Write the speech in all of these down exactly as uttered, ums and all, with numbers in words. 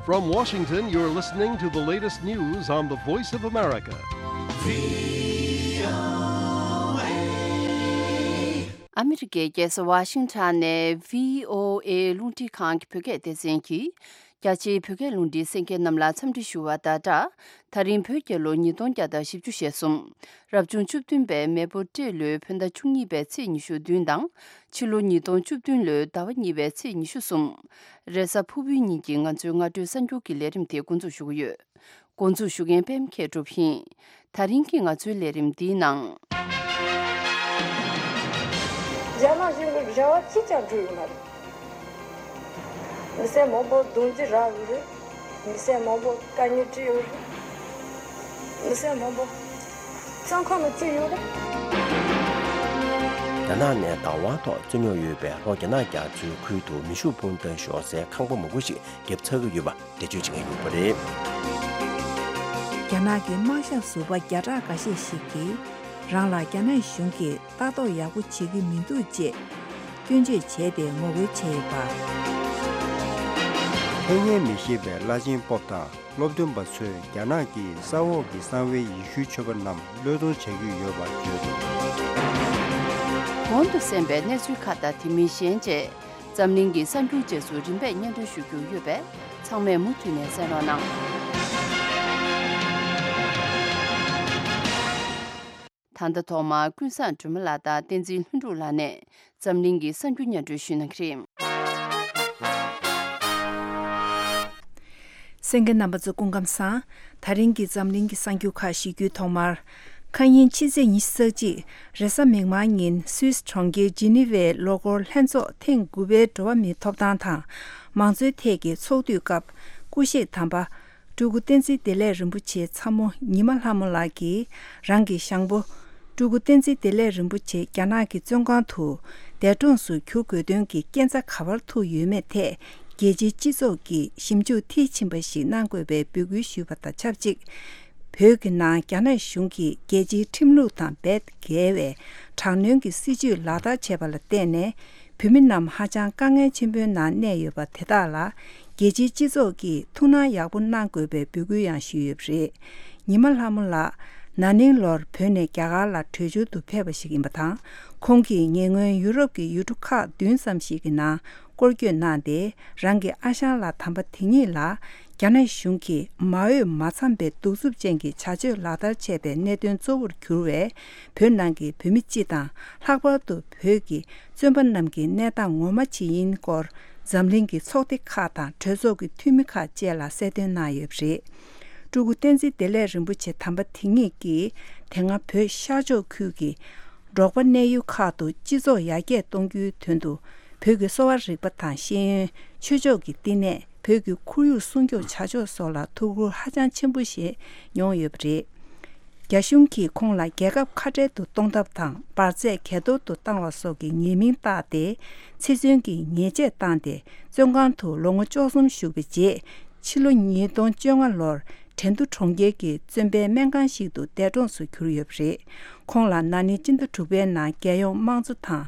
From Washington, you're listening to the latest news on the Voice of America. ཨ་མི་རི་ཀའི་རྒྱལ་ས་ཝ་ཤིང་ཊོན་ནས་བྷི་ཨོ་ཨེ་རླུང་འཕྲིན་ཁང་གི་བོད་སྐད་སྡེ་ཚན་གྱིས། རྒྱ་ཆེའི་བོད་སྐད་རླུང་འཕྲིན་གསན་མཁན་རྣམས་ལ་འཚམས་འདྲི་ཞུ་བ་དང་སྦྲགས། ད་རིང་བོད་རྒྱལ་ལོ་ཉིས་སྟོང་བརྒྱ་དང་བཞི་བཅུ་ཞེ་གསུམ། རབ་བྱུང་བཅུ་བདུན་པའི་མེ་ཕོ་སྤྲེལ་ལོའི་བོད་ཟླ་བཅུ་གཉིས་པའི་ཚེས་ཉི་ཤུ་བདུན་དང་། ཕྱི་ལོ་ཉིས་སྟོང་བཅུ་བདུན་ལོའི་ཟླ་བ་གཉིས་པའི་ཚེས་ཉི་ཤུ་གསུམ། རེས་གཟའ་ཕུར་བུའི་ཉིན་གྱི་ང་ཚོའི་སྔ་དྲོའི་གསར་འགྱུར་གྱི་ལས་རིམ་དེ་འགོ་འཛུགས་ཞུ་གི་ཡོད། འགོ་འཛུགས་ཞུ་མཁན་པད་མ་མཁས་གྲུབ་ཡིན། ད་རིང་གི་ང་ཚོའི་ལས་རིམ་འདིའི་ནང་། རྒྱ་ནག་གཞུང་གི་རེ་བ་གཅིག་ཀྱང་འགྲུབ་ཡོད་མ་རེད། མི་སེར་མང་པོ་རྡུང་རྡེག་རག་ཡོད་རེད། མི་སེར་མང་པོ་དཀའ་ངལ་འཕྲད་ཡོད་རེད། མི་སེར་མང་པོ་བཙོན་ཁང་ནང་བཙུགས་ཡོད་རེད། རྒྱ་ནག་ནས་བདག་དབང་ཐོག་རྩོད་རྙོག་ཡོད་པའི་ལྷོ་རྒྱ་ནག་རྒྱ་མཚོའི་ཁུལ་དུ་མེ་ཤུགས་འཕུར་མདའ་ཤོར་སའི་ཁང་པ་མང་པོ་ཞིག་བརྒྱབ་ཚར་གྱི་ཡོད་པ་འགྲེལ་བརྗོད་བྱེད་མཁན་ཡོད་པ་རེད། རྒྱ་ནག་གི་དམག་ཞབས་ཟུར་པ་བརྒྱ་ཕྲག་འགའ་ཤས་ཤིག་གིས་རང་ལ་རྒྱ་ནག་གཞུང་གིས་ལྟ་རྟོག་ཡག་པོ་བྱེད་ཀྱི་མི་འདུག་ཅེས་སྐྱོན་བརྗོད་བྱས་ཏེ་ངོ་རྒོལ་བྱས་ཡོད་པ། ཕན་ཡོན་མི་ཤེས་པའི་བླ་ཆེན་པོབ་དང་སློབ་སྟོན་པ་ཚོས་རྒྱ་ནག་གི་ས་འོག་གི་གསང་བའི་ཡེ་ཤུའི་ཆོས་པ་རྣམས་བློས་གཏོང་བྱ་རྒྱུ་ཡོད་པ་བརྗོད་འདུག། གོང་དུ་གསན་པའི་གནས་ཚུལ་ཁག་དང་དེ་མིན་གཞན་བཅས་འཛམ་གླིང་གི་གསར་འགྱུར་རྗེས་སུ་རིམ་པས་སྙན་སྒྲོན་ཞུ་རྒྱུ་ཡོད་པས་ཚང་མས་མུ་མཐུད་ནས་གསན་རོགས་གནང་། ད་ལྟ་ཐོག་མར་ཀུན་བཟང་སྒྲོལ་མ་ལགས་དང་བསྟན་འཛིན་ལྷུན་གྲུབ་ལགས་ནས་འཛམ་གླིང་གི་གསར་འགྱུར་སྙན་སྒྲོན་ཞུ་གནང་གི་རེད། གསན་མཁན་རྣམ་པ་ཚོ་སྐུ་ཁམས་བཟང་། ད་རིང་གི་འཛམ་གླིང་གི་གསར་འགྱུར་ཁག་ཞུ་རྒྱུའི་ཐོག་མར། ཁ་ཉིན་ཕྱི་ཚེས་ཉི་ཤུ་རྩ་གཅིག་རེས་གཟའ་མིག་དམར་ཉིན་སུད་སི་གྲོང་ཁྱེར་ཇི་ནི་ཝའི་ལོ་འཁོར་ལྷན་ཚོགས་ཐེངས་དགུ་པའི་འགྲོ་བ་མིའི་ཐོབ་ཐང་དང་མང་གཙོའི་ཐད་ཀྱི་ཚོགས་འདུའི་སྐབས་སྐུ་གཤེགས་དམ་པ། སྤྲུལ་སྐུ་བསྟན་འཛིན་བདེ་ལེགས་རིན་པོ་ཆེའི་ཚ་མོ་ཉི་མ་ལྷ་མོ་ལགས་ཀྱིས་རང་གི་ཞང་པོ། སྤྲུལ་སྐུ་བསྟན་འཛིན་བདེ་ལེགས་རིན་པོ་ཆེ་རྒྱ་ནག་གི་བཙོན་ཁང་དུ་འདས་གྲོངས་སུ་གྱུར་དགོས་དོན་གྱི་རྐྱེན་རྩ་ག་པར་ཐུག་ཡོད་མེད་ཐད་རྒྱལ་སྤྱིའི་སྤྱི་ཚོགས་ཀྱིས་ཞིབ་འཇུག་མཐིལ་ཕྱིན་པ་ཞིག་གནང་དགོས་པའི་འབོད་སྐུལ་ཞུས་པ་དང་ཆབས་ཅིག་བོད་ཀྱི་ནང་རྒྱ་ནག་གཞུང་གིས་རྒྱལ་སྤྱིའི་ཁྲིམས་ལུགས་དང་རྦད་འགལ་བའི་དྲག་གནོན་གྱི་སྲིད་བྱུས་ལག་བསྟར་བྱས་པ་ལ་བརྟེན་ནས། བོད་མི་རྣམས་ཧ་ཅང་དཀའ་ངལ་ཆེན་པོའི་ནང་གནས་ཡོད་པ་དེ་དག་ལ་རྒྱལ་སྤྱིའི་སྤྱི་ཚོགས་ཀྱིས་ཐུགས་སྣང་ཡག་པོ་གནང་དགོས་པའི་འབོད་སྐུལ་ཡང་ཞུས་ཡོད་པ་རེད། ཉི་མ་ལྷ་མོ་ལགས་ན་ནིང་ལོར་བོད་ནས་རྒྱ་གར་ལ་བྲོས་བྱོལ་དུ་ཕེབས་པ་ཞིག་ཡིན་པ་དང་། ཁོང་གིས་ཉེ་སྔོན་ཡུ་རོབ་ཀྱི་ཡུལ་གྲུ་ཁག་བདུན་ཙམ་ཞིག་གི་ནང་སྐོར་སྐྱོད་གནང་སྟེ། རང་གི་ཨ་ཞང་ལགས་དམ་པ་དེ་ཉིད་ལ་རྒྱ་ནག་གཞུང་གིས་མ་འོས་མ་འཚམས་པའི་གདུག་རྩུབ་ཅན་གྱི་བྱ་སྤྱོད་ལག་བསྟར་བྱས་པའི་གནད་དོན་གཙོ་བོར་གྱུར་བའི་བོད་ནང་གི་བོད་མི་སྤྱི་དང་། ལྷག་པར་དུ་བོད་ཀྱི་བཙོན་པ་རྣམས་ཀྱི་གནས་སྟངས་ངོ་མ་ཇི་ཡིན་སྐོར་འཛམ་གླིང་གི་ཚོགས་སྡེ་ཁག་དང་གྲོས་ཚོགས་ཀྱི་འཐུས་མི་ཁག་བཅས་ལ་གསལ་སྟོན་གནང་ཡོད་པ་རེད། སྤྲུལ་སྐུ་བསྟན་འཛིན་བདེ་ལེགས་རིན་པོ་ཆེ་དམ་པ་དེ་ཉིད་ཀྱིས་དེ་སྔ་བོད་ཤར་ཕྱོགས་ཁུལ་གྱི་འབྲོག་པ་གནས་ཡུལ་ཁག་ཏུ་སྤྱི་ཚོགས་ཡར་རྒྱས་གཏོང་རྒྱུའི་དོན་དུ་བོད་ཀྱི་གསོ་བ་རིག་པ་དང་ཤེས་ཡོན། ཆོས་ཕྱོགས་ཀྱི་བསྟི་གནས། བོད་ཀྱི་ཁོར་ཡུག་སྲུང་སྐྱོབ་བྱ་ཕྱོགས་སོགས་ལ་ཐུགས་ཁུར་ཧ་ཅང་ཆེན་པོ་བཞེས་མྱོང་ཡོད་པ་རེད། རྒྱ་གཞུང་གིས་ཁོང་ལ་རྒྱལ་ཁབ་ཁ་བྲལ་དུ་གཏོང་ཐབས་དང་འབར་རྫས་གས་གཏོར་དུ་བཏང་བ་སོགས་ཀྱི་ཉེས་མིང་བཏགས་ཏེ། ཚེ་བཙོན་གྱི་ཉེས་ཆད་བཏང་སྟེ། བཙོན་ཁང་དུ་ལོ་ངོ་བཅུ་གསུམ་བཞུགས་པའི་རྗེས། ཕྱི་ལོ་ཉིས་སྟོང་བཅོ་ལྔ་ལོར་ཁྲེང་ཏུའུ་གྲོང་ཁྱེར་གྱི་བཙོན་པའི་སྨན་ཁང་ཞིག་ཏུ་འདས་གྲོངས་སུ་གྱུར་ཡོད་པ་རེད། ཁོང་ལ་ན་ནིང་སྤྱི་ཟླ་དྲུག་པའི་ནང་རྒྱལ་ཡོངས་དམངས་གཙོ་དང་།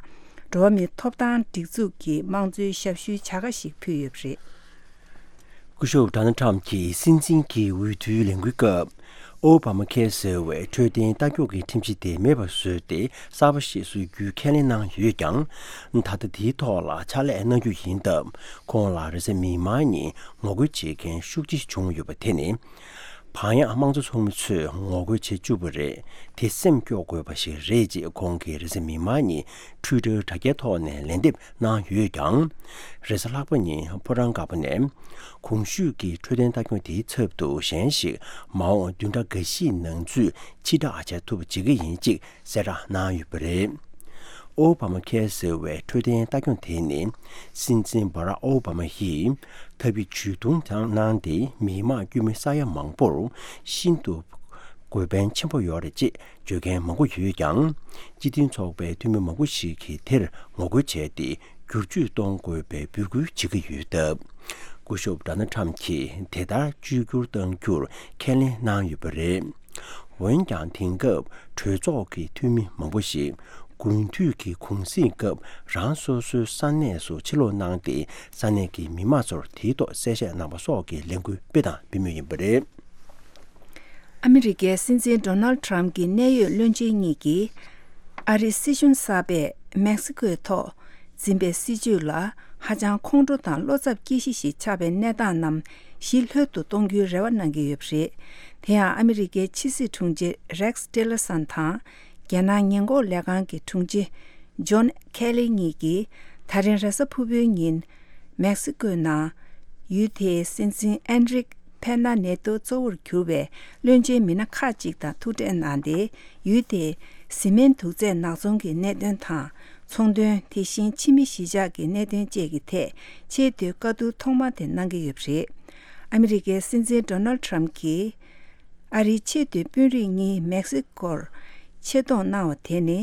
འགྲོ་བ་མིའི་ཐོབ་ཐང་སྒྲིག་འཛུགས་ཀྱི་དམངས་གཙོའི་ཞབས་ཞུའི་བྱ་དགའ་ཞིག་ཕུལ་ཡོད་པ་རེད། སྐུ་ཞབས་ཌོ་ནལ་ཊམ་གྱིས་སྲིད་འཛིན་གྱི་འོས་བསྡུའི་ལས་འགུལ་སྐབས། ཨོ་བྷ་མ་ཁེར་ཟེར་བའི་འཕྲོད་བསྟེན་ལྟ་སྐྱོང་གི་ཁྲིམས་གཞི་དེ་མེད་པར་བཟོས་ཏེ། གསར་པ་ཞིག་བཟོ་རྒྱུའི་ཁས་ལེན་གནང་ཡོད་ཀྱང་། ད་ལྟ་དེའི་ཐོག་ལ་ཕྱག་ལས་གནང་རྒྱུ་ཡིན་སྟབས། ཁོང་ལ་རེས་གཟའ་མིག་དམར་ཉིན་ངོ་རྒོལ་བྱེད་མཁན་ཤུགས་ཆེ་བྱུང་ཡོད་པ་དེ་ནི། བག་ཡངས་དམངས་གཙོ་ཚོགས་མི་ཚོས་ངོ་རྒོལ་བྱེད་བཅུག་པ་རེད། དེ་སེམས་སྐྱོ་དགོས་པ་ཞིག་རེད་ཅེས་ཁོང་གིས་རེས་གཟའ་མིག་དམར་ཉིན་ཊུའི་ཊར་དྲ་རྒྱའི་ཐོག་ནས་ལན་འདེབས་གནང་ཡོད་ཀྱང་། རེས་གཟའ་ལྷག་པ་ཉིན་ཕོ་བྲང་དཀར་པོ་ནས། གོང་ཞུས་ཀྱི་འཕྲོད་བསྟེན་ལྟ་སྐྱོང་དེའི་ཚབ་ཏུ་གཞན་ཞིག་མ་འོངས་བདུན་ཕྲག་འགའ་ཤས་ནང་ཚུད་ཕྱིར་བསྒྲགས་བྱ་ཐུབ་པ་བྱེད་ཀྱི་ཡིན་ཅེས་གསལ་བསྒྲགས་གནང་ཡོད་པ་རེད། ཨོ་བྷ་མ་ཁེར་ཟེར་བའི་འཕྲོད་བསྟེན་ལྟ་སྐྱོང་དེ་ནི། སྲིད་འཛིན་བྷ་རག་ཨོ་བྷ་མ་ཡིས་ཐབས་ཇུས་ཇུས་གཏོགས་གནང་སྟེ། མི་དམངས་དཀྱུས་མ་ས་ཡ་མང་པོར་ཤིན་ཏུ་དགོས་ཕན་ཆེན་པོ་ཡོད་རེད་ཅེས་བརྗོད་མཁན་མང་པོ་ཡོད་ཀྱང་། སྤྱི་མཐུན་ཚོགས་པའི་འཐུས་མི་མང་པོ་ཞིག་གིས་དེར་ངོ་རྒོལ་བྱས་ཏེ། བསྒྱུར་བཅོས་གཏོང་དགོས་པའི་འབོད་སྐུལ་བྱེད་ཀྱི་ཡོད་སྟབས། སྐུ་ཞབས་ཌོ་ནལ་ཊམ་གྱིས་དེ་ལྟར་བཅོས་བསྒྱུར་གཏང་རྒྱུར་ཁས་ལེན་གནང་ཡོད་པ་རེད། འོན་ཀྱང་། དེང་སྐབས་གྲོས་ཚོགས་ཀྱི་འཐུས་མི་མང་པོ་ཞིག་ དགུན་དུས་ཀྱི་གུང་གསེང་སྐབས་རང་སོ་སོའི་ས་གནས་སུ་ཕྱིར་ལོག་གནང་སྟེ། ས་གནས་ཀྱི་མི་མང་ཚོར་དེའི་ཐོག་གསལ་བཤད་གནང་བ་སོགས་ཀྱི་ལས་འགུལ་སྤེལ་དང་སྤེལ་མུས་ཡིན་པ་རེད། ཨ་མི་རི་ཀའི་སྲིད་འཛིན་ཌོ་ནལ་ཌི་ཊརམ་ཕི་གྱི་གནད་ཡོད་བློན་ཆེན་གཉིས་ཀྱིས། ཨ་རིའི་སྲིད་གཞུང་གསར་པས་མེག་སི་ཀོའི་ཐོག་འཛིན་པའི་སྲིད་བྱུས་ལ་ཧ་ཅང་ཁོང་ཁྲོ་དང་བློ་འཚབ་སྐྱེ་གཞི་ཞིག་ཆགས་པའི་གནས་སྟངས་རྣམས་ཞི་ལྷོད་དུ་གཏོང་རྒྱུའི་རེ་བ་གནང་གི་ཡོད་པ་རེད། དེ་ཡང་ཨ་མི་རི་ཀའི་ཕྱི་སྲིད་དྲུང་ཆེ་རེག་སི་ཊི་ལར་སན་དང་། རྒྱལ་ནང་ཉེན་འགོག་ལས་ཁང་གི་དྲུང་ཆེ་ཇོན་ཁེ་ལི་གཉིས་ཀྱིས་ད་རིང་རེས་གཟའ་ཕུར་བུའི་ཉིན། མེག་སི་ཀོའི་ནང་ཡུལ་དེའི་སྲིད་འཛིན་ཨན་རིག་ཕེ་ན་ཉེ་ཏོ་གཙོ་བོར་གྱུར་བའི་བློན་ཆེན་མི་སྣ་ཁག་ཅིག་དང་ཐུག་འཕྲད་གནང་སྟེ། ཡུལ་དེའི་བཟི་སྨན་དུག་རྫས་ནག་ཚོང་གི་གནད་དོན་དང་། ཚོང་དོན། དེ་བཞིན་ཕྱི་མི་གཞིས་ཆགས་ཀྱི་གནད་དོན་བཅས་ཀྱི་ཐད་ཆེས་མཐོའི་བཀའ་བསྡུར་ཐོག་མ་དེ་གནང་གི་ཡོད་པ་རེད། ཨ་མི་རི་ཀའི་སྲིད་འཛིན་ཌོ་ནལ་ཌི་ཊརམ་ཕི་གྱིས། ཨ་རིའི་ཆེས་མཐོའི་དཔོན་རིགས་གཉིས་མེག་སི་ཀོར་ཆེད་གཏོང་གནང་བ་དེ་ནི་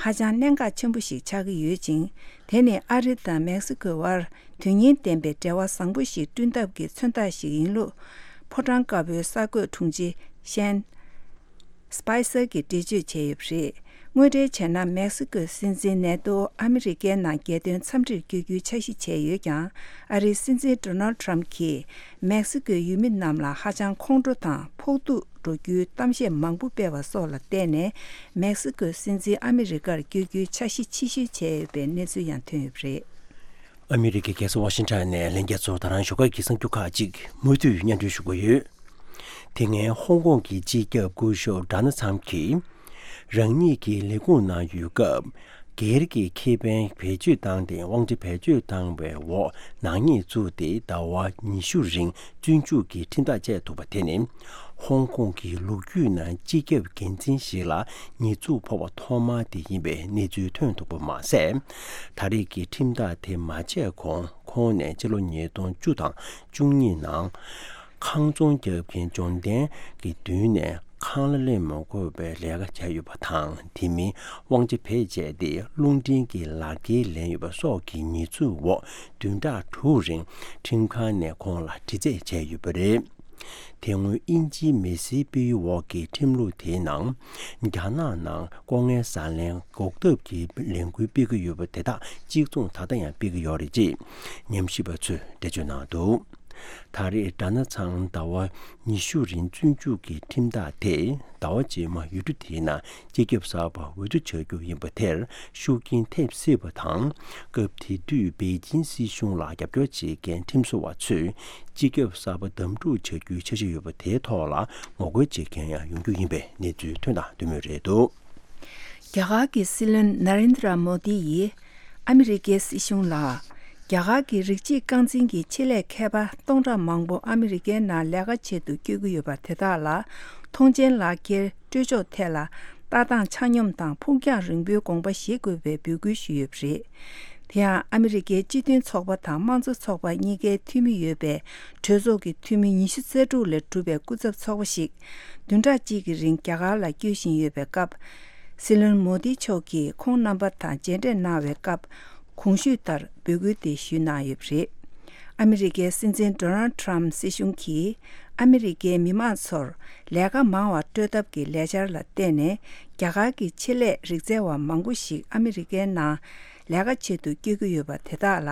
ཧ་ཅང་གནད་འགག་ཆེན་པོ་ཞིག་ཆགས་ཀྱི་ཡོད་ཅིང་། དེ་ནི་ཨ་རི་དང་མེག་སི་ཀོའི་དབར་དོན་སྙིང་ལྡན་པའི་འབྲེལ་བ་བཟང་པོ་ཞིག་བསྐྲུན་ཐབས་ཀྱི་མཚོན་རྟགས་ཤིག་ཡིན་ལུགས། ཕོ་བྲང་དཀར་པོའི་གསར་འགོད་དྲུང་ཆེ་ཤན་སི་པའི་སར་གྱིས་འགྲེལ་བརྗོད་བྱས་ཡོད་པ་རེད། དངོས་འབྲེལ་བྱས་ན། མེག་སི་ཀོའི་སྲིད་འཛིན་ཉེ་ཏོ་ཨ་མི་རི་ཀའི་ནང་རྒྱལ་དོན་འཚམས་འདྲིར་བསྐྱོད་རྒྱུའི་འཆར་གཞི་བྱས་ཡོད་ཀྱང་། ཨ་རིའི་སྲིད་འཛིན་ཌོ་ནལ་ཌི་ཊརམ་ཕི་གྱིས་མེག་སི་ཀོའི་ཡུལ་མི་རྣམས་ལ་ཧ་ཅང་ཁོང་ཁྲོ་དང་ཕོག་ཐུག་འགྲོ་རྒྱུའི་གཏམ་བཤད་མང་པོ་སྤེལ་བ་སོགས་ལ་བརྟེན་ནས། མེག་སི་ཀོའི་སྲིད་འཛིན་ཨ་མི་རི་ཀར་བསྐྱོད་རྒྱུའི་འཆར་གཞི་ཕྱིར་བཤོལ་བྱས་ཡོད་པའི་གནས་ཚུལ་ཡང་ཐོན་ཡོད་པ་རེད། ཨ་མི་རི་ཀའི་རྒྱལ་ས་ཝ་ཤིང་ཊོན་ནས་ལྷན་རྒྱས་ཚོར་ད་རང་ཞོགས་ཀས་ཀྱི་གསར་འགྱུར་ཁག་ཅིག་མུ་མཐུད་སྙན་སྒྲོན་ཞུ་གི་ཡོད། དེ་སྔའི་ཧོང་ཀོང་གི་སྤྱི་ཁྱབ་སྐུ་ཞབས་ཌོ་ནལ་ཌི་ཊརམ་ཕི་གྱིས། རང་ཉིད་ཀྱི་ལས་ཁུངས་ནང་ཡོད་སྐབས། སྒེར་གྱི་ཁེ་ཕན་བེད་སྤྱོད་བཏང་སྟེ། དབང་ཆ་བེད་སྤྱོད་བཏང་བའི་འོག་ནག་ཉེས་བཙུགས་ཏེ། ཟླ་བ་ཉི་ཤུ་རིང་བཙོན་འཇུག་གི་ཁྲིམས་ཐག་བཅད་ཐུབ་པ་དེ་ནི། ཧོང་ཀོང་གི་ལོ་རྒྱུས་ནང་སྤྱི་ཁྱབ་འགན་འཛིན་ཞིག་ལ་ཉེས་འཛུགས་ཕོག་པ་ཐོག་མ་དེ་ཡིན་པའི་གནས་ཚུལ་ཐོན་འདུག་པ་མ་ཟད། ད་རེས་ཀྱི་ཁྲིམས་ཐག་དེ་མ་བཅད་གོང་། ཁོང་ནས་ཕྱི་ལོ་ཉིས་སྟོང་བཅུ་དང་བཅུ་གཉིས་ནང་། ཁང་ཚོང་བརྒྱབ་མཁན་འབྱོར་ལྡན་གྱི་མདུན་ནས་ཁང་གླ་ལེན་མ་དགོས་པའི་ལས་ཀ་བྱས་ཡོད་པ་དང་། དེ་མིན་དབང་ཆ་བེད་སྤྱད་དེ་རླུང་འཕྲིན་གྱི་ལག་འཁྱེར་ལེན་ཡོད་པ་སོགས་ཀྱི་ཉེས་འཛུགས་འོག་བདུན་ཕྲག་དྲུག་རིང་ཁྲིམས་ཁང་ནས་ཁོང་ལ་དྲི་རྩད་བྱས་ཡོད་པ་རེད། དེ་སྔོན་དབྱིན་ཇིའི་མི་སེར་སྤེལ་ཡུལ་འོག་གི་ཁྲིམས་ལུགས་དེའི་ནང་། རྒྱ་ནག་ནང་ལྐོག་རྔན་ཟ་ལེན་འགོག་ཐབས་ཀྱི་ལས་འགུལ་སྤེལ་གྱི་ཡོད་པ་དེ་དག་གཅིག་མཚུངས་ད་ལྟ་ཡང་སྤེལ་གྱི་ཡོད་རེད་ཅེས་ཉམས་ཞིབ་པ་ཚོས་འགྲེལ་བརྗོད་གནང་འདུག་ད་རེས་ཌོ་ནལ་ཌི་ཊརམ་ཕི་ཟླ་བ་ཉི་ཤུ་རིང་བཙོན་འཇུག་གི་ཁྲིམས་ཐག་དེ་ཟླ་བ་རྗེས་མ་ཡུལ་གྲུ་དེའི་ནང་སྤྱི་ཁྱབ་གསར་པ་འོས་བསྡུ་བྱ་རྒྱུ་ཡིན་པ་དེར་ཤུགས་རྐྱེན་ཐེབས་སྲིད་པ་དང་། སྐབས་དེ་དུས་པེ་ཅིན་སྲིད་གཞུང་ལ་རྒྱབ་སྐྱོར་བྱེད་མཁན་ཁྲིམས་བཟོ་བ་ཚོས་སྤྱི་ཁྱབ་གསར་པ་བདམས་སྒྲུག་བྱ་རྒྱུའི་འཆར་གཞི་ཡོད་པ་དེའི་ཐོག་ལ་ངོ་རྒོལ་བྱེད་མཁན་ཡང་ཡོང་རྒྱུ་ཡིན་པའི་གནས་ཚུལ་ཐོན་དང་ཐོན་མུས་རེད་འདུག་རྒྱ་གར་གྱི་སྲིད་བློན་ན་རེན་དྲ་མོ་དི་ཡིས་ཨ་མི་རི་ཀའི་སྲིད་གཞུང་ལ། རྒྱ་གར་གྱི་རིགས་གཅིག་རྐང་འཛིན་གྱི་ཆེད་ལས་མཁས་པ་སྟོང་ཕྲག་མང་པོ་ཨ་མི་རི་ཀའི་ནང་ལས་ཀ་བྱེད་དུ་བསྐྱོད་ཀྱི་ཡོད་པ་དེ་དག་ལ་ཐོངས་མཆན་ལག་འཁྱེར་སྤྲོད་ཕྱོགས་ཐད་ལ་ལྟ་སྟངས་ཆ་སྙོམས་དང་ཕུགས་རྒྱང་རིང་པོའི་དགོངས་པ་བཞེས་དགོས་པའི་འབོད་སྐུལ་ཞུས་ཡོད་པ་རེད། དེ་ཡང་ཨ་མི་རི་ཀའི་སྤྱི་མཐུན་ཚོགས་པ་དང་དམངས་གཙོ་ཚོགས་པ་གཉིས་ཀའི་འཐུས་མི་ཡོད་པའི་གྲོས་ཚོགས་ཀྱི་འཐུས་མི་ཉི་ཤུ་རྩ་དྲུག་ལས་གྲུབ་པའི་སྐུ་ཚབ་ཚོགས་པ་ཞིག་བདུན་ཕྲག་གཅིག་གི་རིང་རྒྱ་གར་ལ་བསྐྱོད་བཞིན་ཡོད་པའི་སྐབས། སྲིད་བློན་མོ་དི་མཆོག་གིས་ཁོང་རྣམ་པ་དང་མཇལ་འཕྲད་གནང་བའི་སྐབས། གོང་ཞུས་ལྟར་འབོད་སྐུལ་དེ་ཞུས་གནང་ཡོད་པ་རེད། ཨ་མི་རི་ཀའི་སྲིད་འཛིན་ཌོ་ནལ་ཌི་ཊརམ་ཕི་སྲིད་གཞུང་གིས་ཨ་མི་རི་ཀའི་མི་མང་ཚོར་ལས་ཀ་མང་བ་སྤྲོད་ཐབས་ཀྱི་ལས་འཆར་ལ་བརྟེན་ནས། རྒྱ་གར་གྱི་ཆེད་ལས་རིག་རྩལ་བ་མང་པོ་ཞིག་ཨ་མི་རི་ཀའི་ནང་ལས་ཀ་བྱེད་དུ་བསྐྱོད་ཀྱི་ཡོད་པ་དེ་དག་ལ།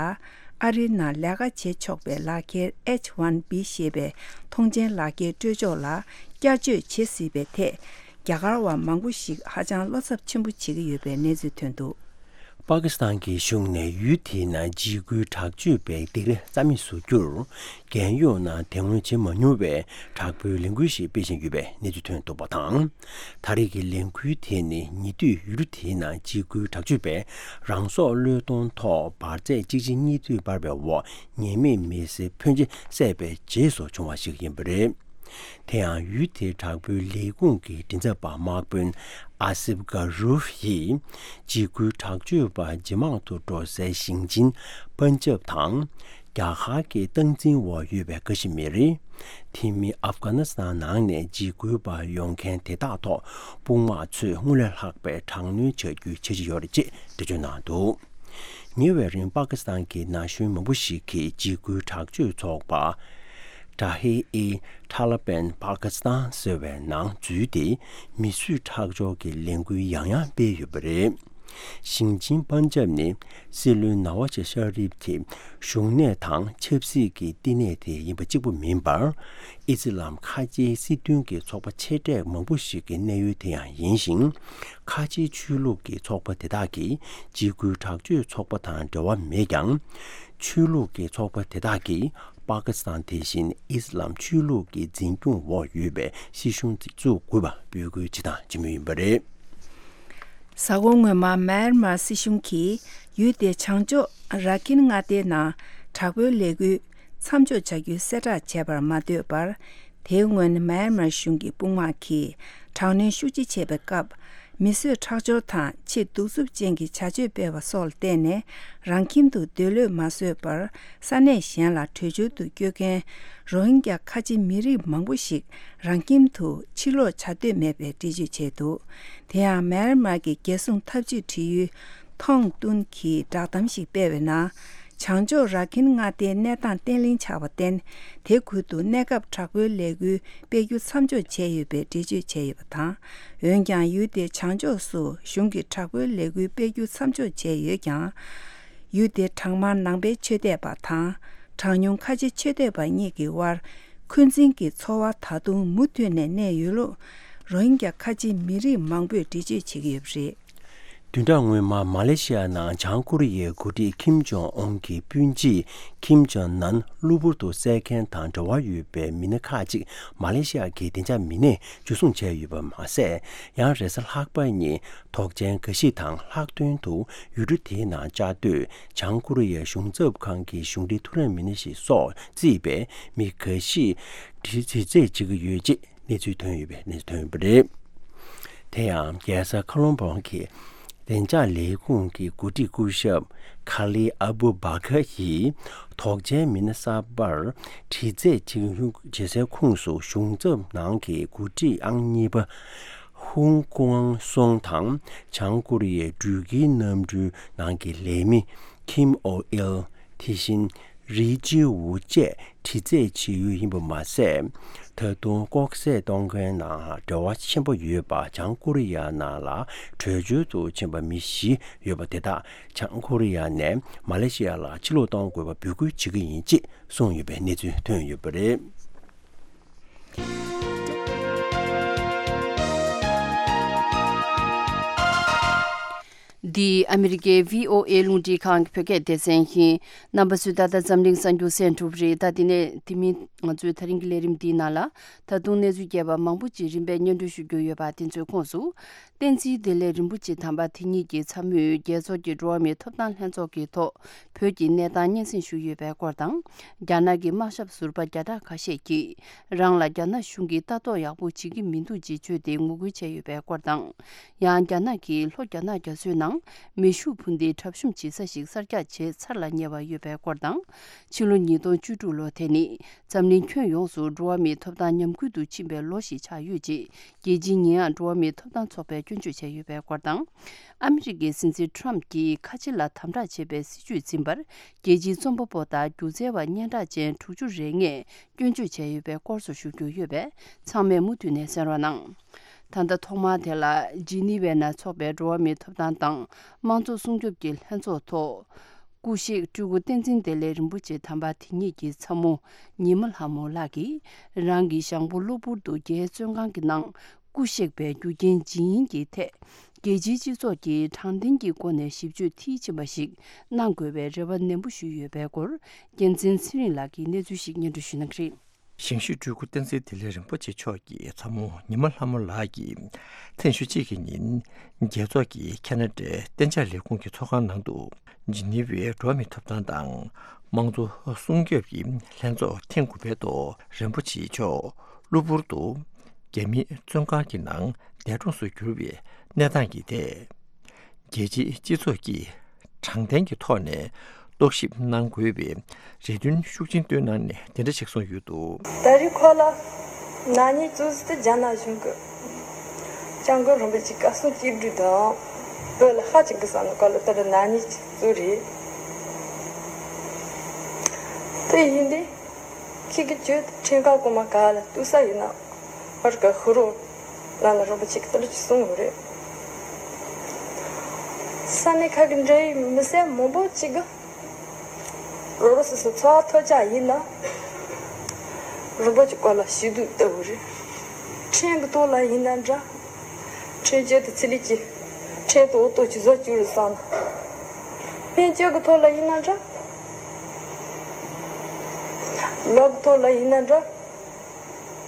ཨ་རིའི་ནང་ལས་ཀ་བྱེད་ཆོག་པའི་ལག་འཁྱེར་ཨེཆ་ཝན་བི་ཞེས་པའི་ཐོངས་མཆན་ལག་འཁྱེར་སྤྲོད་ཕྱོགས་ལ་བསྐྱར་བཅོས་བྱེད་སྲིད་པའི་ཐད། རྒྱ་གར་བ་མང་པོ་ཞིག་ཧ་ཅང་བློ་འཚབ་ཆེན་པོ་བྱེད་ཀྱི་ཡོད་པའི་གནས་ཚུལ་ཐོན་འདུག་པ་ཀི་སི་ཐན་གྱི་གཞུང་ནས་ཡུལ་དེའི་ནང་འཇིགས་སྐུལ་དྲག་སྤྱོད་པའི་སྡིགས་ར་རྩ་མེད་བཟོ་རྒྱུར། རྒྱལ་ཡོངས་ནང་དེ་སྔོན་བྱེད་མ་མྱོང་བའི་དྲག་པོའི་ལས་འགུལ་ཞིག་སྤེལ་བཞིན་ཡོད་པའི་གནས་ཚུལ་ཐོན་འདུག་པ་དང་། ད་རེས་ཀྱི་ལས་འགུལ་དེ་ནི་ཉེ་དུས་ཡུལ་གྲུ་དེའི་ནང་འཇིགས་སྐུལ་དྲག་སྤྱོད་པས་རང་སྲོག་བློས་གཏོང་ཐོག་འབར་རྫས་གཅིག་རྗེས་གཉིས་མཐུད་འབར་བའི་འོག་ཉེས་མེད་མི་སེར་ཕོན་ཆེ་བསད་པའི་རྗེས་སུ་བྱུང་བ་ཞིག་ཡིན་པ་རེད། དེ་ཡང་ཡུལ་དེའི་དྲག་པོའི་ལས་ཁུངས་ཀྱི་མགྲིན་ཚབ་པ་དམག་དཔོན་ཨ་སིབ་ག་རུབ་ཡིས། འཇིགས་སྐུལ་དྲག་སྤྱོད་པ་ཇེ་མང་དུ་འགྲོ་སའི་ཞིང་ཆེན་པན་ཇབ་དང་། རྒྱ་གར་གྱི་སྟངས་འཛིན་འོག་ཡོད་པའི་ཀ་ཤི་མིར། དེ་མིན་ཨབ་གྷ་ནི་སི་ཐན་ནང་ནས་འཇིགས་སྐུལ་པ་ཡོང་མཁན་དེ་དག་ཐོག་དཔུང་དམག་ཚོས་སྔར་ལས་ལྷག་པའི་དྲག་གནོན་བྱ་རྒྱུའི་འཆར་གཞི་ཡོད་རེད་ཅེས་འགྲེལ་བརྗོད་གནང་འདུག་ཉེ་བའི་རིང་པ་ཀི་སི་ཐན་གྱི་ན་གཞོན་མང་པོ་ཞིག་གིས་འཇིགས་སྐུལ་དྲག་སྤྱོད་ཚོགས་པ་ཏྲ་ཧེ་ཨི་ཐ་ལ་པན་པ་ཀི་སི་ཐན་ཟེར་བའི་ནང་འཛུལ་ཏེ། མི་གསོད་ཁྲག་སྦྱོར་གྱི་ལས་འགུལ་ཡང་ཡང་སྤེལ་ཡོད་པ་རེད། ཞིང་ཆེན་པན་ཇབ་ནི་སྲིད་བློན་ནཱ་ཝ་ཛ་ཤ་རིབ་ཀྱི་བཞུགས་གནས་དང་ཆབ་སྲིད་ཀྱི་བསྟི་གནས་དེ་ཡིན་པ་གཅིག་པུ་མིན་པར། ཨི་སི་ལམ་ཁ་ཆེའི་སྲིད་དོན་གྱི་ཚོགས་པ་ཆེ་གྲས་མང་པོ་ཞིག་གི་གནས་ཡུལ་དེ་ཡང་ཡིན་ཞིང་། ཁ་ཆེའི་ཆོས་ལུགས་ཀྱི་ཚོགས་པ་དེ་དག་གིས་འཇིགས་སྐུལ་དྲག་སྤྱོད་ཚོགས་པ་དང་འབྲེལ་བ་མེད་ཀྱང་། ཆོས་ལུགས་ཀྱི་ཚོགས་པ་དེ་དག་གིས་པ་ཀི་སི་ཐན་དེ་བཞིན་ཨི་སི་ལམ་ཆོས་ལུགས་ཀྱི་འཛིན་སྐྱོང་འོག་ཡོད་པའི་སྲིད་གཞུང་དེ་བཙུགས་དགོས་པ་འབོད་སྐུལ་བྱེད་དང་བྱེད་མུས་ཡིན་པ་རེད། གཟའ་འཁོར་སྔོན་མ་མཱ་ཡན་མར་སྲིད་གཞུང་གིས་ཡུལ་དེའི་བྱང་ཕྱོགས་ར་ཁིན་མངའ་སྡེའི་ནང་དྲག་པོའི་ལས་འགུལ་མཚམས་འཇོག་བྱ་རྒྱུའི་གསལ་བསྒྲགས་བྱས་པར་མ་ལྟོས་པར། དེའི་སྔོན་མཱ་ཡན་མར་གཞུང་གི་དཔུང་དམག་གིས་དྲག་གནོན་ཤུགས་ཆེ་བྱས་པའི་སྐབས། མི་གསོད་ཁྲག་སྦྱོར་དང་ཆེས་གདུག་རྩུབ་ཅན་གྱི་བྱ་སྤྱོད་སྤེལ་བ་སོགས་ལ་བརྟེན་ནས། རང་ཁྱིམ་དུ་སྡོད་ལོས་མ་བཟོད་པར། ས་གནས་གཞན་ལ་བྲོས་བྱོལ་དུ་བསྐྱོད་མཁན་རོ་ཧིན་གྱ་ཁ་ཆེ་མི་རིགས་མང་པོ་ཞིག་རང་ཁྱིམ་དུ་ཕྱིར་ལོག་བྱ་འདོད་མེད་པའི་འགྲེལ་བརྗོད་བྱས་འདུག་དེ་ཡང་མཱ་ཡན་མར་གྱི་རྒྱལ་སྲུང་འཐབ་ཇུས་འབྲེལ་ཡོད་ཐོང་ཏུན་གྱིས་བསྒྲགས་གཏམ་ཞིག་སྤེལ་བའི་ནང་། བྱང་ཕྱོགས་ར་ཁིན་མངའ་སྡེའི་གནས་སྟངས་བརྟན་ལྷིང་ཆགས་པར་བརྟེན། དེ་ཁུལ་དུ་གནས་སྐབས་དྲག་པོའི་ལས་འགུལ་སྤེལ་རྒྱུ་མཚམས་འཇོག་བྱས་ཡོད་པའི་འགྲེལ་བརྗོད་བྱས་ཡོད་པ་དང་། འོན་ཀྱང་ཡུལ་དེའི་བྱང་ཕྱོགས་སུ་གཞུང་གིས་དྲག་པོའི་ལས་འགུལ་སྤེལ་རྒྱུ་མཚམས་འཇོག་བྱས་ཡོད་ཀྱང་། ཡུལ་དེའི་གྲངས་མང་ནང་པའི་ཆོས་དད་པ་དང་། གྲངས་ཉུང་ཁ་ཆེ་ཆོས་དད་པ་གཉིས་ཀྱི་དབར་འཁོན་འཛིན་གྱི་ཚོར་བ་ད་དུང་མུ་མཐུད་ནས་གནས་ཡོད་ལུགས། རོ་ཧིན་གྱ་ཁ་ཆེ་མི་རིགས་མང་པོས་འགྲེལ་བརྗོད་བྱེད་ཀྱི་ཡོད་པ་རེད། བདུན་ཕྲག་སྔོན་མ་མ་ལེ་ཤི་ཡ་ནང་བྱང་ཀོ་རི་ཡའི་འགོ་ཁྲིད་ཁིམ་ཇོང་ཨུན་གྱི་སྤུན་མཆེད་ཁིམ་ཇོང་ནན་གློ་བུར་དུ་བསད་མཁན་དང་འབྲེལ་བ་ཡོད་པའི་མི་སྣ་ཁག་ཅིག་མ་ལེ་ཤི་ཡ་གི་བདེ་འཇགས་མི་སྣས་འཇུ་བཟུང་བྱས་ཡོད་པ་མ་ཟད། ཡང་རེས་གཟའ་ལྷག་པ་ཉིན་དོགས་ཅན་འགའ་ཞིག་དང་ལྷག་དོན་དུ་ཡུལ་གྲུ་དེའི་ནང་བཅའ་སྡོད་བྱང་ཀོ་རི་ཡའི་གཞུང་ཚབ་ཁང་གི་གཞུང་འབྲེལ་ཐུགས་རེ་མི་སྣ་ཞིག་སོགས་བརྩིས་པའི་མི་འགའ་ཞིག་དྲི་རྩད་བྱེད་ཀྱི་ཡོད་ཅེས། གནས་ཚུལ་ཐོན་ཡོད་པའི་གནས་ཚུལ་ཐོན་ཡོད་པ་རེད། དེ་ཡང་རྒྱལ་ས་ཁ་ལོན་སྦུག་གི་བདེ་འཇགས་ལས་ཁུངས་ཀྱི་འགོ་ཁྲིད་སྐུ་ཞབས་ཁ་ལི་ཨ་བུ་བྷ་ཁ་ཡིས་དོགས་ཅན་མི་སྣ་གསར་པར་དྲི་རྩད་བྱེད་སའི་ཁོངས་སུ་གཞུང་ཚབ་ནང་གི་འགོ་ཁྲིད་ཨང་གཉིས་པ་ཧུང་ཀུའང་སུང་དང་། བྱང་ཀོ་རི་ཡའི་འགྲུལ་སྐྱེལ་གནམ་གྲུའི་ནང་གི་ལས་མི་ཁིམ་ཨོ་ཨིལ། དེ་བཞིན་རི་ཅི་ཝུ་བཅས་དྲི་རྩད་བྱེད་ཡུལ་ཡིན་པ་མ་ཟད། ད་དུང་ལྐོག་བསད་གཏོང་མཁན་ནང་འབྲེལ་བ་ཆེན་པོ་ཡོད་པ་བྱང་ཀོ་རི་ཡ་ནང་ལ་བྲོས་བྱོལ་དུ་ཕྱིན་པ་མི་བཞི་ཡོད་པ་དེ་དག་བྱང་ཀོ་རི་ཡ་ནས་མ་ལེ་ཤི་ཡ་ལ་ཕྱིར་ལོག་གཏོང་དགོས་པ་འབོད་སྐུལ་བྱེད་ཀྱི་ཡིན་ཅེས་གསུངས་ཡོད་པའི་གནས་ཚུལ་ཐོན་ཡོད་པ་རེད། འདི་ཨ་མི་རི་ཀའི་བྷི་ཨོ་ཨེ་རླུང་འཕྲིན་ཁང་གི་བོད་སྐད་སྡེ་ཚན་ཡིན། རྣམ་པ་ཚོས་ད་ལྟ་འཛམ་གླིང་གསར་འགྱུར་གསན་ཐུབ་རེད། ད་དེ་ནས་དེ་མིན་ང་ཚོའི་ད་རིང་གི་ལས་རིམ་འདིའི་ནང་ལ་ད་དུང་གནས་ཚུལ་རྒྱས་པ་མང་པོ་ཅིག་རིམ་པས་སྙན་སྒྲོན་ཞུ་རྒྱུ་ཡོད་པ་དེ་ཚོའི་ཁོངས་སུ། བསྟན་འཛིན་བདེ་ལེགས་རིན་པོ་ཆེ་དམ་པ་དེ་ཉིད་ཀྱི་ཚ་མོས་རྒྱལ་ཚོགས་ཀྱི་འགྲོ་བ་མིའི་ཐོབ་ཐང་ལྷན་ཚོགས་ཀྱི་ཐོག་བོད་ཀྱི་གནས་སྟངས་སྙན་སེང་ཞུས་ཡོད་པའི་སྐོར་དང་། རྒྱ་ནག་གི་དམག་ཞབས་ཟུར་པ་བརྒྱ་ཕྲག་ཁ་ཤས་ཀྱིས་རང་ལ་རྒྱ་ནག་གཞུང་གིས་ལྟ་རྟོག་ཡག་པོ་བྱེད་ཀྱི་མི་འདུག་ཅེས་བརྗོད་དེ་ངོ་རྒོལ་བྱས་ཡོད་པའི་སྐོར་དང་། ཡང་རྒྱ་ནག་གིས་ལྷོ་རྒྱ་ནག་རྒྱ་མཚོའི་ནང་མེ་ཤུགས་འཕུར་མདེལ་གྲབས་གཤོམ་བྱེད་ས་ཞིག་གསར་རྒྱག་བྱས་ཚར་ལ་ཉེ་བ་ཡོད་པའི་སྐོར་དང་། ཕྱི་ལོ་ཉིས་སྟོང་བཅུ་དྲུག་ལོ་དེ་ནི་འཛམ་གླིང་ཁྱོན་ཡོངས་སུ་འགྲོ་བ་མིའི་ཐོབ་ཐང་ཉམས་རྒུད་དུ་ཕྱིན་པའི་ལོ་ཞིག་ཆགས་ཡོད་ཅེས། རྒྱལ་སྤྱིའི་ཉེས་ཡངས་འགྲོ་བ་མིའི་ཐོབ་ཐང་ཚོགས་པས་སྐྱོན་བརྗོད་བྱས་ཡོད་པའི་སྐོར་དང་། ཨ་མི་རི་ཀའི་སྲིད་འཛིན་ཁྲོམ་གྱིས་ཁ་ཆེ་ལ་དམ་དྲག་བྱེད་པའི་སྲིད་བྱུས་འཛིན་པར། རྒྱལ་སྤྱིའི་རྩོམ་པ་པོ་དང་སྒྱུ་རྩལ་བ་སྙན་གྲགས་ཅན་དྲུག་ཅུ་རེ་ལྔས་སྐྱོན་བརྗོད་བྱས་ཡོད་པའི་སྐོར་སོགས་ཞུ་རྒྱུ་ཡོད་པས། ཚང་མས་མུ་མཐུད་ནས་གསན་རོགས་གནང་། ད་ལྟ་ཐོག་མར་དེ་ལ་ཇི་ནི་ཝའི་ནང་འཚོགས་པའི་འགྲོ་བ་མིའི་ཐོབ་ཐང་དང་དམངས་གཙོ་སྲུང་སྐྱོབ་ཀྱི་ལྷན་ཚོགས་ཐོག་སྐུ་གཤེགས་སྤྲུལ་སྐུ་བསྟན་འཛིན་བདེ་ལེགས་རིན་པོ་ཆེ་དམ་པ་དེ་ཉིད་ཀྱི་ཚ་མོ་ཉི་མ་ལྷ་མོ་ལགས་ཀྱིས་རང་གི་ཞང་པོ་གློ་བུར་དུ་རྒྱའི་བཙོན་ཁང་གི་ནང་སྐུ་གཤེགས་པའི་རྒྱུ་རྐྱེན་ཇི་ཡིན་གྱི་ཐད། རྒྱལ་སྤྱིའི་སྤྱི་ཚོགས་ཀྱིས་དྲང་བདེན་གྱི་སྒོ་ནས་ཞིབ་དཔྱོད་མཐིལ་ཕྱིན་པ་ཞིག་གནང་དགོས་པའི་རེ་བ་ནན་པོ་ཞུས་ཡོད་པའི་སྐོར། རྒྱལ་མཚན་ཚེ་རིང་ལགས་ཀྱིས་གནས་ཚུལ་ཞིག་སྙན་སྒྲོན་ཞུ་གནང་གི་རེད། ཞིང་གཤེགས་སྤྲུལ་སྐུ་བསྟན་འཛིན་བདེ་ལེགས་རིན་པོ་ཆེ་མཆོག་གི་ཚ་མོ་ཉི་མ་ལྷ་མོ་ལགས་ཀྱིས་ཐེངས་ཤོག་གཅིག་གི་ཉིན་རྒྱལ་ཚོགས་ཀྱི་ཁ་ན་ཌའི་གཏན་འཇགས་ལས་ཁུངས་ཀྱི་ཚོགས་ཁང་ནང་དུ་ཇི་ནི་ཝའི་འགྲོ་བ་མིའི་ཐོབ་ཐང་དང་དམངས་གཙོ་སྲུང་སྐྱོབ་ཀྱི་ལྷན་ཚོགས་ཐེངས་དགུ་པའི་ཐོག་རིན་པོ་ཆེ་མཆོག་གློ་བུར་དུ་རྒྱ་མིའི་བཙོན་ཁང་གི་ནང་འདས་གྲོངས་སུ་གྱུར་བའི་གནས་སྟངས་ཀྱི་ཐད། རྒྱལ་སྤྱིའི་སྤྱི་ཚོགས་ཀྱིས་དྲང་བདེན་གྱི་ཐོག་ནས་རྟོག་ཞིབ་གནང་དགོས་པའི་རེ་འདུན་ཤུགས་ཆེན་བཏོན་གནང་ནས་དེ་འདྲ་ཞིག་གསུངས་ཡོད་འདུག། ད་རེས་ཁོ་ལ་ན་ནིང་གཙོ་བོ་དེ་རྒྱ་ནག་གཞུང་གི་སྐྱབས་མགོན་རིན་པོ་ཆེ་བཀའ་གསུང་བཅིངས་འགྲོལ་དང་བོད་ལ་ཧ་ཅང་གི་བསམ་ནས་ཁོ་ལ་ད་རེས་ན་ནིང་གཙོ་རེད། དེ་ཡིན་དུས་ཁྱེད་ཀྱི་བརྗོད་ཁྲིམས་ཁང་གོང་མ་ག་ལ་ལྟོས་ས་ཡིན་ན། ཧོར་ག་ཧུ་རོ་ལ་ན་རིན་པོ་ཆེ་གི་ཏི་རུ་ཅི་གསུང་ཡོད་རེད། ས་གནས་ཁག་གི་འབྲེལ་ཡོད་མི་སེར་མང་པོ་ཅིག་གིས་རོགས་རོགས་སོ་སོའི་འཚོ་བ་ཐོབ་ཆ་ཡིན་ན། རིན་པོ་ཆེའི་སྐོར་ལ་ཞུ་གཏུག་བཏང་བ་རེད། ཕྲན་གྱི་ཐོག་ལ་ཡིན་ན་འདྲ། ཕྲན་སྐྱོན་དེ་ཚེ་རིང་གིས་ཕྲན་དུ་འོ་ཏོག་ཅིག་བཟོ་བཅུག་རེད་བསམ་ན། ཕྲན་སྐྱོན་གྱི་ཐོག་ལ་ཡིན་ན་འདྲ། ལོ་གི་ཐོག་ལ་ཡིན་ན་འདྲ།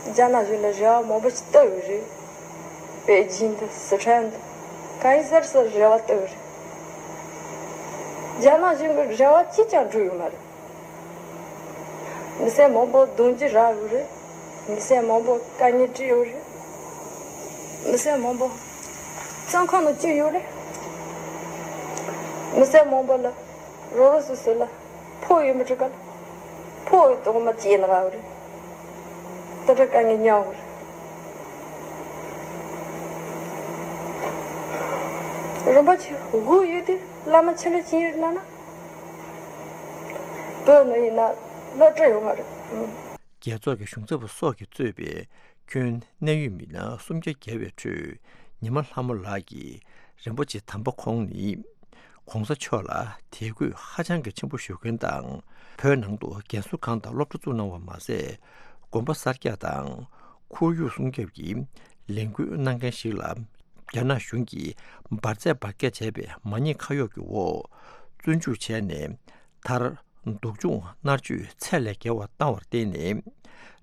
རྒྱ་ནག་གཞུང་ལ་རེ་བ་མང་པོ་ཞིག་བཏབ་ཡོད་རེད། པེ་ཅིང་དང་སི་ཁྲོན་དང་གང་ཡིན་ཟེར་ཟེར་རེ་བ་བཏབ་ཡོད་རེད། རྒྱ་ནག་གཞུང་གི་རེ་བ་གཅིག་ཀྱང་འགྲུབ་ཡོད་མ་རེད། མི་སེར་མང་པོ་རྡུང་རྒྱུ་རག་ཡོད་རེད། མི་སེར་མང་པོ་དཀའ་ངལ་འཕྲད་ཡོད་རེད། མི་སེར་མང་པོ་བཙོན་ཁང་ནང་བཅུག་ཡོད་རེད། མི་སེར་མང་པོ་ལ་རོགས་རོགས་སོ་སོ་ལ་ཕོགས་ཡོད་མི་འགྲོ་ག་ལ། ཕོགས་ཡོད་དོགས་མ་བྱས་ན་རག་རེད། དེ་འདྲ་དཀའ་ངལ་མྱངས་རེད། རིན་པོ་ཆེ་དགོས་ཡོད་དུས་བླ་མ་ཆེན་པོ་ཕྱིན་ཡོད་ལ་ན། བོད་ནང་ཡིན་ན་སློབ་གྲྭ་ཡོད་མ་རེད། རྒྱལ་ཚོགས་ཀྱི་གཞུང་ཚབ་པ་སོགས་ཀྱིས་གཙོས་པའི་ཁྱོན་གནད་ཡོད་མི་སྣ་སུམ་བརྒྱ་བརྒལ་བའི་ཁྲོད། ཉི་མ་ལྷ་མོ་ལགས་ཀྱིས་རིན་པོ་ཆེ་དམ་པ་ཁོང་ནི་༸གོང་ས་མཆོག་ལ་དད་གུས་ཧ་ཅང་གི་ཆེན་པོ་ཞུ་མཁན་དང་། བོད་ནང་དུ་རྒན་གསོ་ཁང་དང་སློབ་གྲྭ་བཙུགས་གནང་བ་མ་ཟད། དགོན་པ་གསར་རྒྱག་དང་ཁོར་ཡུག་སྲུང་སྐྱོབ་ཀྱི་ལས་འགུལ་གནང་མཁན་ཞིག་ལ། རྒྱ་ནག་གཞུང་གིས་འབར་རྫས་འབར་གས་བྱས་པའི་མ་ཉེས་ཁ་གཡོགས་ཀྱི་འོག་བཙོན་འཇུག་བྱས་ནས། མཐར་སྡུག་སྦྱོང་མནར་གཅོད་ཚད་ལས་བརྒལ་བ་བཏང་བར་བརྟེན་ནས།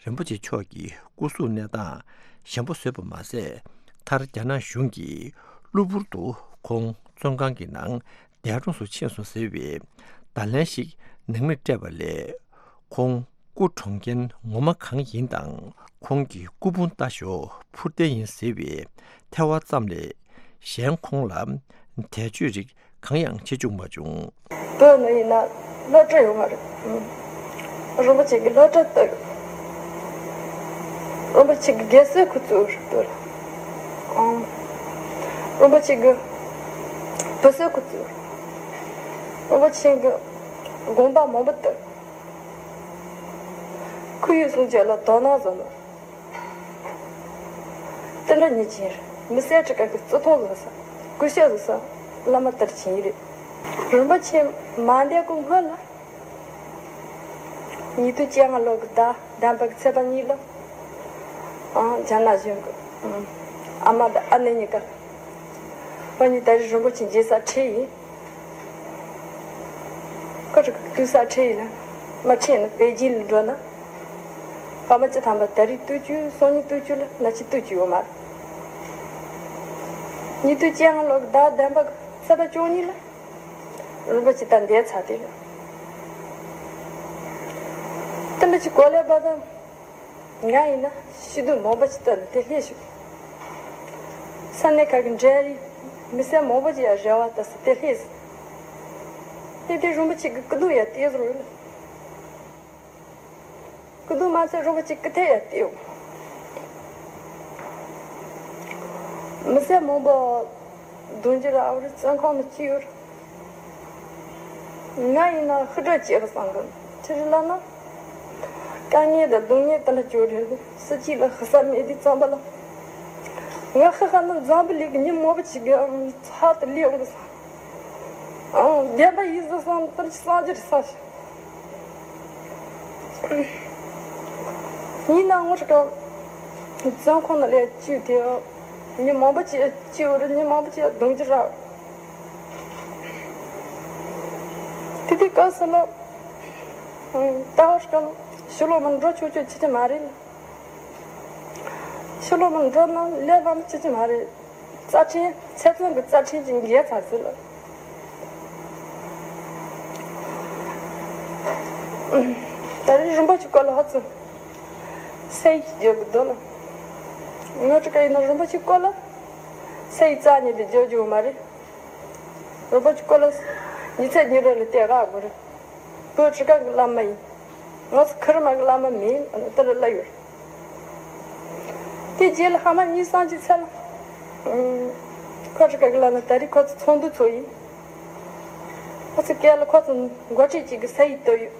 རིན་པོ་ཆེ་མཆོག་གི་སྐུ་གཟུགས་གནས་སྟངས་ཞན་པོ་བཟོས་པ་མ་ཟད། མཐར་རྒྱ་ནག་གཞུང་གིས་གློ་བུར་དུ་ཁོང་བཙོན་ཁང་གི་ནང་འདས་གྲོངས་སུ་ཕྱིན་སོང་ཟེར་བའི་བརྡ་ལན་ཞིག་ནང་མིར་སྤྲད་པ་ལས། ཁོང་སྐུ་གྲོངས་རྐྱེན་ངོ་མ་གང་ཡིན་དང་། ཁོང་གི་སྐུ་ཕུང་ལྟ་ཞོག་འཕུར་རྟེན་ཡིན་ཟེར་བའི་ཐལ་བ་ཙམ་ལས། གཞན་ཁོང་ལ་དད་གཅོད་རིགས་གང་ཡང་བྱེད་བཅུག་མ་བྱུང་། བོད་ནང་ཡིན་ན་སློབ་གྲྭ་ཡོད་མ་རེད། རིན་པོ་ཆེ་གི་སློབ་གྲྭ་བཏབ་ཡོད། རིན་པོ་ཆེ་གི་དགེ་བསོད་ཁུ་ཚུར་བཏབ། རིན་པོ་ཆེ་གི་བུ་གསོད་ཁུ་ཚུར། རིན་པོ་ཆེ་གི་དགོན་པ་མང་པོ་བཏབ། ཁོར་ཡུག་སྲུང་སྐྱོབ་ལ་དོ་སྣང་བཟོ་ནོ། དེ་འདྲ་ཉེས་ཅན་རེད། མི་སེར་ཁྲི་ཁ་གི་བརྩི་མཐོང་བཟོ་ས། སྐུ་ཞབས་བཟོ་ས། བླ་མ་དར་ཆེན་རེད། རིན་པོ་ཆེ་མ་འདས་གོང་སྔོན་ལ། ཉིས་སྟོང་བཅོ་ལྔ་ལོ་གི་ཟླ་བདུན་པ་གི་ཚེས་པ་གཉིས་ལ། ཨང་རྒྱ་ནག་གཞུང་གི་ཨ་མ་དང་ཨ་ནེ་གཉིས་ཀ་ཁོ་གཉིས་ད་རེས་རིན་པོ་ཆེ་མཇལ་ས་ཁྲིད་ཡིན། ཁོ་ཚོ་གི་སྡོད་ས་ཁྲིད་ཡིན་ན་མ་ཁྲིད་ན་པེ་ཅིན་ལ་འགྲོ་ན། ཕ་མ་སྤྱི་བཏང་པ་ད་རེས་སྡོད་རྒྱུ་སང་ཉིན་སྡོད་རྒྱུ་ལ་ན་ཆི་སྡོད་རྒྱུ་ཡོད་མ་རེད། ཉིས་སྟོང་བཅོ་ལྔ་ལོ་གི་ཟླ་བདུན་པ་གི་ཚེས་པ་བཅུ་གཉིས་ལ་རིན་པོ་ཆེ་ད་འདས་ཚར་དེ་ལ། དེ་འདྲ་ཅིག་གོ་ལས་པ་དང་། ང་ཡིན་ན་ཤི་དུས་མང་པོ་ཅིག་བཏང་ནས་དེ་སླེབས་བྱུང་། ས་གནས་ཁག་གི་འབྲེལ་ཡོད་མི་སེར་མང་པོ་ཅིག་ཡང་རེ་བ་བཏབ་སོང་དེ་སླེབས་སོང་། དེ་དུས་རིན་པོ་ཆེ་གི་སྐུ་གདུང་ཡང་དེ་ཟུར་ཡོད་ལ། སྐུ་གདུང་མ་ཚད་རིན་པོ་ཆེ་སྐུ་ཐལ་ཡང་དེ་ཡོད། མི་སེར་མང་པོ་རྡུང་རྒྱུ་ར་ཨ་རི་བཙོན་ཁང་ནང་བཅུག་ཡོད་རེད། ང་ཡིན་ན་ཧུར་སྒྲ་བྱེད་པ་བསམ་གི། ཅི་རེད་ལབ་ན། དཀའ་ངལ་དང་སྡུག་བསྔལ་དེ་འདྲ་བྱུང་རེད། སྲིད་སྤྱི་ལ་ཧ་ས་མེད་དུས་ཙམ་པ་ལ། ང་ཧ་ཧ་ན་འཛམ་བུ་གླིང་གི་མི་མང་པོ་ཅིག་གི་ཚབ་ཏུ་སླེབས་འོང་གི་ས། ཨང་བདེན་པ་ཡིན་ཟེར་བསམ་དེ་འདྲ་ཅིག་བསམ་རྒྱུ་རེད་བསམ་ཞིག་ཡིན་ནའང་ངོ་ཤེས་ཀྱང་བཙོན་ཁང་ནང་ལ་བཅུག་དེ་མི་མང་པོ་ཅིག་བཅུག་རེད། མི་མང་པོ་ཅིག་རྡུང་རྒྱུ་ར། དེ་དུས་སྐབས་སུ་ལ་ད་བར་སྐབས་ཕྱི་ལོགས་མ་འགྲོ་ཆོག་ཆོག་བྱེད་ཀྱི་མ་རེད། ཕྱི་ལོགས་མ་འགྲོ་ན་ལས་སླ་མོ་བྱེད་ཀྱི་མ་རེད། རྩ་ཁྲིམས་ཚེ་བཙོན་གྱི་རྩ་ཁྲིམས་ཀྱི་འགལ་ཚར་ཟིན་ལ། ད་རེས་རིན་པོ་ཆེའི་སྐོར་ལ་ཧ་ཙམ་ས་ཡིག་བརྗོད་དགོས་འདུག་ལ། ངོ་སྤྲོད་ག་ཡིན་ན་རིན་པོ་ཆེའི་སྐོར་ལ་ས་ཡིག་རྩ་ནས་དེ་བརྗོད་རྒྱུ་མ་རེད། རིན་པོ་ཆེའི་སྐོར་ལ་ཉི་ཚེ་ཉི་རེ་ལ་བལྟས་རག་དགོས་རེད། བོད་ཁྲི་ཁ་གི་བླ་མ་ཡིན། ང་ཚོ་ཁེར་མ་གི་བླ་མ་མིན་ཨ་ནི་ལྟར་སླ་ཡོད། དེ་རྗེས་ལ་ཧ་མ་གཉིས་སང་གཅིག་ཚེ་ལ། ཁོ་ཁྲི་ཁ་གི་བླ་མ་ད་རེས་ཁོ་ཚོ་ཚོགས་འདུ་ཚོགས་ཡིན། ཁོ་ཚོ་སྐད་ལ་ཁོ་ཚོ་འགོ་ཁྲིད་ཅིག་གི་ས་ཡིག་བཏབ་ཡོད།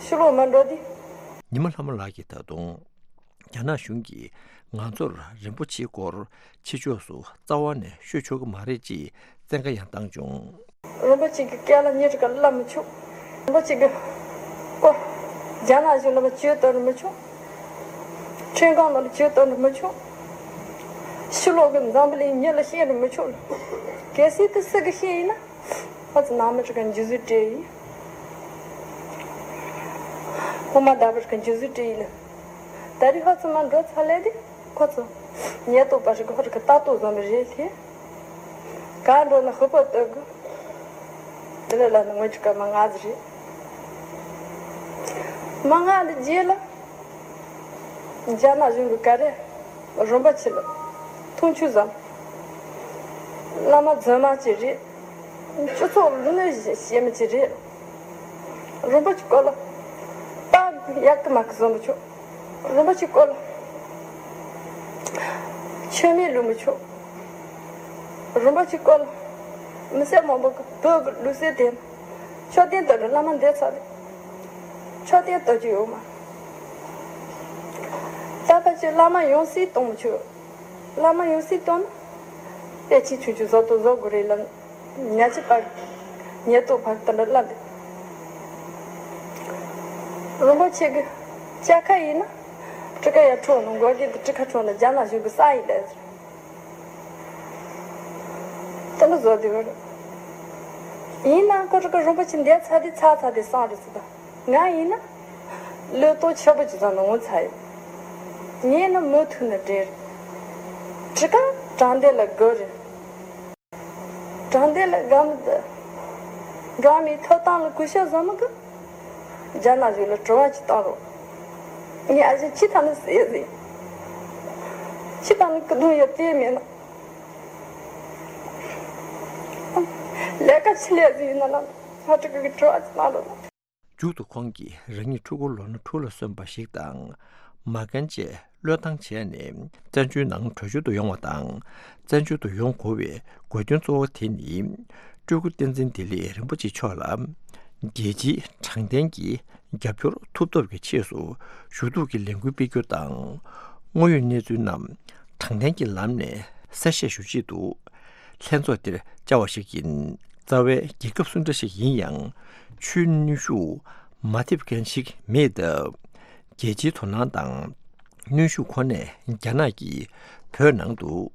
ཕྱི་ལོགས་མ་འགྲོ་དུས། ཉི་མ་ལྷ་མོ་ལགས་ཀྱིས་ད་དུང་། རྒྱ་ནག་གཞུང་གིས་ང་ཚོར་རིན་པོ་ཆེའི་སྐོར་ཕྱི་ཕྱོགས་སུ་རྩ་བ་ནས་ཤོད་ཆོག་གི་མ་རེད་ཅེས་ བཙན་བཀའ་ཡང་བཏང་བྱུང་། རིན་པོ་ཆེ་གི་སྐད་ལ་ཉན་རྒྱུ་ག་ལ་མི་ཆོག་རིན་པོ་ཆེ་གི་སྐོར་རྒྱ་ནག་གཞུང་ལ་བཅོས་གཏོང་རུ་མི་ཆོག་ཁྲིན་ཀང་ལ་བཅོས་གཏོང་རུ་མི་ཆོག་ཕྱི་ལོགས་གི་འཛམ་བུ་གླིང་མྱི་ལ་བཤད་རུ་མི་ཆོག་གལ་སྲིད་དེ་སུ་གི་བཤད་ཡིན་ན། ཁོ་ཚོ་ནང་མི་ཁྲི་ཀ་འཇུ་བཟུང་སྤྲད་ཡིན། ཁོ་མ་ད་བར་ཁ་འཇུ་བཟུང་སྤྲད་ཡིན་ལ། ད་རེས་ཁོ་ཚོ་མ་འགྲོ་ཚར་ལས་དེ་ཁོ་ཚོ་ཉེན་རྟོག་པ་ཞིག་ཁོ་ཁྲི་ཀ་ལྟ་རྟོག་བཟོ་མི་རེད་དེ། གང་འགྲོ་ན་ཧུ་པ་ལྟོས་དགོས། དེ་ལས་ལ་ནི་ངོས་ཀྱི་སྐར་མ་ལྔ་ཟིག་རེད། མ་ལྔ་འདི་རྗེས་ལ། རྒྱ་ནག་གཞུང་གི་ག་རེ། རིན་པོ་ཆེ་ལ། མཐོང་ཆུང་བཟང་། བླ་མ་རྫུན་མ་ཅིག་རེད། སྤྱི་ཚོགས་ལ་གནོད་བྱེད་མི་ཅིག་རེད། རིན་པོ་ཆེ་སྐོར་ལ། རྟགས་ཡག་གི་མ་གི་བཟོ་མི་ཆོག་རིན་པོ་ཆེ་སྐོར་ལ། མཆོད་མེ་བླུག་མི་ཆོག་རིན་པོ་ཆེ་སྐོར་ལ། མི་སེར་མང་པོ་གི་བོད་ཀྱི་ལུགས་སྲོལ་དེ། མཆོད་རྟེན་དུ་བླ་མ་འདས་ཚར་རེད། མཆོད་རྟེན་གཏོར་རྒྱུ་ཡོད་མ། ད་ཕལ་ཆེར་བླ་མ་ཡང་སྲིད་གཏོང་མི་ཆོག་བླ་མ་ཡང་སྲིད་གཏོང་ན། དཔེ་ཆེ་ཆུང་ཆུང་བཟོ་དང་བཟོ་དགོས་རེད་ལ། ཉ་ཆི་པར། ཉེ་དུ་བར་དུ་འདྲ་ལ་འདུག་རིན་པོ་ཆེ་གི་ལྕགས་ཁ་ཡིན་ན། ཁྲི་ཀ་ཡར་འཕྲོག་ནས་མགོ་སྐེ་དེ་ཁྲི་ཁ་འཕྲོག་ནས་རྒྱ་ནག་གཞུང་གི་ས་ཡིན་ལས། དེ་འདྲ་བཟོ་དེ་བར། ཡིན་ན་ཁོ་ཁྲི་ཀ་རིན་པོ་ཆེ་འདས་ཚར་དེ་ཚར་ཚར་དེ་སང་རེད་ཟེར་ད། ང་ཡིན་ན། བློས་གཏོང་ཆེ་པོ་ཅིག་བཟོ་ནས་ངོ་ཚ་ཡོད། ངས་ནི་མུ་མཐུད་ནས་བྲེལ། ཁྲི་ཀ་དྲང་བདེན་ལ་དགོས་རེད། དྲང་བདེན་ལ་དགའ་མི་འདུག་དགའ་མི་ཐོབ་ཐང་ལ་གུས་ཞབས་བཟོ་མི་དགོས། རྒྱ་ནག་གཞུང་ལ་དྲི་བ་ཅིག་བཏང་རོགས། ངས་ཨ་ཅེ་ཕྱི་ཐང་ནས་ཟས་ཟིན། ཕྱི་ཐང་ནས་ཀི་དུང་ཡོད་དེ་མེད་ན། ལས་ཀ་ཕྱི་ལས་ཟིན་ཡིན་ན་ལ་ང་ཁྲི་ཀ་གི་དྲི་བ་ཅིག་བཏང་རོགས། མཇུག་ཏུ་ཁོང་གིས་རང་ཉིད་ཕྲུ་གུ་ལོ་ན་དྲུག་ལ་སོན་པ་ཞིག་དང་། མ་རྒན་བཅས་བློས་བཏང་བྱས་ནས་བཙན་བྱོལ་ནང་བྲོས་བྱོལ་དུ་ཡོང་བ་དང་། བཙན་བྱོལ་དུ་ཡོང་དགོས་པའི་དགོས་དོན་གཙོ་བོ་དེ་ནི། སྤྲུལ་སྐུ་བསྟན་འཛིན་བདེ་ལེགས་རིན་པོ་ཆེ་མཆོག་ལ། རྒྱལ་སྤྱིའི་དྲང་བདེན་གྱི་རྒྱབ་སྐྱོར་ཐུབ་ཐབས་ཀྱི་ཆེད་དུ་ཞུ་གཏུག་གི་ལས་འགུལ་སྤེལ་རྒྱུ་དང་། དངོས་ཡོད་གནས་ཚུལ་རྣམས་དྲང་བདེན་གྱི་ལམ་ནས་གསལ་བཤད་ཞུ་ཆེད་དུ། ལྷན་ཚོགས་འདིར་བཅར་བ་ཞིག་ཡིན། རྩ་བའི་རྒྱལ་ཁབ་སུ་འདྲ་ཞིག་ཡིན་ཡང་། ཆོས་གནོན་ཤུགས་མ་ཐེབས་མཁན་ཞིག་མེད་སྟབས། རྒྱལ་སྤྱིའི་དོ་སྣང་དང་། གནོན་ཤུགས་ཁོ་ནས་རྒྱ་ནག་གིས་བོད་ནང་དུ།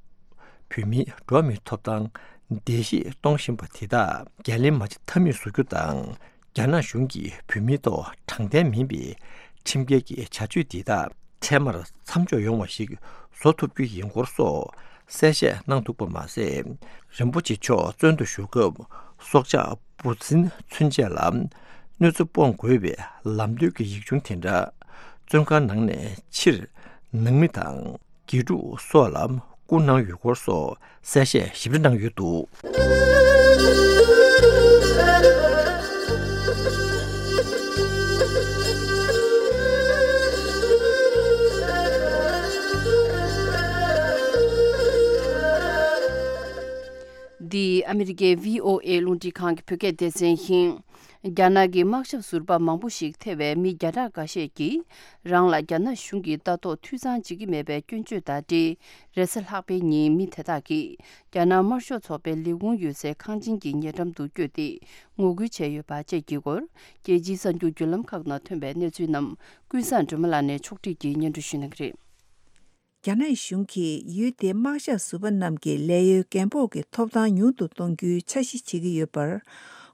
བོད་མིའི་འགྲོ་བ་མིའི་ཐོབ་ཐང་བརྡལ་བཤིག་གཏོང་བཞིན་པ་དེ་དག་འགན་ལེན་མ་བྱེད་ཐབས་མེད་བཟོ་རྒྱུ་དང་། རྒྱ་ནག་གཞུང་གིས་བོད་མིའི་ཐོག་དྲང་བདེན་མིན་པའི་ཁྲིམས་འགལ་གྱི་བྱ་སྤྱོད་འདི་དག་འཕྲལ་མར་མཚམས་འཇོག་ཡོང་བ་ཞིག་བཟོ་ཐུབ་རྒྱུ་ཡིན་སྐོར་སོགས་གསལ་བཤད་གནང་འདུག་པ་མ་ཟད། རིན་པོ་ཆེ་མཆོག་བཙོན་དུ་བཞུགས་སྐབས་སྲོག་ཆགས་འབུ་སྲིན་ཚུན་ཆད་ལ་གནོད་འཚེ་སྤོང་དགོས་པའི་ལམ་སྟོན་གྱི་ཡིག་ཆུང་དེ་འདྲ་བཙོན་ཁང་ནང་ནས་ཕྱིར་ནང་མི་དང་། དགེ་ཕྲུག་སོགས་ལ་བསྐུར་གནང་ཡོད་སྐོར་སོགས་གསལ་བཤད་ཞིབ་ཕྲ་གནང་ཡོད་འདུག་འདི་ཨ་མི་རི་ཀའི་བྷི་ཨོ་ཨེ་རླུང་འཕྲིན་ཁང་གི་བོད་སྐད་སྡེ་ཚན་ཡིན། རྒྱ་ནག་གི་དམག་ཞབས་ཟུར་པ་མང་པོ་ཞིག་ཐེ་བའི་མི་བརྒྱ་ཕྲག་འགའ་ཤས་ཀྱིས་རང་ལ་རྒྱ་ནག་གཞུང་གིས་ལྟ་རྟོག་འཐུས་ཚང་བྱེད་ཀྱི་མེད་པའི་སྐྱོན་བརྗོད་དང་འབྲེལ། རེས་གཟའ་ལྷག་པའི་ཉིན་མི་དེ་དག་གིས་རྒྱ་ནག་དམར་ཤོག་ཚོགས་པའི་ལས་ཁུངས་ཡོད་སའི་ཁང་ཆེན་གྱི་ཉེ་འགྲམ་དུ་བསྐྱོད་དེ་ངོ་རྒོལ་བྱས་ཡོད་པ་བཅས་ཀྱི་སྐོར། རྒྱལ་སྤྱིའི་གསར་འགྱུར་བརྒྱུད་ལམ་ཁག་ནང་ཐོན་པའི་གནས་ཚུལ་རྣམས་ཀུན་བཟང་སྒྲོལ་མ་ལགས་ནས་ཕྱོགས་སྒྲིག་གིས་སྙན་སྒྲོན་ཞུ་གནང་གི་རེད། རྒྱ་ནག་གཞུང་གིས་ཡུལ་དེའི་དམག་ཞབས་ཟུར་པ་རྣམས་ཀྱི་ལས་གཡོལ་འགན་ཕོག་གི་ཐོབ་ཐང་ཉུང་དུ་གཏོང་རྒྱུའི་འཆར་གཞི་བྱེད་ཀྱི་ཡོད་པར།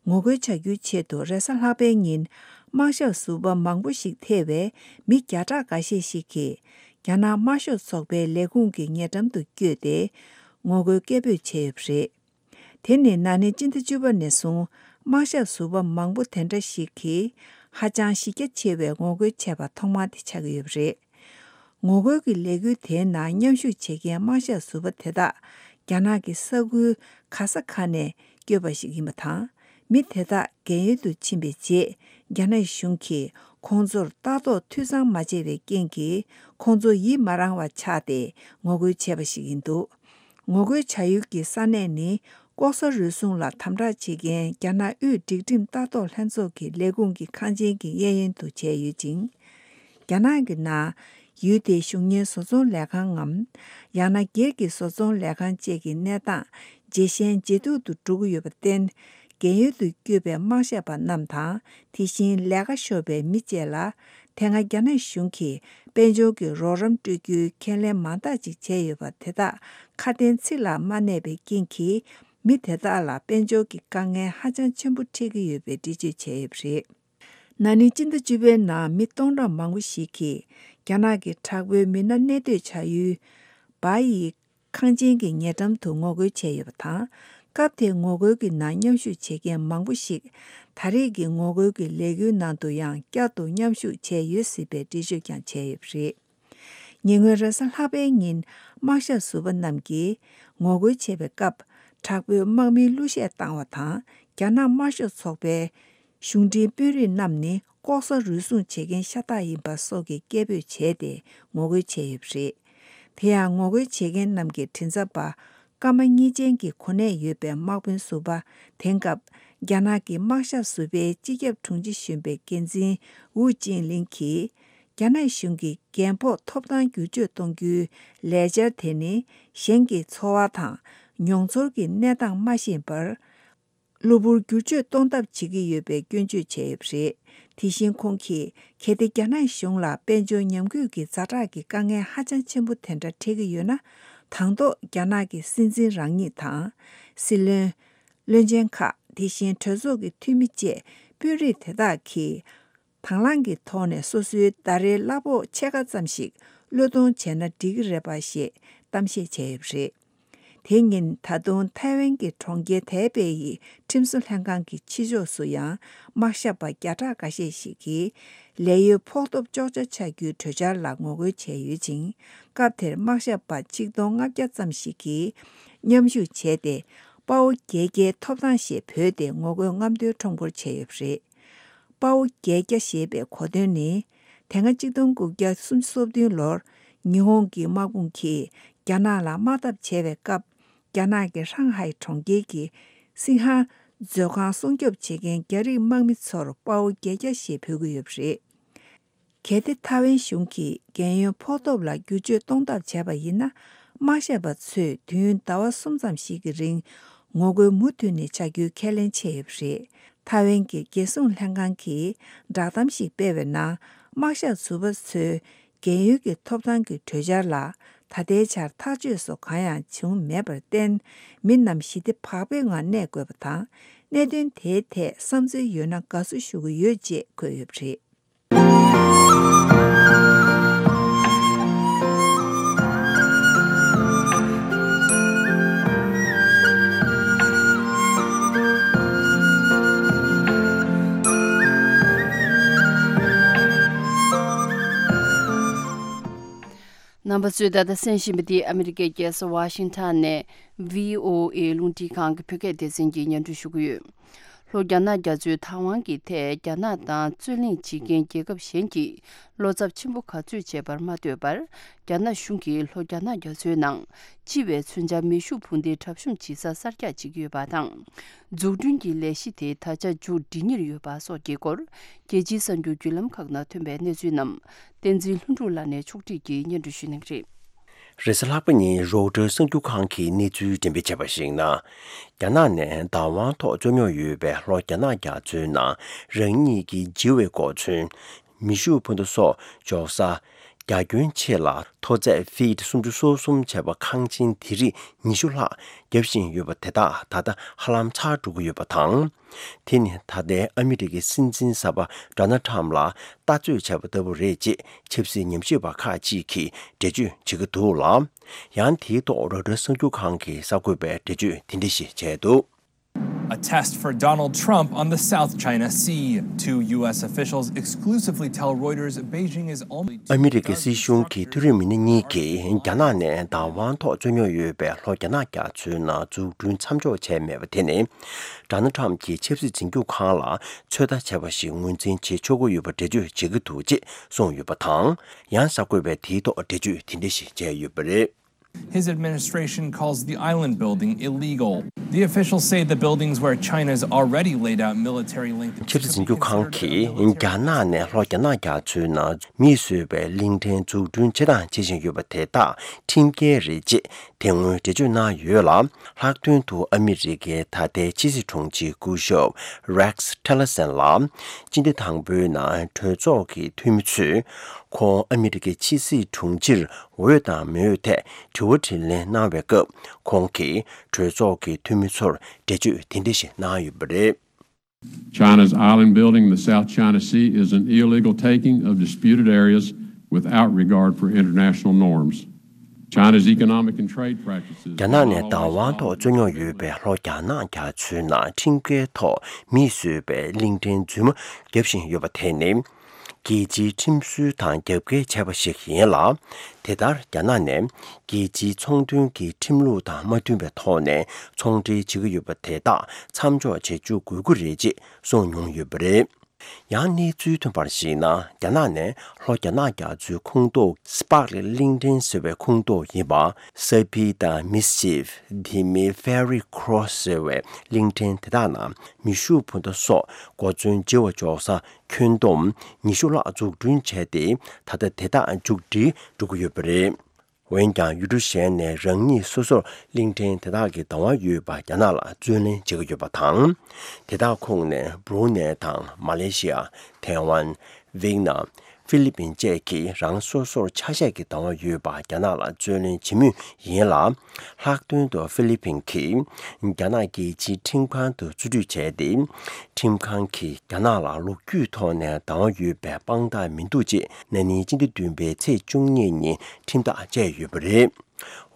ངོ་རྒོལ་བྱ་རྒྱུའི་ཆེད་དུ་རེས་གཟའ་ལྷག་པའི་ཉིན་དམག་ཞབས་ཟུར་པ་མང་པོ་ཞིག་ཐེ་བའི་མི་བརྒྱ་ཕྲག་འགའ་ཤས་ཤིག་གིས་རྒྱ་ནག་དམར་ཤོག་ཚོགས་པའི་ལས་ཁུངས་ཀྱི་ཉེ་འགྲམ་དུ་བསྐྱོད་དེ་ངོ་རྒོལ་སྐད་འབོད་བྱས་ཡོད་པ་རེད། དེ་ནི་ན་ནིང་སྤྱི་ཟླ་བཅུ་པ་ནས་བཟུང་དམག་ཞབས་ཟུར་པ་མང་པོ་དེ་འདྲ་ཞིག་གིས་ཧ་ཅང་གཞི་རྒྱ་ཆེ་བའི་ངོ་རྒོལ་བྱས་པ་ཐོག་མ་དེ་ཆགས་ཀྱི་ཡོད་པ་རེད། ངོ་རྒོལ་གྱི་ལས་འགུལ་དེའི་ནང་མཉམ་ཞུགས་བྱེད་མཁན་དམག་ཞབས་ཟུར་པ་དེ་དག་རྒྱ་ནག་གི་ས་ཁུལ་ག་ས་ག་ནས་བསྐྱོད་པ་ཞིག་ཡིན་པ་དང་། མི་དེ་དག་རྒན་ཡོལ་དུ་ཕྱིན་པའི་རྗེས་རྒྱ་ནག་གཞུང་གིས་ཁོང་ཚོར་ལྟ་རྟོག་འཐུས་ཚང་མ་བྱས་པའི་རྐྱེན་གྱིས་ཁོང་ཚོ་ཡིད་མ་རངས་པ་ཆགས་ཏེ་ངོ་རྒོལ་བྱས་པ་ཞིག་ཡིན་འདུག་ངོ་རྒོལ་བྱ་ཡུལ་གྱི་ས་གནས་ནི་ལྐོག་ཟ་རུལ་སུངས་ལ་དམ་དྲག་བྱེད་མཁན་རྒྱ་ནག་དབུས་སྒྲིག་ཁྲིམས་ལྟ་རྟོག་ལྷན་ཚོགས་ཀྱི་ལས་ཁུངས་ཀྱི་ཁང་ཆེན་གྱི་གཡས་གཡོན་དུ་བྱས་ཡོད་ཅིང་། རྒྱ་ནག་གི་ནང་ཡུལ་དེའི་གཞུང་གཉེར་བཟོ་ཚོང་ལས་ཁང་ངམ། ཡང་ན་སྒེར་གྱི་བཟོ་ཚོང་ལས་ཁང་བཅས་ཀྱི་གནས་སྟངས་ ཇེ་ཞན་ཇེ་སྡུག་ཏུ་འགྲོ་གི་ཡོད་པར་བརྟེན། རྒན་ཡོལ་དུ་བསྐྱོད་པའི་དམག་ཞབས་པ་རྣམས་དང་། དེ་བཞིན་ལས་ཀ་ཤོར་བའི་མི་བཅས་ལ། དེ་སྔ་རྒྱ་ནག་གཞུང་གིས་དཔལ་འབྱོར་གྱི་རོགས་རམ་སྤྲོད་རྒྱུའི་ཁས་ལེན་མང་དག་ཅིག་བྱས་ཡོད་པ་དེ་དག་ཁ་དན་ཚིག་ལ་མ་གནས་པའི་རྐྱེན་གྱིས། མི་དེ་དག་ལ་དཔལ་འབྱོར་གྱི་དཀའ་ངལ་ཧ་ཅང་ཆེན་པོ་འཕྲད་ཀྱི་ཡོད་པའི་འགྲེལ་བརྗོད་བྱས་ཡོད་པ་རེད། ན་ནིང་སྤྱི་ཟླ་བཅུ་པའི་ནང་མི་སྟོང་ཕྲག་མང་པོ་ཞིག་གིས་རྒྱ་ནག་གི་དྲག་པོའི་མི་སྣ་གནས་སྡོད་བྱ་ཡུལ་བ་ཡི་ཁང་ཆེན་གྱི་ཉེ་འགྲམ་དུ་ངོ་རྒོལ་བྱས་ཡོད་པ་དང་། སྐབས་དེའི་ངོ་རྒོལ་གྱི་ནང་མཉམ་ཞུགས་བྱེད་མཁན་མང་པོ་ཞིག་ད་རེས་ཀྱི་ངོ་རྒོལ་གྱི་ལས་འགུལ་ནང་དུ་ཡང་བསྐྱར་དུ་མཉམ་ཞུགས་བྱས་ཡོད་སྲིད་པའི་འགྲེལ་བརྗོད་ཀྱང་བྱས་ཡོད་པ་རེད། ཉེ་སྔོན་རེས་གཟའ་ལྷག་པའི་ཉིན་དམག་ཞབས་ཟུར་པ་རྣམས་ཀྱིས་ངོ་རྒོལ་བྱས་པའི་སྐབས། དྲག་པོའི་དམག་མིའི་གླུ་གཞས་བཏང་བ་དང་། རྒྱ་ནག་དམར་ཤོག་ཚོགས་པའི་གཞུང་འབྲེལ་དཔོན་རིགས་རྣམས་ནི་ལྐོག་ཟ་རུལ་སུངས་བྱེད་མཁན་ཤ་སྟག་ཡིན་པ་སོགས་ཀྱི་སྐད་འབོད་བྱས་ཏེ་ངོ་རྒོལ་བྱས་ཡོད་པ་རེད། དེ་ཡང་ངོ་རྒོལ་བྱེད་མཁན་རྣམས་ཀྱི་མགྲིན་ཚབ་པ་སྐར་མ་གཉིས་ཅན་གྱི་གོ་གནས་ཡོད་པའི་དམག་དཔོན་ཟུར་པ་དེང་སྐབས་རྒྱ་ནག་གི་དམག་ཞབས་ཟུར་པའི་སྤྱི་ཁྱབ་དྲུང་ཆེ་གཞོན་པའི་འགན་འཛིན་ཝུའུ་ཅིན་ལིན་གྱིས། རྒྱ་ནག་གཞུང་གིས་རྒན་ཕོགས་ཐོབ་ཐང་བསྒྱུར་བཅོས་གཏོང་རྒྱུའི་ལས་འཆར་དེ་ནི་གཞན་གྱི་འཚོ་བ་དང་མྱོང་ཚོར་གྱི་གནས་སྟངས་མ་ཤེས་པར། གློ་བུར་བསྒྱུར་བཅོས་གཏོང་ཐབས་བྱེད་ཀྱི་ཡོད་པའི་སྐྱོན་བརྗོད་བྱས་ཡོད་པ་རེད། དེ་བཞིན་ཁོང་གིས་གལ་ཏེ་རྒྱ་ནག་གཞུང་ལ་དཔལ་འབྱོར་ཉམས་རྒུད་ཀྱི་ཛ་དྲག་གི་དཀའ་ངལ་ཧ་ཅང་ཆེན་པོ་དེ་འདྲ་འཕྲད་ཀྱི་ཡོད་ན། དང་ཐོག་རྒྱ་ནག་གི་སྲིད་འཛིན་རང་ཉིད་དང་། སྲིད་བློན། བློན་ཆེན་ཁག་དེ་བཞིན་གྲོས་ཚོགས་ཀྱི་འཐུས་མི་བཅས་དཔོན་རིགས་དེ་དག་གིས། དང་བླངས་ཀྱི་ཐོག་ནས་སོ་སོའི་ཟླ་རེའི་གླ་ཕོགས་ཕྱེད་ཀ་ཙམ་ཞིག་བློས་གཏོང་བྱས་ན་འགྲིག་གི་རེད་པ་ཞེས་གཏམ་བཤད་བྱས་ཡོད་པ་རེད། དེ་ཉིན་ད་དུང་ཐའེ་ཝན་གྱི་གྲོང་ཁྱེར་ཐའེ་པེ་ཡི་ཁྲིམས་བཟོ་ལྷན་ཁང་གི་ཕྱི་ཕྱོགས་སུ་ཡང་དམག་ཞབས་པ་བརྒྱ་ཕྲག་འགའ་ཤས་ཤིག་གིས་ལས་གཡོལ་ཕོགས་ཐོབ་གཅོག་ཆ་ཆགས་རྒྱུའི་གྲོས་འཆར་ལ་ངོ་རྒོལ་བྱས་ཡོད་ཅིང་། སྐབས་དེར་དམག་ཞབས་པ་ཆིག་སྟོང་ལྔ་བརྒྱ་ཙམ་ཞིག་གིས་མཉམ་ཞུགས་བྱས་ཏེ། དཔའ་བོ་བརྒྱད་བརྒྱའི་ཐོབ་ཐང་ཞེས་བོས་ཏེ་ངོ་རྒོལ་རྔམ་སྟོན་ཁྲོམ་སྐོར་བྱས་ཡོད་པ་རེད། དཔའ་བོ་བརྒྱད་བརྒྱ་ཞེས་པའི་གོ་དོན་ནི། དེ་སྔ་ཆིག་སྟོང་དགུ་བརྒྱ་སུམ་ཅུ་སོ་བདུན་ལོར་ཉི་ཧོང་གི་དམག་དཔུང་གིས་རྒྱ་ནག་ལ་དམག་འཐབ་བྱས་པའི་སྐབས། རྒྱ་ནག་གི་ཧྲང་ཧའེ་གྲོང་ཁྱེར་གྱི་སིང་ཧ་མཛོད་ཁང་སྲུང་སྐྱོབ་བྱེད་མཁན་རྒྱ་རིགས་དམག་མི་ཚོར་དཔའ་བོ་བརྒྱད་བརྒྱ་ཞེས་འབོད་ཀྱི་ཡོད་པ་རེད། གལ་ཏེ་ཐའེ་ཝན་གཞུང་གིས་རྒན་ཡོལ་ཕོགས་ཐོབ་ལ་བསྒྱུར་བཅོས་གཏོང་ཐབས་བྱས་པ་ཡིན་ན། དམག་ཞབས་པ་ཚོས་དུས་ཡུན་ཟླ་བ་གསུམ་ཙམ་ཞིག་གི་རིང་ངོ་རྒོལ་མུ་མཐུད་ནས་བྱ་རྒྱུའི་ཁས་ལེན་བྱས་ཡོད་པ་རེད། ཐའེ་ཝན་གྱི་རྒྱལ་སྲུང་ལྷན་ཁང་གིས་བསྒྲགས་གཏམ་ཞིག་སྤེལ་བའི་ནང་། དམག་ཞབས་ཟུར་པ་ཚོའི་རྒན་ཡོལ་གྱི་ཐོབ་ཐང་གི་གྲོས་འཆར་ལ་ད་ལྟའི་ཆར་ཐག་གཅོད་སོགས་གང་ཡང་བྱུང་མེད་པར་བརྟེན། མི་རྣམས་ཞི་བདེ་བག་ཕེབས་ངང་གནས་དགོས་པ་དང་། གནད་དོན་དེའི་ཐད་བསམ་ཚུལ་ཡོད་ན་དགའ་བསུ་ཞུ་གི་ཡོད་ཅེས་འཁོད་ཡོད་པ་རེད། རྣམ་པ་ཚོས་ད་ལྟ་གསན་བཞིན་པ་འདི་ཨ་མི་རི་ཀའི་རྒྱལ་ས་ཝ་ཤིང་ཊོན་ནས་བྷི་ཨོ་ཨེ་རླུང་འཕྲིན་ཁང་གི་བོད་སྐད་སྡེ་ཚན་གྱིས་སྙན་སྒྲོན་ཞུ་གི་ཡོད། ལྷོ་རྒྱ་ནག་རྒྱ་མཚོའི་ཐང་ཝན་གྱི་ཐད་རྒྱ་ནག་དང་རྩོད་གླེང་བྱེད་མཁན་རྒྱལ་ཁབ་གཞན་གྱིས་བློ་འཚབ་ཆེན་པོ་ག་ཚོད་བྱས་པར་མ་ལྟོས་པར། རྒྱ་ནག་གཞུང་གིས་ལྷོ་རྒྱ་ནག་རྒྱ་མཚོའི་ནང་སྤྱི་པའི་མཚོན་ཆ་མེ་ཤུགས་འཕུར་མདེལ་གྲབས་གཤོམ་བྱེད་ས་གསར་རྒྱག་བྱེད་ཀྱི་ཡོད་པ་དང་། འཛུགས་སྐྲུན་གྱི་ལས་གཞི་དེ་ད་ཆ་མཇུག་སྒྲིལ་ཉེར་ཡོད་པ་སོགས་ཀྱི་སྐོར། རྒྱལ་སྤྱིའི་གསར་འགྱུར་བརྒྱུད་ལམ་ཁག་ནང་ཐོན་པའི་གནས་ཚུལ་རྣམས། བསྟན་འཛིན་ལྷུན་གྲུབ་ལགས་ནས་ཕྱོགས་སྒྲིག་གིས་སྙན་སྒྲོན་ཞུ་གནང་གི་རེད། རེས་གཟའ་ལྷག་པ་ཉིན་རོའི་ཊར་གསར་འགྱུར་ཁང་གིས་གནས་ཚུལ་འགྲེམས་སྤེལ་བྱས་པར་གཞིགས་ན། རྒྱ་ནག་ནས་བདག་དབང་ཐོག་རྩོད་རྙོག་ཡོད་པའི་ལྷོ་རྒྱ་ནག་རྒྱ་མཚོའི་ནང་རང་ཉིད་ཀྱི་བྱི་བའི་གོ་མཚོན། མེ་ཤུགས་འཕུར་མདའ་སོགས་འཇོག་ས། རྒྱ་ཁྱོན་ཆེ་ལ་མཐོ་ཚད་ཕིཊ་སུམ་ཅུ་སོ་གསུམ་བྱས་པ་ཁང་ཆེན་དེ་རིགས་ཉི་ཤུ་ལྷག་བརྒྱབ་བཞིན་ཡོད་པ་དེ་དག་ད་ལྟ་ཧ་ལམ་ཚར་འགྲོ་གི་ཡོད་པ་དང་། དེ་ནི་ད་ལྟའི་ཨ་མི་རི་ཀའི་སྲིད་འཛིན་གསར་པ་ཌོ་ནལ་ཊམ་ལ་ལྟ་ཚོད་བྱས་པ་ལྟ་བུ་རེད་ཅེས་ཆབ་སྲིད་ཉམས་ཞིབ་པ་ཁག་ཅིག་གིས་འགྲེལ་བརྗོད་བྱེད་ཀྱི་འདུག་ལ། ཡང་དེའི་ཐོག་རོའི་ཊར་གསར་འགྱུར་ཁང་གིས་གསར་འགོད་པའི་འགྲེལ་བརྗོད་དེ་འདྲ་ཞིག་བྱས་འདུག། A test for Donald Trump on the South China Sea. Two U S officials exclusively tell Reuters Beijing is almost ཨ་མི་རི་ཀའི་སྲིད་གཞུང་གི་མཐོ་རིམ་མི་སྣ་གཉིས་ཀྱིས་རྒྱ་ནག་ནས་བདག་དབང་ཐོག་རྩོད་རྙོག་ཡོད་པའི་ལྷོ་རྒྱ་ནག་རྒྱ་མཚོའི་ནང་འཛུགས་སྐྲུན་མཚམས་འཇོག་བྱས་མེད་པ་དེ་ནི། ཌོ་ནལ་ཊམ་གྱིས་ཆབ་སྲིད་འཛིན་སྐྱོང་ཁང་ལ་ཚོད་ལྟ་བྱས་པ་ཞིག་ངོས་འཛིན་བྱེད་ཆོག་གི་ཡོད་པ་འགྲེལ་བརྗོད་བྱེད་ཀྱི་འདུག་ཅེས་གསུངས་ཡོད་པ་དང་། ཡང་གསར་འགོད་པས་དེའི་ཐོག་འགྲེལ་བརྗོད་དེ་འདྲ་ཞིག་བྱས་ཡོད་པ་རེད། His administration calls the island building illegal. The officials say the buildings where China's already laid out military linked ཆབ་སྲིད་འཛིན་སྐྱོང་ཁང་གིས་རྒྱ་ནག་ནས་ལྷོ་རྒྱ་ནག་རྒྱ་མཚོའི་ནང་མིས་བཟོས་པའི་གླིང་ཕྲན་འཛུགས་སྐྲུན་བྱེད་དང་བྱེད་བཞིན་ཡོད་པ་དེ་དག་ཁྲིམས་འགལ་རེད་ཅེས་དེ་སྔོན་འགྲེལ་བརྗོད་གནང་ཡོད་ལ། ལྷག་དོན་དུ་ཨ་མི་རི་ཀའི་ད་ལྟའི་ཕྱི་སྲིད་དྲུང་ཆེ་སྐུ་ཞབས་Rex Tillerson ལ་སྤྱི་ཟླ་དང་པོའི་ནང་གྲོས་ཚོགས་ཀྱི་འཐུས་མི་ཚོས་ཁོང་ཨ་མི་རི་ཀའི་ཕྱི་སྲིད་དྲུང་ཆེར་འོས་དང་མི་འོས་ཐད་དྲི་བ་དྲིས་ལན་གནང་བའི་སྐབས། ཁོང་གིས་གྲོས་ཚོགས་ཀྱི་འཐུས་མི་ཚོར་འགྲེལ་བརྗོད་དེ་འདྲ་ཞིག་གནང་ཡོད་པ་རེད། China's island building in the South China Sea is an illegal taking of disputed areas without regard for international norms. China's economic and trade practices རྒྱ་ནག་ནས་བདག་དབང་ཐོག་རྩོད་རྙོག་ཡོད་པའི་ལྷོ་རྒྱ་ནག་རྒྱ་མཚོའི་ནང་ཁྲིམས་འགལ་ཐོག་མིས་བཟོས་པའི་གླིང་ཕྲན་རྫུན་མ་བརྒྱབ་བཞིན་ཡོད་པ་དེ་ནི། རྒྱལ་སྤྱིའི་ཁྲིམས་སྲོལ་དང་རྒྱབ་འགལ་བྱས་པ་ཞིག་ཡིན་ལ། དེ་ལྟར་རྒྱ་ནག་ནས་རྒྱལ་སྤྱིའི་ཚོང་དོན་གྱི་ཁྲིམས་ལུགས་དང་མ་མཐུན་པའི་ཐོག་ནས་ཚོང་འབྲེལ་བྱེད་ཀྱི་ཡོད་པ་དེ་དག་མཚམས་འཇོག་བྱེད་བཅུག་དགོས་ཀྱི་རེད་ཅེས་གསུངས་མྱོང་ཡོད་པ་རེད། ཡང་གནས་ཚུལ་ཐོན་པར་གཞིགས་ན། རྒྱ་ནག་ནས་ལྷོ་རྒྱ་ནག་རྒྱ་མཚོའི་ཁོངས་གཏོགས་Spratly གླིང་ཕྲན་ཟེར་བའི་ཁོངས་གཏོགས་ཡིན་པ། Serpide དང་Mischief དེ་མིན་Fiery Cross ཟེར་བའི་གླིང་ཕྲན་དེ་དག་ནང་མེ་ཤུགས་འཕུར་མདའ་སོགས་གོ་མཚོན་བརྗེ་བ་འཇོག་ས་ཁྱོན་བསྡོམས་ཉི་ཤུ་ལྷག་འཛུགས་སྐྲུན་བྱས་ཏེ། ད་ལྟ་དེ་དག་མཇུག་སྒྲིལ་འགྲོ་གི་ཡོད་པ་རེད། འོན་ཀྱང་ཡུལ་གྲུ་གཞན་ནས་རང་ཉིད་སོ་སོར་གླིང་ཕྲན་དེ་དག་གི་བདག་དབང་ཡོད་པ་རྒྱ་ནག་ལ་རྩོད་ལེན་བྱེད་ཀྱི་ཡོད་པ་དང་། དེ་དག་ཁོངས་ནས་Brunei དང་Malaysia། Taiwan། Vietnam། Philippines བཅས་ཀྱིས་རང་སོ་སོར་ཆ་ཤས་ཀྱི་བདག་དབང་ཡོད་པ་རྒྱ་ནག་ལ་རྩོད་ལེན་བྱེད་མུས་ཡིན་ལ། ལྷག་དོན་དུ་ཧྥི་ལི་ཕིན་གྱིས་རྒྱ་ནག་རྒྱལ་སྤྱིའི་ཁྲིམས་ཁང་དུ་རྩིས་སྤྲོད་བྱས་ཏེ། ཁྲིམས་ཁང་གིས་རྒྱ་ནག་ལ་ལོ་རྒྱུས་ཐོག་ནས་བདག་དབང་ཡོད་པའི་དཔང་རྟགས་མི་འདུག་ཅེས་ན་ནིང་སྤྱི་ཟླ་བདུན་པའི་ཚེས་བཅུ་གཉིས་ཉིན་ཁྲིམས་ཐག་བཅད་ཡོད་པ་རེད།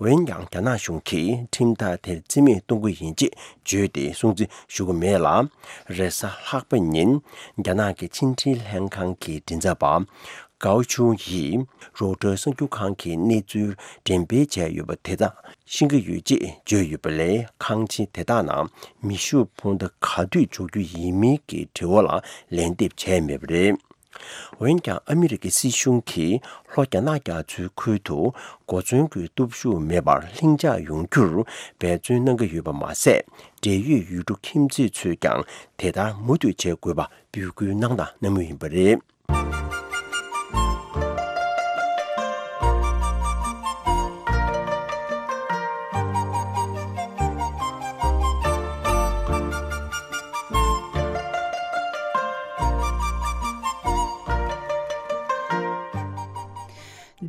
འོན་ཀྱང་རྒྱ་ནག་གཞུང་གིས་ཁྲིམས་ཐག་དེར་རྩིས་མེད་གཏོང་གི་ཡིན་ཅེས་བརྗོད་དེ་སྲུང་བརྩི་ཞུ་གི་མེད་ལ། རེས་གཟའ་ལྷག་པ་ཉིན་རྒྱ་ནག་གི་ཕྱི་འབྲེལ་ལྷན་ཁང་གི་མགྲིན་ཚབ་པ་Gao Chun ཡིས་Reuters གསར་འགྱུར་ཁང་གི་གནས་ཚུལ་འགྲེམས་སྤེལ་བྱས་ཡོད་པ་དེ་དག་ཤེས་ཀྱི་ཡོད་ཅེས་བརྗོད་ཡོད་པ་ལས། ཁང་ཆེན་དེ་དག་ནང་མེ་ཤུགས་འཕུར་མདའ་ག་དུས་འཇོག་རྒྱུ་ཡིན་མིན་གྱི་དྲི་བ་ལ་ལན་འདེབས་བྱས་མེད་པ་རེད། འོན་ཀྱང་ཨ་མི་རི་ཀའི་སྲིད་གཞུང་གིས་ལྷོ་རྒྱ་ནག་རྒྱ་མཚོའི་ཁུལ་དུ་གོ་མཚོན་གྱི་སྟོབས་ཤུགས་མེད་པར་ལྷིང་འཇགས་ཡོང་རྒྱུར་འབད་བརྩོན་གནང་གི་ཡོད་པ་མ་ཟད། འབྲེལ་ཡོད་ཡུལ་གྲུ་ཁྱིམ་མཚེས་ཚོས་ཀྱང་དེ་ལྟར་མུ་མཐུད་བྱེད་དགོས་པ་འབོད་སྐུལ་གནང་དང་གནང་མུས་ཡིན་པ་རེད།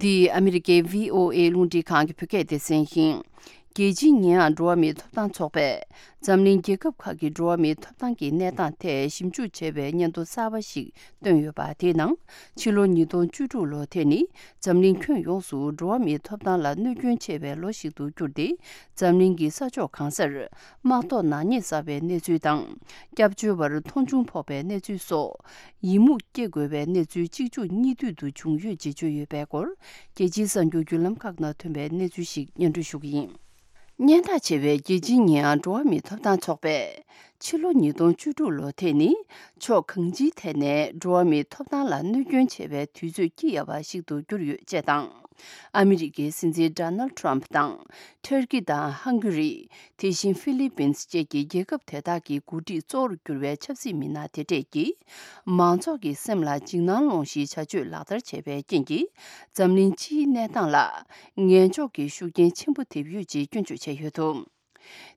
འདི་ཨ་མི་རི་ཀའི་བྷི་ཨོ་ཨེ་རླུང་འཕྲིན་ཁང་གི་བོད་སྐད་སྡེ་ཚན་ཡིན། རྒྱལ་སྤྱིའི་ཉེ་ཡངས་འགྲོ་བ་མིའི་ཐོབ་ཐང་ཚོགས་པས་འཛམ་གླིང་རྒྱལ་ཁབ་ཁག་གི་འགྲོ་བ་མིའི་ཐོབ་ཐང་གི་གནས་སྟངས་ཐད་ཞིབ་འཇུག་བྱས་པའི་སྙན་ཐོ་གསར་པ་ཞིག་བཏོན་ཡོད་པ། དེའི་ནང་ཕྱི་ལོ་ཉིས་སྟོང་བཅུ་དྲུག་ལོ་དེ་ནི་འཛམ་གླིང་ཁྱོན་ཡོངས་སུ་འགྲོ་བ་མིའི་ཐོབ་ཐང་ལ་གནོད་སྐྱོན་ཆེ་བའི་ལོ་ཞིག་ཏུ་གྱུར་ཏེ། འཛམ་གླིང་གི་ས་ཕྱོགས་གང་སར་དམག་ཐོག་ནག་ཉེས་བསགས་པའི་གནས་ཚུལ་དང་། སྐྱབས་བཅོལ་བར་མཐོང་ཆུང་ཕོག་པའི་གནས་ཚུལ་སོགས། ཡི་མུག་སྐྱེ་དགོས་པའི་གནས་ཚུལ་གཅིག་མཇུག་གཉིས་མཐུད་དུ་བྱུང་ཡོད་ཅེས་བརྗོད་ཡོད་པའི་སྐོར། རྒྱལ་སྤྱིའི་གསར་འགྱུར་བརྒྱུད་ལམ་ཁག་ནང་ཐོན་པའི་གནས་ཚུལ་ཞིག་སྙན་སྒྲོན་ཞུ་གི་ཡིན། སྙན་གྲགས་ཆེ་བའི་རྒྱལ་སྤྱིའི་ཉེ་ཡངས་འགྲོ་བ་མིའི་ཐོབ་ཐང་ཚོགས་པས། ཕྱི་ལོ་ཉིས་སྟོང་བཅུ་དྲུག་ལོ་དེ་ནི་ཕྱོགས་གང་ཅིའི་ཐད་ནས་འགྲོ་བ་མིའི་ཐོབ་ཐང་ལ་གནོད་སྐྱོན་ཆེ་བའི་དུས་ཚོད་སྐྱི་གཡའ་བ་ཞིག་ཏུ་གྱུར་ཡོད་ཅེས་དང་། ཨ་མི་རི་ཀའི་སྲིད་འཛིན་Donald Trump དང་། ཊར་ཀི་དང་ཧང་གུ་རི། དེ་བཞིན་ཧྥི་ལི་པིན་སི་བཅས་ཀྱི་རྒྱལ་ཁབ་དེ་དག་གི་འགོ་ཁྲིད་གཙོ་བོར་གྱུར་བའི་ཆབ་སྲིད་མི་སྣ་དེ་གྲས་ཀྱིས། མང་ཚོགས་ཀྱི་སེམས་ལ་འཇིགས་སྣང་སློང་གཞིའི་བྱ་སྤྱོད་ལག་བསྟར་བྱས་པའི་རྐྱེན་གྱིས། འཛམ་གླིང་སྤྱིའི་གནས་སྟངས་ལ་ངན་ཕྱོགས་ཀྱི་ཤུགས་རྐྱེན་ཆེན་པོ་ཐེབས་ཡོད་ཅེས་སྐྱོན་བརྗོད་བྱས་ཡོད་འདུག་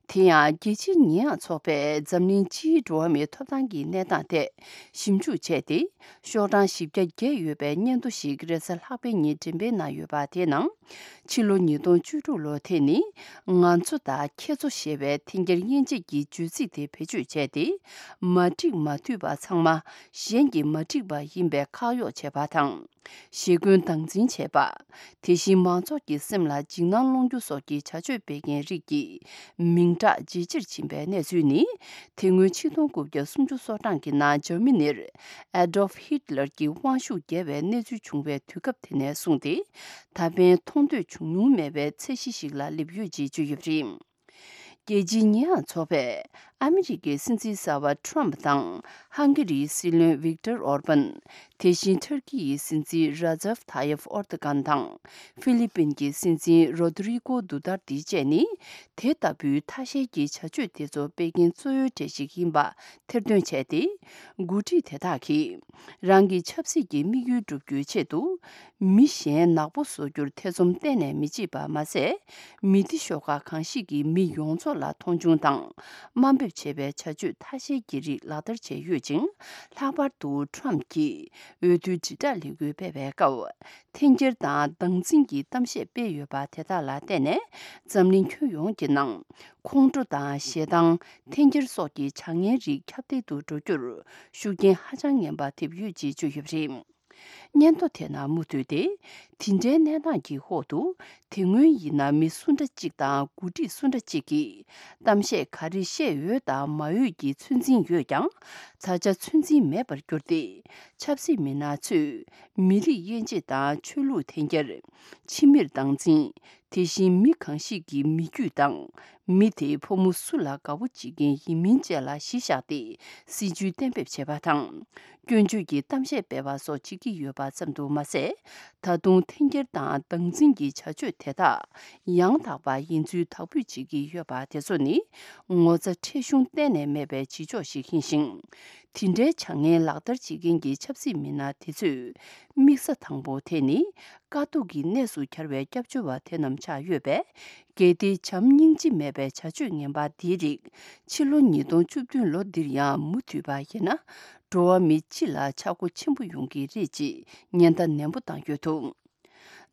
དེ་ཡང་རྒྱལ་སྤྱིའི་ཉེ་ཡངས་ཚོགས་པས་འཛམ་གླིང་སྤྱིའི་འགྲོ་བ་མིའི་ཐོབ་ཐང་གི་གནས་སྟངས་ཐད་ཞིབ་འཇུག་བྱས་ཏེ། ཤོག་གྲངས་བཞི་བརྒྱ་བརྒལ་ཡོད་པའི་སྙན་ཐོ་ཞིག་རེས་གཟའ་ལྷག་པའི་ཉིན་འགྲེམས་སྤེལ་གནང་ཡོད་པ། དེའི་ནང་། ཕྱི་ལོ་ཉིས་སྟོང་བཅུ་དྲུག་ལོ་དེ་ནི་ང་ཚོ་དང་ཁྱེད་ཚོ་ཞེས་པའི་འཐེན་འཁྱེར་དབྱེ་འབྱེད་ཀྱི་བརྗོད་ཚིག་དེ་བེད་སྤྱོད་བྱས་ཏེ། མ་འགྲིག་མ་འཐུས་པ་ཚང་མ་གཞན་གྱིས་མ་འགྲིག་པ་ཡིན་པའི་ཁག་གཡོགས་བྱས་པ་དང་། ཞེ་འཁོན་སྟངས་འཛིན་བྱས་པ། དེ་བཞིན་མང་ཚོགས་ཀྱི་སེམས་ལ་འཇིགས་སྣང་སློང་རྒྱུ་སོགས་ཀྱི་བྱ་སྤྱོད་སྤེལ་མཁན་རིགས་ཀྱི་མིང་གྲགས་ཇེ་ཆེར་ཕྱིན་པའི་གནས་ཚུལ་ནི། དེ་སྔོན་ཆིག་སྟོང་དགུ་བརྒྱ་སུམ་ཅུ་སོ་གྲངས་ཀྱི་ནང་འཇར་མ་ནིར་Adolf Hitler གྱི་དབང་ཤུགས་བརྒྱབ་པའི་གནས་ཚུལ་བྱུང་བའི་དུས་སྐབས་དེ་ནས་བཟུང་སྟེ། ད་ཕན་མཐོང་ཐོས་བྱུང་མྱོང་མེད་པའི་ཚད་གཞི་ཞིག་ལ་སླེབས་ཡོད་ཅེས་བརྗོད་ཡོད་པ་རེད། རྒྱལ་སྤྱིའི་ཉེ་ཡངས་ཚོགས་པས་ ཨ་མི་རི་ཀའི་སྲིད་འཛིན་གསར་པ་ཊམ་དང་། ཧང་གི་རིའི་སྲིད་བློན་ཝིག་ཏར་ཨོར་པན། དེ་བཞིན་ཊར་ཀི་ཡི་སྲིད་འཛིན་ར་ཛབ་ཐ་ཡབ་ཨོར་ཏ་གན་དང་། ཧྥི་ལི་པིན་གྱི་སྲིད་འཛིན་རོ་དི་རི་ཀོ་དུ་ཏར་ཏི་བཅས་ནི། དེ་ལྟ་བུའི་ཐ་ཤལ་གྱི་བྱ་སྤྱོད་དེ་ཚོ་སྤེལ་མཁན་གཙོ་བོའི་གྲས་ཤིག་ཡིན་པ་ཐེར་འདོན་བྱས་ཏེ། འགོ་ཁྲིད་དེ་དག་གིས། རང་གི་ཆབ་སྲིད་ཀྱི་དམིགས་ཡུལ་བསྒྲུབ་རྒྱུའི་ཆེད་དུ། མི་གཞན་ནག་པོ་བཟོ་རྒྱུར་ཐེ་ཚོམ་གཏན་ནས་མི་བྱེད་པ་མ་ཟད། མི་སྡེ་ཤོག་ཁག་གང་ཞིག་གི་མི་ཡོངས་རྫོགས་ལ་མཐོང་ཆུང་དང་དམའ་འབེབས་བྱེད་པའི་བྱ་སྤྱོད་ཐ་ཤལ་གྱི་རིགས་ལག་བསྟར་བྱས་ཡོད་ཅིང་། ལྷག་པར་དུ་ཊམ་གྱིས་འོས་བསྡུའི་དྲིལ་བསྒྲགས་ལས་འགུལ་སྤེལ་བའི་སྐབས། འཐེན་འཁྱེར་དང་སྡང་འཛིན་གྱི་གཏམ་བཤད་སྤེལ་ཡོད་པ་དེ་དག་ལ་བརྟེན་ནས། འཛམ་གླིང་ཁྱོན་ཡོངས་ཀྱི་ནང་། ཁོང་ཁྲོ་དང་ཞེ་སྡང་། འཐེན་འཁྱེར་སོགས་ཀྱི་བྱ་ངན་རིགས་ཁྱབ་གདལ་དུ་འགྲོ་རྒྱུར་ཤུགས་རྐྱེན་ཧ་ཅང་ངན་པ་ཐེབས་ཡོད་ཅེས་བརྗོད་ཡོད་པ་རེད། སྙན་ཐོ་དེ་ནང་མུ་མཐུད་དེ། དེ་འདྲའི་གནས་སྟངས་ཀྱི་འོག་ཏུ། དེ་སྔོན་ཡིན་ན་མི་སུ་འདྲ་གཅིག་དང་འགོ་ཁྲིད་སུ་འདྲ་གཅིག་གིས། གཏམ་བཤད་ག་རེ་བཤད་ཡོད་དང་མ་ཡོད་ཀྱི་ཚོད་འཛིན་ཡོད་ཀྱང་། ད་ཆ་ཚོད་འཛིན་མེད་པར་གྱུར་ཏེ། ཆབ་སྲིད་མི་སྣ་ཚོས། མི་རིགས་དབྱེ་འབྱེད་དང་ཆོས་ལུགས་འཐེན་འཁྱེར། ཕྱི་མིར་སྡང་འཛིན། དེ་བཞིན་མི་གང་ཞིག་གི་མི་རྒྱུད་དང་། མི་དེའི་ཕོ་མོ་སུ་ལ་དགའ་པོ་བྱེད་མཁན་ཡིན་མིན་བཅས་ལ་གཞི་བཞག་སྟེ། སྲིད་ཇུས་གཏན་འབེབས་བྱེད་པ་དང་། སྐྱོན་བརྗོད་ཀྱི་གཏམ་བཤད་སྤེལ་བ་སོགས་བྱེད་ཀྱི་ཡོད་པ་ཙམ་དུ་མ་ཟད། ད་དུང་འཐེན་འཁྱེར་དང་སྡང་འཛིན་གྱི་བྱ་སྤྱོད་དེ་དག་ཡང་དག་པ་ཡིན་ཚུལ་དག་འབུད་བྱེད་ཀྱི་ཡོད་པ་དེ་ཚོ་ནི། ངོ་ཚ་ཁྲེལ་གཞུང་གཏན་ནས་མེད་པའི་བྱེད་ཕྱོགས་ཤིག་ཡིན་ཞིང་། དེ་འདྲའི་བྱ་ངན་ལག་བསྟར་བྱེད་མཁན་གྱི་ཆབ་སྲིད་མི་སྣ་དེ་ཚོས། དམིགས་ས་དང་པོ་དེ་ནི། དཀའ་སྡུག་གི་གནས་སུ་གྱར་བའི་སྐྱབས་བཅོལ་བ་དེ་རྣམས་ཆགས་ཡོད་པས། གལ་ཏེ་བྱམས་སྙིང་རྗེ་མེད་པའི་བྱ་སྤྱོད་ངན་པ་འདིའི་རིགས། ཕྱི་ལོ་ཉིས་སྟོང་བཅུ་བདུན་ལོ་འདིར་ཡང་མུ་མཐུད་པ་ཡིན་ན། འགྲོ་བ་མི་སྤྱི་ལ་ཆག་སྒོ་ཆེན་པོ་ཡོང་གི་རེད་ཅེས་ཉེན་བརྡ་ནན་པོ་བཏང་ཡོད་འདུག་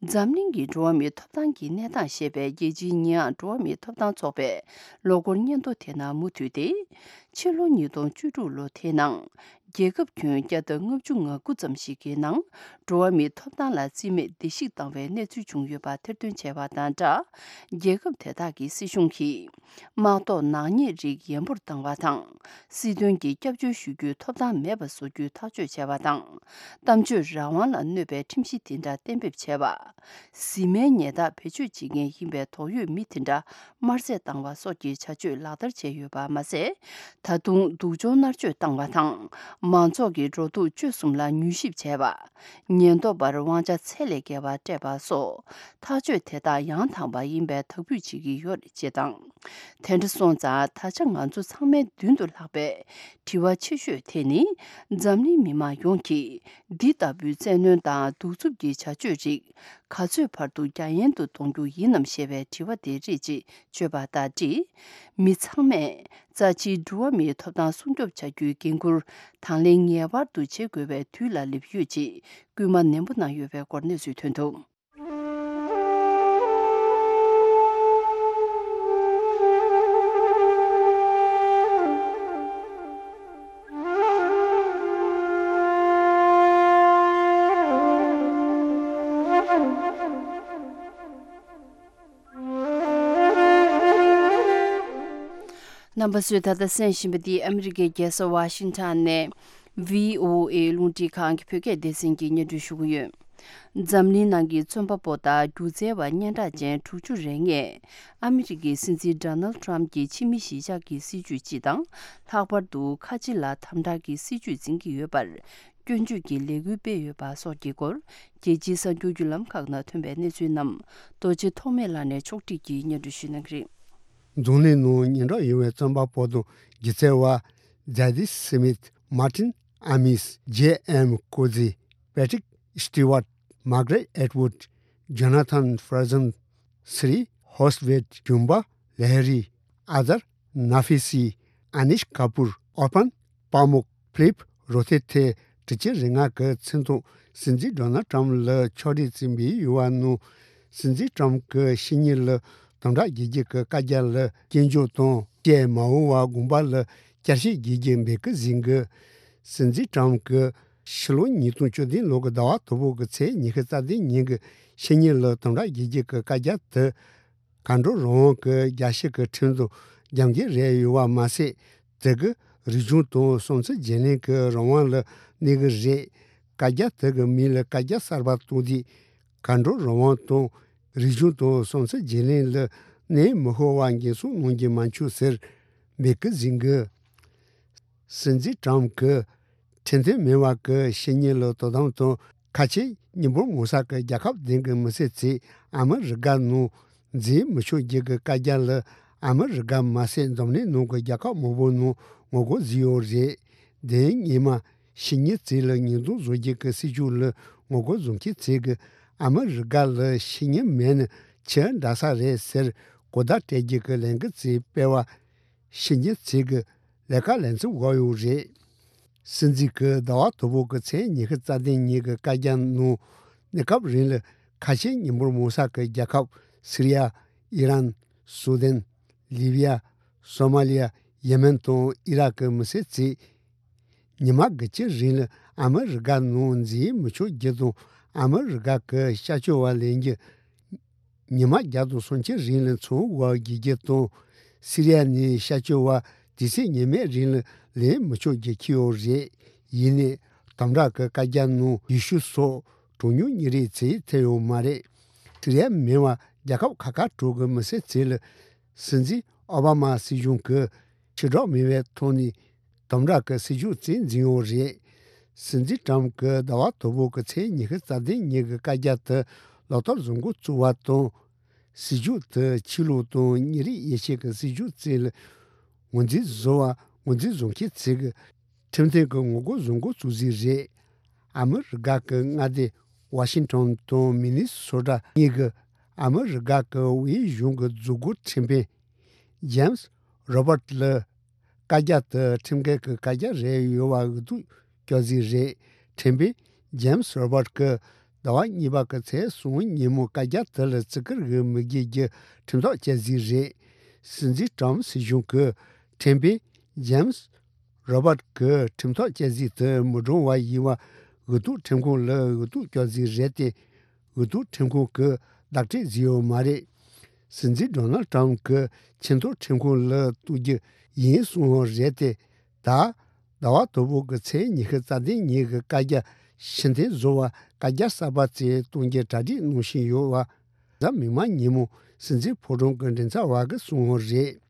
འཛམ་གླིང་གི་འགྲོ་བ་མིའི་ཐོབ་ཐང་གི་གནས་སྟངས་ཞེས་པའི་རྒྱལ་སྤྱིའི་ཉེ་འགྲོ་བ་མིའི་ཐོབ་ཐང་ཚོགས་པས་ལོ་འཁོར་སྙན་ཐོ་དེ་ནང་མུ་མཐུད་དེ། ཕྱི་ལོ་ཉིས་སྟོང་བཅུ་དྲུག་ལོ་དེའི་ནང་། རྒྱལ་ཁབ་ཁྱོན་བརྒྱ་དང་ལྔ་བཅུ་ང་དགུ་ཙམ་ཞིག་གི་ནང་། འགྲོ་བ་མིའི་ཐོབ་ཐང་ལ་རྩིས་མེད་བརྡལ་བཤིག་བཏང་བའི་གནས་ཚུལ་བྱུང་ཡོད་པ་ཐེར་འདོན་བྱས་པ་དང་སྦྲགས། རྒྱལ་ཁབ་དེ་དག་གི་སྲིད་གཞུང་གིས། དམག་ཐོག་ནག་ཉེས་རིགས་ཡན་པོར་བཏང་བ་དང་། སྲིད་དོན་གྱི་སྐྱབས་བཅོལ་ཞུ་རྒྱུའི་ཐོབ་ཐང་མེད་པ་བཟོ་རྒྱུའི་ཐག་གཅོད་བྱས་པ་དང་། གཏམ་བརྗོད་རང་དབང་ལ་གནོད་པའི་ཁྲིམས་གཞི་དེ་འདྲ་གཏན་འབེབས་བྱས་པ། གཟིམ་མལ་ཉལ་ཐ་བེད་སྤྱོད་བྱེད་མཁན་ཡིན་པའི་དོགས་ཡོད་མི་དེ་འདྲ་དམར་བསད་བཏང་བ་སོགས་ཀྱི་བྱ་སྤྱོད་ལག་བསྟར་བྱས་ཡོད་པ་མ་ཟད། ད་དུང་སྡུག་སྦྱོང་མནར་གཅོད་བཏང་བ་དང་། མང་ཚོགས་ཀྱི་འགྲོ་འདུག་སྤྱོད་གསུམ་ལ་མྱུལ་ཞིབ་བྱས་པ། ཉེན་རྟོག་པར་དབང་ཆ་ཚད་ལས་བརྒལ་བ་སྤྲད་པ་སོགས། ཐག་གཅོད་དེ་དག་ཡང་དག་པ་ཡིན་པའི་དག་འབུད་བྱེད་ཀྱི་ཡོད་རེད་ཅེས་དང་། དེ་འདྲ་སོང་ཙང་ད་ཆ་ང་ཚོ་ཚང་མའི་མདུན་དུ་ལྷགས་པའི་དྲི་བ་ཆེ་ཤོས་དེ་ནི། འཛམ་གླིང་མི་མང་ཡོངས་ཀྱིས་འདི་ལྟ་བུའི་བཙན་གནོན་དང་གདུག་རྩུབ་ཀྱི་བྱ་སྤྱོད་རིགས་ག་ཚོད་བར་དུ་རྒྱ་ཡན་དུ་གཏོང་རྒྱུ་ཡིན་ནམ་ཞེས་པའི་དྲི་བ་དེ་རེད་ཅེས་བརྗོད་པ་དང་འབྲེལ། མི་ཚང་མས་རྩ་ཆེའི་འགྲོ་བ་མིའི་ཐོབ་ཐང་སྲུང་སྐྱོབ་བྱ་རྒྱུའི་འགན་ཁུར་དང་ལེན་ངེས་པར་དུ་བྱེད་དགོས་པའི་དུས་ལ་སླེབས་ཡོད་ཅེས་སྐུལ་མ་ནན་པོ་གནང་ཡོད་པའི་སྐོར་གནས་ཚུལ་ཐོན་འདུག་རྣམ་པ་ཚོས་ད་ལྟ་གསན་བཞིན་པ་འདི་ཨ་མི་རི་ཀའི་རྒྱལ་ས་ཝ་ཤིང་ཊོན་ནས་བྷི་ཨོ་ཨེ་རླུང་འཕྲིན་ཁང་གི་བོད་སྐད་སྡེ་ཚན་གྱིས་སྙན་སྒྲོན་ཞུ་གི་ཡོད། འཛམ་གླིང་ནང་གི་རྩོམ་པ་པོ་དང་སྒྱུ་རྩལ་བ་སྙན་གྲགས་ཅན་དྲུག་ཅུ་རེ་ལྔས་ཨ་མི་རི་ཀའི་སྲིད་འཛིན་ཌོ་ནལ་ཊམ་གྱི་ཕྱི་མི་གཞིས་ཆགས་ཀྱི་སྲིད་ཇུས་སྤྱི་དང་། ལྷག་པར་དུ་ཁ་ཆེ་ལ་དམ་དྲག་གི་སྲིད་ཇུས་འཛིན་གྱི་ཡོད་པར། སྐྱོན་བརྗོད་ཀྱི་ལས་འགུལ་སྤེལ་ཡོད་པ་སོགས་ཀྱི་སྐོར། རྒྱལ་སྤྱིའི་གསར་འགྱུར་བརྒྱུད་ལམ་ཁག་ནང་ཐོན་པའི་གནས་ཚུལ་རྣམས་རྡོ་རྗེ་ཐོགས་མེད་ལགས་ནས་ཕྱོགས་སྒྲིག་གིས་སྙན་སྒྲོན་ཞུ་གནང་གི་རེད། འཛམ་གླིང་ནང་སྙན་གྲགས་ཡོད་པའི་རྩོམ་པ་པོ་དང་སྒྱུ་རྩལ་བ། ཛ་དི་སི་མིད། མར་ཏིན་ཨ་མིས། ཇེ་ཨེམ་ཀོ་ཛི། པེ་ཏྲིག་སི་ཏི་ཝར། མར་ག་རེད་ཨེཊ་ཝུད། ཇོ་ན་ཐན་ཧྥེ་ར་ཛན། སི་རི་ཧོ་སི་ཝེད། ཇུམ་པ་ལེ་ཧ་རི། ཨ་ཛར་ན་ཧྥི་སི། ཨ་ནིཤ་ཀ་པུར། ཨོར་པན་པ་མུག། ཕི་ལིབ་རོ་ཐེ་ཐེ། དྲུག་ཅུ་རེ་ལྔ་གི་མཚན་ཐོག་སྲིད་འཛིན་ཌོ་ནལ་ཊམ་ལ་ཕྱོགས་རིས་བཙུགས་པའི་ཡུལ་བ་ནང་། སྲིད་འཛིན་ཊམ་གྱི་ཕྱི་ཉིན་ལ་དམ་དྲག་རྒྱལ་རྒྱུ་གི་བཀའ་རྒྱ་ལ་སྐྱོན་བརྗོད་དང་། ཀྱེ་མ་འོངས་པ་དགོངས་པ་ལ་བསྐྱར་ཞིབ་རྒྱག་རྒྱུ་འབོད་སྐུལ་ཟིན་གི། སྲིད་འཛིན་ཊམ་གྱི་ཕྱི་ལོ་ཉིས་སྟོང་བཅུ་བདུན་ལོ་གི་ཟླ་བ་དང་པོ་གི་ཚེས་ཉི་ཤུ་རྩ་བདུན་ཉིན་གྱི་ཕྱི་ཉིན་ལ་དམ་དྲག་རྒྱལ་རྒྱུ་གི་བཀའ་རྒྱ་དེ། མཁའ་འགྲོ་རང་དབང་གི་རྒྱལ་སྤྱི་གི་ཁྲིམས་དང་འགལ་གྱི་རེད་ཡོད་པ་མ་ཟད། དེ་གིས་རིག་གཞུང་དང་བསམ་ཚུལ་བརྗེ་ལེན་གྱི་རང་དབང་ལ་གནོད་ཀྱི་རེད། བཀའ་རྒྱ་དེ་གི་མིང་ལ་བཀའ་རྒྱ་གསར་པ་བཏོན་དུས། མཁའ་འགྲོ་རང་དབང་དང་རིག་གཞུང་དང་བསམ་ཚུལ་བརྗེ་ལེན་ལ་གནོད་མི་ཤོར་བ་འགན་སྲུང་གནང་རྒྱུ་མ་འཆུག་ཟེར། མེག་ཛིན་གྱིས། སྲིད་འཛིན་ཀྲམ་གྱིས་ཁྲིམས་མཐུན་མིན་པ་གི་ཕྱི་ཉིན་ལ་དོ་དམ་དང་ཁ་ཆེ་སྙིང་པོར་མོ་ས་གི་རྒྱལ་ཁབ་བདུན་གྱི་མི་སེར་ཚོས་ཨ་མི་རི་ཀ་ནང་འཛིན་མི་ཆོག་རྒྱུ་གི་བཀའ་རྒྱ་ལ་ཨ་མི་རི་ཀ་མ་ཟད་འཛམ་གླིང་ནང་གི་རྒྱལ་ཁབ་མང་པོ་ནང་ངོ་རྒོལ་བཟོས་ཡོད་རེད། དེ་སྔོན་མ་ཕྱི་ཉིན་ཚོས་ལ་ཉེས་རྡུང་བཟོ་རྒྱུ་གི་སྲིད་ཇུས་ལ་ངོ་རྒོལ་བཟོ་མཁན་ཚོས་གི་ཨ་མི་རི་ཀ་ལ་ཕྱི་ཉིན་མེད་ན་ཆི་འདྲ་ས་རེད་ཟེར་གོ་བརྡ་སྤྲད་རྒྱུ་གི་ལས་འགུལ་ཚོས་སྤེལ་བ། ཕྱི་ཉིན་ཚོས་གི་ལས་ཀ་ལས་མཚམས་བཞག་ཡོད་རེད། སྲིད་འཛིན་གྱིས་ཟླ་བ་དང་པོ་གི་ཚེས་ཉི་ཤུ་རྩ་བདུན་ཉིན་གྱི་བཀའ་རྒྱ་ནང་གནས་སྐབས་རིང་ལ་ཁ་ཆེ་སྙིང་པོར་མོ་ས་གི་རྒྱལ་ཁབ་སི་རི་ཡ། ཨི་རན། སུ་དན། ལི་བི་ཡ། སོ་མ་ལི་ཡ། ཡེ་མེན་དང་ཨི་རག་གི་མི་སེར་ཚོས་ཉི་མ་དགུ་བཅུའི་རིང་ལ་ཨ་མི་རི་ཀ་ནང་འཛིན་མི་ཆོག་རྒྱུ་དང་ཨ་མི་རི་ཀ་གི་ཤར་ཕྱོགས་པ་ལེན་རྒྱུ། ཉི་མ་བརྒྱ་དང་སུམ་ཅུ་རིང་ལ་ཚོང་བར་བརྒྱུད་རྒྱུ་དང་། སི་རི་ཡ་ནས་ཤར་ཕྱོགས་པ་དུས་ཚོད་ཉི་མའི་རིང་ལ་ལེན་མི་ཆོག་རྒྱུ་འཁྱེར་ཡོད་རེད། ཡིན་ནའི་དམ་དྲག་གི་བཀའ་རྒྱ་ནང་ཡེ་ཤུ་སོགས་གྲངས་ཉུང་མི་རིགས་ཚོས་ཐེ་ཡོད་མ་རེད། སི་རི་ཡ་མིན་པ་རྒྱལ་ཁབ་ཁག་ཁག་དྲུག་གི་མི་སེར་ཚོ་ལ་སྲིད་འཛིན་ཨོ་བྷ་མ་སྲིད་གཞུང་གིས་ཕྱིར་བསྒྲགས་མེད་པའི་ཐོག་ནས་དམ་དྲག་གི་སྲིད་ཇུས་བཙན་འཛིན་ཡོད་རེད། སྲིད་འཛིན་ཀྲམ་གྱིས་ཟླ་བ་དང་པོ་གི་ཚེས་ཉི་ཤུ་རྩ་བདུན་ཉིན་གྱི་བཀའ་རྒྱ་དེ་ལག་བསྟར་བཟོ་འགོ་བཙུགས་པ་དང་། སྲིད་ཇུས་དེ་ཆོས་ལུགས་དང་མི་རིགས་དབྱེ་འབྱེད་ཀྱི་སྲིད་ཇུས་བཙུགས་ལ་ངོས་འཛིན་བཟོ་བ་ངོས་འཛིན་བཟོ་མཁན་ཚོས་ཀྱི་ཁྲིམས་མཐུན་གྱི་ངོ་རྒོལ་བཟོ་འགོ་བཙུགས་ཟིན་རེད། ཨ་མི་རི་ཀ་གི་མངའ་སྡེ་ཝ་ཤིང་ཊོན་དང་མི་ནི་སོ་ཊ་གཉིས་ཀྱིས་ཨ་མི་རི་ཀ་གི་དབུས་གཞུང་གི་མཛུབ་གུ་ཁྲིམས་དཔོན་ཇེམ་སི་རོ་བར་ལ་བཀའ་རྒྱ་དེ་ཁྲིམས་འགལ་གྱི་བཀའ་རྒྱ་རེད་ཡོད་པ་འུ་ཐུག་སྐྱོར་ཟིན་རེད། ཁྲིམས་དཔོན་ཇེམ་སི་རོ་བར་གྱིས་ཟླ་བ་གཉིས་པ་གི་ཚེས་གསུམ་ཉིན་མོ་བཀའ་རྒྱ་དེ་ལ་བརྩི་བཀུར་ཡོད་མི་དགོས་རྒྱུ་ཁྲིམས་ཐག་བཅད་ཟིན་རེད། སྲིད་འཛིན་ཀྲམ་སྲིད་གཞུང་གིས་ཁྲིམས་དཔོན་ཇེམ་སི་རོ་བར་གྱི་ཁྲིམས་ཐག་བཅད་ཟིན་དེ་མི་འགྲོ་བ་ཡིན་པ་འུ་ཐུག་ཁྲིམས་ཁང་ལ་འུ་ཐུག་སྐྱོར་ཟིན་རེད་དེ། འུ་ཐུག་ཁྲིམས་ཁང་གིས་བདག་སྤྲོད་བཟོས་ཡོད་མ་རེད། སྲིད་འཛིན་ཌོ་ནལ་ཊམ་གྱིས་ཆེས་མཐོའི་ཁྲིམས་ཁང་ལ་གཏུག་རྒྱུ་ཡིན་གསུངས་པ་རེད་དེ། ད་ཟླ་བ་དང་པོ་གི་ཚེས་ཉི་ཤུ་རྩ་བདུན་ཉིན་གྱི་བཀའ་རྒྱ་ཕྱིར་འཐེན་བཟོ་བར་བཀའ་རྒྱ་གསར་པ་བཙུགས་གཏོང་རྒྱུ་གྲ་སྒྲིག་གནང་བཞིན་ཡོད་པ། གཟའ་མིག་དམར་ཉིན་མོ་སྲིད་འཛིན་ཕོ་བྲང་གི་མགྲིན་ཚབ་པ་གིས་གསུངས་པ་རེད།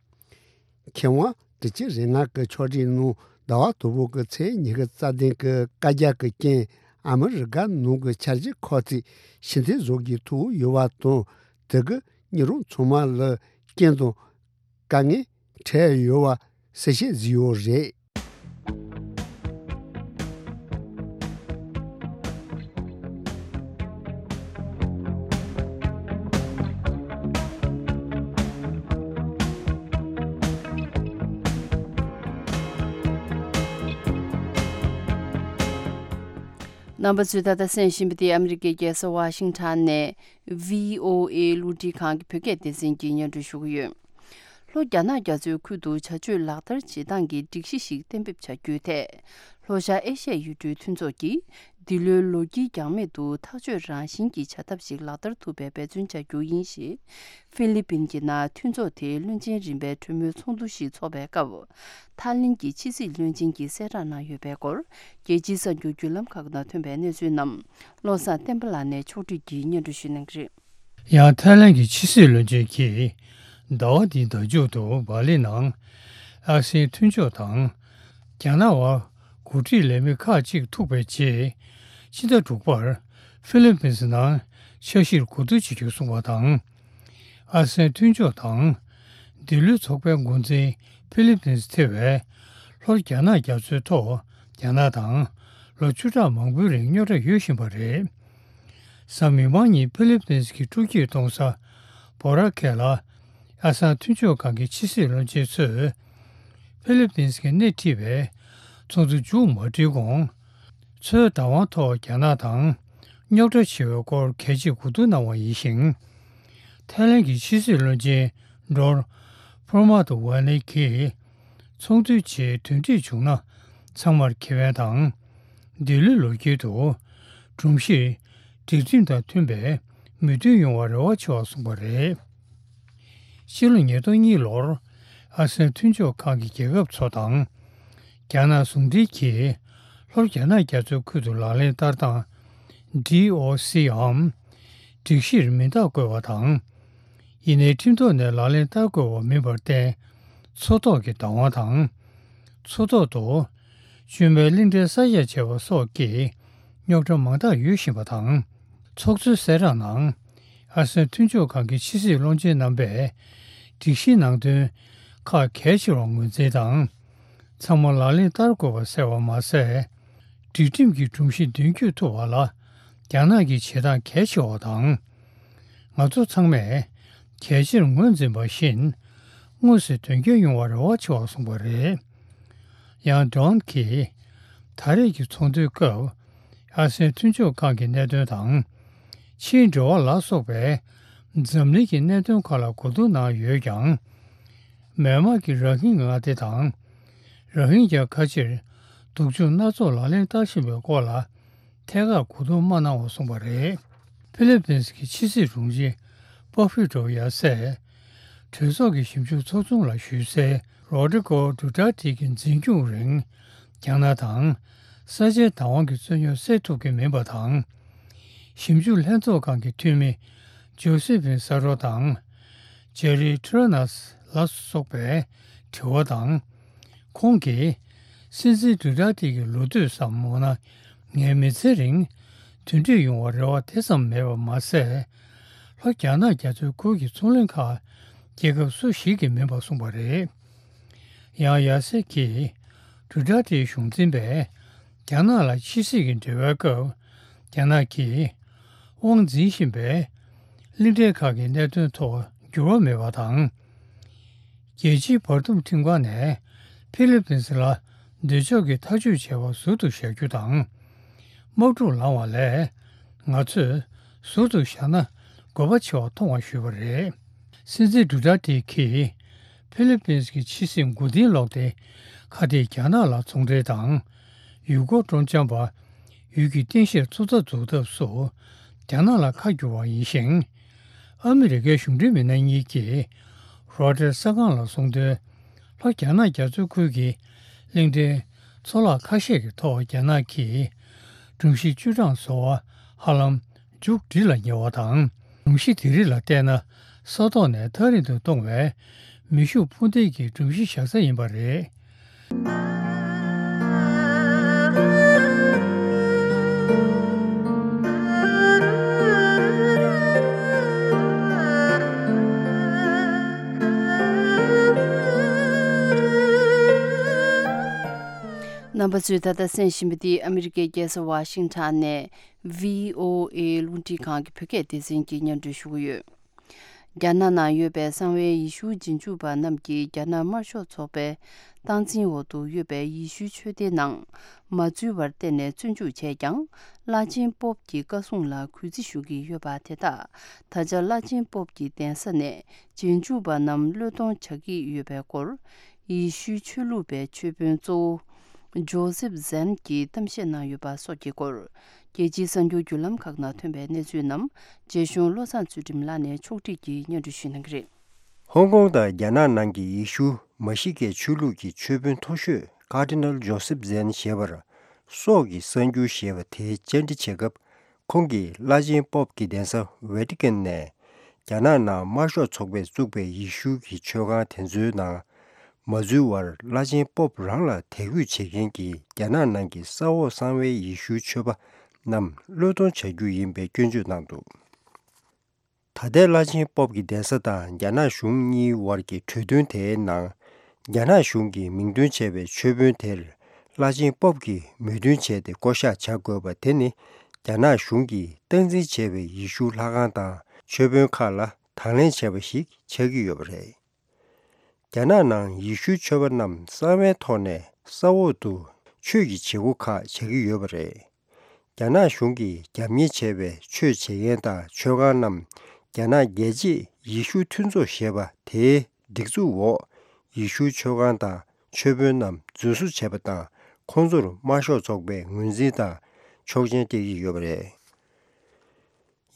མཁས་དབང་དྲུག་ཅུ་རེ་ལྔ་གི་ཕྱོགས་སྒྲིག་ནང་ཟླ་བ་དང་པོ་གི་ཚེས་ཉི་ཤུ་རྩ་བདུན་གྱི་བཀའ་རྒྱ་གི་རྐྱེན་ཨ་མི་རི་ཀ་ནང་གི་འཆར་གཞི་ཁག་ཅིག་ཕྱིར་འཐེན་བཟོ་དགོས་ཐུག་ཡོད་པ་དང་། དེ་གིས་མི་རང་ཚང་མ་ལ་རྐྱེན་དང་དཀའ་ངལ་འཕྲད་ཡོད་པ་གསལ་བཤད་བཟོས་ཡོད་རེད། རྣམ་པ་ཚོས་ད་ལྟ་གསན་བཞིན་པ་དེ་ཨ་མི་རི་ཀའི་རྒྱལ་ས་ཝ་ཤིང་ཊོན་ནས་བྷི་ཨོ་ཨེ་གློག་འཕྲིན་ཁང་གི་བོད་སྐད་སྡེ་ཚན་གྱིས་སྙན་སྒྲོན་ཞུ་གི་ཡོད། ལྷོ་རྒྱ་ནག་རྒྱ་མཚོའི་ཁུལ་དུ་བྱ་སྤྱོད་ལག་བསྟར་བྱེད་སྟངས་ཀྱི་སྒྲིག་གཞི་ཞིག་གཏན་འབེབས་བྱ་རྒྱུའི་ཐད། ལྷོ་ཤར་ཨེ་ཤ་ཡའི་ཡུལ་གྲུའི་མཐུན་ཚོགས་ཀྱིས་འདི་ལོའི་ལོ་དཀྱིལ་འགྱངས་མེད་དུ་ཐག་གཅོད་རང་བཞིན་གྱི་བྱ་ཐབས་ཤིག་ལག་བསྟར་ཐུབ་པའི་འབད་བརྩོན་བྱ་རྒྱུ་ཡིན་ཞེས། ཧྥི་ལི་པིན་གྱི་ནང་མཐུན་ཚོགས་དེའི་བློན་ཆེན་རིམ་པའི་གྲོས་མོལ་ཚོགས་འདུ་ཞིག་འཚོགས་པའི་སྐབས། ཐའི་ལེན་གྱི་ཕྱི་སྲིད་བློན་ཆེན་གྱིས་གསལ་བསྒྲགས་གནང་ཡོད་པའི་སྐོར། རྒྱལ་སྤྱིའི་གསར་འགྱུར་བརྒྱུད་ལམ་ཁག་ནང་ཐོན་པའི་གནས་ཚུལ་རྣམས་བློ་བཟང་བསྟན་པ་ལགས་ནས་ཕྱོགས་བསྒྲིགས་ཀྱིས་སྙན་སྒྲོན་ཞུ་གནང་གི་རེད། ཡང་ཐའི་ལེན་གྱི་ཕྱི་སྲིད་བློན་ཆེན་གྱིས་ཟླ་བ་འདིའི་ཟླ་མཇུག་ཏུ་བྷ་ལི་ནང་ཨ་སེ་ཡན་མཐུན་ཕྱོགས་དང་། རྒྱ་ནག་བར་འགོ་ཁྲིད་ལས་མི་ཁག་ཅིག་ཐུག་པའི་རྗེས། ཕྱི་ཟླ་དྲུག་པར་ཧྥི་ལི་པིན་སི་ནང་འཆར་གཞིར་གོ་བསྡུར་བྱེད་རྒྱུ་གསུངས་པ་དང་། ཨ་སེ་ཡན་མཐུན་ཕྱོགས་དང་། འདི་ལོའི་ཚོགས་པའི་འགོ་འཛིན་ཧྥི་ལི་པིན་སི་ཐེ་བའི་ལྷོར་རྒྱ་ནག་རྒྱ་མཚོའི་ཐོག་རྒྱ་ནག་དང་ལོ་བཅུ་ཕྲག་མང་པོའི་རིང་རྙོག་དྲ་ཡོད་བཞིན་པ་རེད། གཟའ་མིག་དམར་ཉིན་ཧྥི་ལི་པིན་སི་གི་སྤྲོ་སྐྱིད་གཏོང་ས་བོ་ར་ཁེ་ལ་ཨ་སེ་ཡན་མཐུན་ཕྱོགས་ཁང་གི་ཕྱི་སྲིད་བློན་ཆེན་ཚོས་ཧྥི་ལི་པིན་སི་གི་སྣེ་ཁྲིད་པའི་ཚོགས་འདུ་མཇུག་མ་སྒྲིལ་གོང་མཚོའི་བདག་དབང་ཐོག་རྒྱ་ནག་དང་རྙོག་དྲ་ཆེ་བའི་སྐོར་གལ་ཆེའི་གོ་བསྡུར་གནང་བ་ཡིན་ཞིང་། ཐའི་ལེན་གྱི་ཕྱི་སྲིད་བློན་ཆེན་ཌོར་ཕོར་མ་ཏོ་ཝ་ནེ་གིས་ཚོགས་འདུའི་རྗེས་དོན་འགྲིག་བྱུང་ན་ཚང་མར་ཁེ་ཕན་དང་། འདི་ལོའི་ལོ་དཀྱིལ་དུ་སྒྲོམ་གཞི་སྒྲིག་ཁྲིམས་དང་མཐུན་པའི་མོས་མཐུན་ཡོང་བར་རེ་བ་ཆེ་བ་གསུངས་པ་རེད། ཕྱི་ལོ་ཉིས་སྟོང་གཉིས་ལོར་ཨ་སེ་ཡན་མཐུན་ཕྱོགས་ཁང་གི་རྒྱལ་ཁབ་ཚོ་དང་། རྒྱ་ནག་ཟུང་འབྲེལ་གྱིས་ལྷོ་རྒྱ་ནག་རྒྱ་མཚོའི་ཁུལ་དུ་ལག་ལེན་བསྟར་སྟངས་ཌི་ཨོ་སི་འམ་སྒྲིག་གཞིར་མིང་རྟགས་བཀོད་པ་དང་། ཡིན་ནའི་ཁྲིམས་ཐོག་ནས་ལག་ལེན་བསྟར་དགོས་པ་མིན་པར་བརྟེན། མཚོ་ཐོག་གི་བདག་དབང་དང་། མཚོ་ཐོག་ཏུ་བཅོས་མའི་གླིང་ཕྲན་གསར་བཞག་བྱས་པ་སོགས་ཀྱི་རྙོག་དྲ་མང་དག་ཡོད་བཞིན་པ་དང་། ཚོགས་གཙོའི་གསལ་བསྒྲགས་ནང་། ཨ་སེའན་མཐུན་ཕྱོགས་ཁང་གི་ཕྱི་སྲིད་བློན་ཆེན་རྣམ་པས་སྒྲིག་གཞིའི་ནང་དོན་ཁག་གལ་ཆེ་བར་ངོས་འཛིན་དང་། ཚང་མ་ལག་ལེན་བསྟར་དགོས་པ་གསལ་བ་མ་ཟད། སྒྲིག་ཁྲིམས་ཀྱི་སྒྲོམ་གཞི་མདུན་སྐྱོད་ཐུབ་པ་ལ་རྒྱ་ནག་གི་བྱེད་སྟངས་གལ་ཆེ་བ་དང་། ང་ཚོ་ཚང་མས་གལ་ཆེར་ངོས་འཛིན་པ་བཞིན། དངོས་སུ་དོན་འཁྱོལ་ཡོང་བར་རེ་བ་ཆེ་བ་གསུངས་པ་རེད། ཡང་ཌོན་གྱིས། ད་རེས་ཀྱི་ཚོགས་འདུའི་སྐབས། ཨ་སེའན་མཐུན་ཕྱོགས་ཁང་གི་གནད་དོན་དང་། ཕྱིའི་འབྲེལ་བ་ལ་སོགས་པའི་འཛམ་གླིང་གི་གནད་དོན་ཁག་ལ་གོ་བསྡུར་གནང་ཡོད་ཀྱང་། མེན་མར་གྱི་རཱ་ཧིན་མངའ་སྡེ་དང་། རཱ་ཧིན་གྱར་ཁ་ཆེར་སྡུག་སྦྱོང་སྣ་ཚོགས་ལག་ལེན་བསྟར་བཞིན་པའི་སྐོར་ལ་ཐད་ཀར་གོ་བསྡུར་མ་གནང་བ་གསུངས་པ་རེད། ཧྥི་ལི་པིན་སི་གི་ཕྱི་སྲིད་དྲུང་ཆེ་པོ་ཕི་ཏྲོ་ཡ་སས་གྲོས་ཚོགས་ཀྱི་ཞིབ་འཇུག་ཚོགས་ཆུང་ལ་ཞུས་གསལ། རོ་ཌི་གོ་ཌུ་ཏར་ཏི་གི་འཛིན་སྐྱོང་རིང་རྒྱ་ནག་དང་ས་ཆའི་བདག་དབང་གི་རྩོད་རྙོག་སེལ་ཐུབ་ཀྱི་མིན་པ་དང་། ཞིབ་འཇུག་ལྷན་ཚོགས་ཁང་གི་འཐུས་མི་ཇོ་སི་ཕིན་ས་རོ་དང་། ཇེ་རི་ཁྲི་ར་ནས་ལ་སོགས་པའི་དྲི་བ་དང་། ཁོང་གིས་སྲིད་འཛིན་ཌུ་ཏར་ཏི་གི་ལོ་དུས་སམ་འོ་ན་ངའི་མི་ཚེ་རིང་མཐུན་སྒྲིལ་ཡོང་བར་རེ་བ་དེ་ཙམ་མེད་པ་མ་ཟད། ལྷོ་རྒྱ་ནག་རྒྱ་མཚོའི་ཁུལ་གྱི་ཚོང་གླིང་ཁག་རྒྱལ་ཁབ་སུ་ཞིག་གི་མིན་པ་གསུངས་པ་རེད། ཡང་ཡ་སེ་གིས་ཌུ་ཏར་ཏིའི་གཞུང་འཛིན་པས་རྒྱ་ནག་ལ་ཕྱི་སྲིད་ཀྱི་འབྲེལ་བའི་སྐབས་རྒྱ་ནག་གིས་དབང་འཛིན་བཞིན་པའི་གླིང་ཕྲན་ཁག་གི་གནད་དོན་ཐོག་འགྱུར་བ་མེད་པ་དང་། རྒྱལ་སྤྱིའི་བར་འདུམ་ཁྲིམས་ཁང་ནས་ཕི་ལི་པིན་སི་ལ་འདོད་ཕྱོགས་ཀྱི་ཐག་གཅོད་བྱས་པ་ཟུར་དུ་བཞག་རྒྱུ་དང་། དམག་འཁྲུག་ལངས་བ་ལས་ང་ཚོས་ཟུར་དུ་བཞག་ན་དགོས་པ་ཆེ་བ་མཐོང་བ་ཞུས་པ་རེད། སྲིད་འཛིན་ཌུ་ཏར་ཏི་གིས་ཕི་ལི་པིན་སི་གི་ཕྱི་སྲིད་མགོ་རྟིང་སློག་སྟེ་ཁ་གཏད་རྒྱ་ནག་ལ་ཚོང་འབྲེལ་དང་། ཡུལ་སྐོར་སྤྲོ་འཆམ་པ་ཡུལ་གྱི་རྟེན་གཞིར་ཚོང་རྩ་འཛུགས་ཐབས་སུ་རྒྱ་ནག་ལ་ཁ་བསྒྱུར་བ་ཡིན་ཞིང་། ཨ་མི་རི་ཀའི་གཞུང་འབྲེལ་མི་སྣ་གཉིས་ཀྱིས་རོའི་ཊར་གསར་ཁང་ལ་གསུངས་དོན། ལྷོ་རྒྱ་ནག་རྒྱ་མཚོའི་ཁུལ་གྱི་གླིང་ཕྲན་ཚོ་ལྷག་ཁ་ཤས་ཀྱི་ཐོག་རྒྱ་ནག་གིས་སྒྲོམ་གཞི་བཅུ་གྲངས་བཟོ་བ་ཧ་ལམ་མཇུག་སྒྲིལ་ལ་ཉེ་བ་དང་། སྒྲོམ་གཞི་དེ་རིགས་ལ་བལྟས་ན་ས་ཐོག་ནས་ཐག་རིང་དུ་གཏོང་བའི་མེ་ཤུགས་འཕུར་མདེལ་གྱི་སྒྲོམ་གཞི་བཞག་ས་ཡིན་པ་རེད། རྣམ་པ་ཚོས་ད་ལྟ་གསན་བཞིན་པ་འདི་ཨ་མི་རི་ཀའི་རྒྱལ་ས་ཝ་ཤིང་ཊོན་ནས་བྷི་ཨོ་ཨེ་རླུང་འཕྲིན་ཁང་གི་བོད་སྐད་སྡེ་ཚན་གྱིས་སྙན་སྒྲོན་ཞུ་གི་ཡོད། རྒྱ་ནག་ནང་ཡོད་པའི་གསང་བའི་ཡེ་ཤུ་རྗེས་འཇུག་པ་རྣམས་ཀྱིས་རྒྱ་ནག་དམར་ཤོག་ཚོགས་པའི་སྟངས་འཛིན་འོག་ཏུ་ཡོད་པའི་ཡེ་ཤུའི་ཆོས་སྡེ་ནང་མ་འཛུལ་བར་བརྟེན་ནས་བཙོན་འཇུག་བྱས་ཀྱང་། བླ་ཆེན་པོབ་ཀྱི་བཀའ་གསུང་ལ་གུས་བརྩི་ཞུ་གི་ཡོད་པ་དེ་དག་ད་ཆ་བླ་ཆེན་པོབ་ཀྱི་གདན་ས་ནས་རྗེས་འཇུག་པ་རྣམས་བློས་གཏོང་བྱ་གི་ཡོད་པའི་སྐོར། ཡེ་ཤུའི་ཆོས་ལུགས་པའི་ཆོས་དཔོན་གཙོ་བོ་ཇོ་སེབ་ཟན་གྱིས་གཏམ་བཤད་གནང་ཡོད་པ་སོགས་ཀྱི་སྐོར། རྒྱལ་སྤྱིའི་གསར་འགྱུར་བརྒྱུད་ལམ་ཁག་ནང་ཐོན་པའི་གནས་ཚུལ་རྣམས་རྗེ་གཞུང་བློ་བཟང་ཚུལ་ཁྲིམས་ལགས་ནས་ཕྱོགས་སྒྲིག་གིས་སྙན་སྒྲོན་ཞུ་གནང་གི་རེད། ཧོང་ཀོང་དང་རྒྱ་ནག་ནང་གི་ཡེ་ཤུ་མ་ཤི་ཀའི་ཆོས་ལུགས་ཀྱི་ཆོས་དཔོན་མཐོ་ཤོས་ཀར་ཌི་ནལ་ཇོ་སེབ་ཟན་ཞེས་པར་སྲོག་གི་གསར་འགྱུར་ཞེས་པ་དེ་བཅར་འདྲི་བྱེད་སྐབས། ཁོང་གིས་བླ་ཆེན་པོབ་ཀྱི་གདན་ས་ཝེ་ཏི་ཀན་ནས་རྒྱ་ནག་ནང་དམར་ཤོག་ཚོགས་པས་བཙུགས་པའི་ཡེ་ཤུ་གི་ཆོས་ཁང་དེ་ཚོའི་ནང་མ་འཛུལ་བར། བླ་ཆེན་པོབ་རང་ལ་དད་གུས་བྱེད་མཁན་གྱི་རྒྱ་ནག་ནང་གི་ས་འོག་གསང་བའི་ཡེ་ཤུའི་ཆོས་པ་རྣམས་བློས་གཏོང་བྱ་རྒྱུ་ཡིན་པའི་སྐྱོན་བརྗོད་གནང་འདུག། ད་ལྟའི་བླ་ཆེན་པོབ་ཀྱི་གདན་ས་དང་རྒྱ་ནག་གཞུང་གཉིས་བར་གྱི་གྲོས་མཐུན་དེའི་ནང་། རྒྱ་ནག་གཞུང་གིས་མིང་འདོན་བྱས་པའི་ཆོས་དཔོན་དེར་བླ་ཆེན་པོབ་ཀྱིས་མོས་མཐུན་བྱས་ཏེ་བསྐོ་གཞག་བྱ་དགོས་པ་དེ་ནི། རྒྱ་ནག་གཞུང་གིས་སྟངས་འཛིན་བྱས་པའི་ཡེ་ཤུ་ལྷ་ཁང་དང་ཆོས་དཔོན་ཁག་ལ་དང་ལེན་བྱས་པ་ཞིག་ཆགས་ཀྱི་ཡོད་པ་རེད། རྒྱ་ནག་ནང་ཡེ་ཤུའི་ཆོས་པ་རྣམས་གསང་བའི་ཐོག་ནས་ས་འོག་ཏུ་ཆོས་ཀྱི་བྱེད་སྒོ་ཁག་བྱ་གི་ཡོད་པ་རེད། རྒྱ་ནག་གཞུང་གིས་རྒྱབ་གཉེར་བྱས་པའི་ཆོས་བྱེད་མཁན་དང་ཆོས་ཁང་རྣམས། རྒྱ་ནག་རྒྱལ་གཅེས་ཡེ་ཤུ་མཐུན་ཚོགས་ཞེས་པ་དེའི་སྒྲིག་འཛུགས་འོག་ཡེ་ཤུའི་ཆོས་ཁང་དང་ཆོས་དཔོན་རྣམས་རྫུན་བཟོ་བྱས་པ་དང་། ཁོང་ཚོར་དམར་ཤོག་ཚོགས་པས་ངོས་འཛིན་དང་ཆོག་མཆན་སྤྲད་ཀྱི་ཡོད་པ་རེད།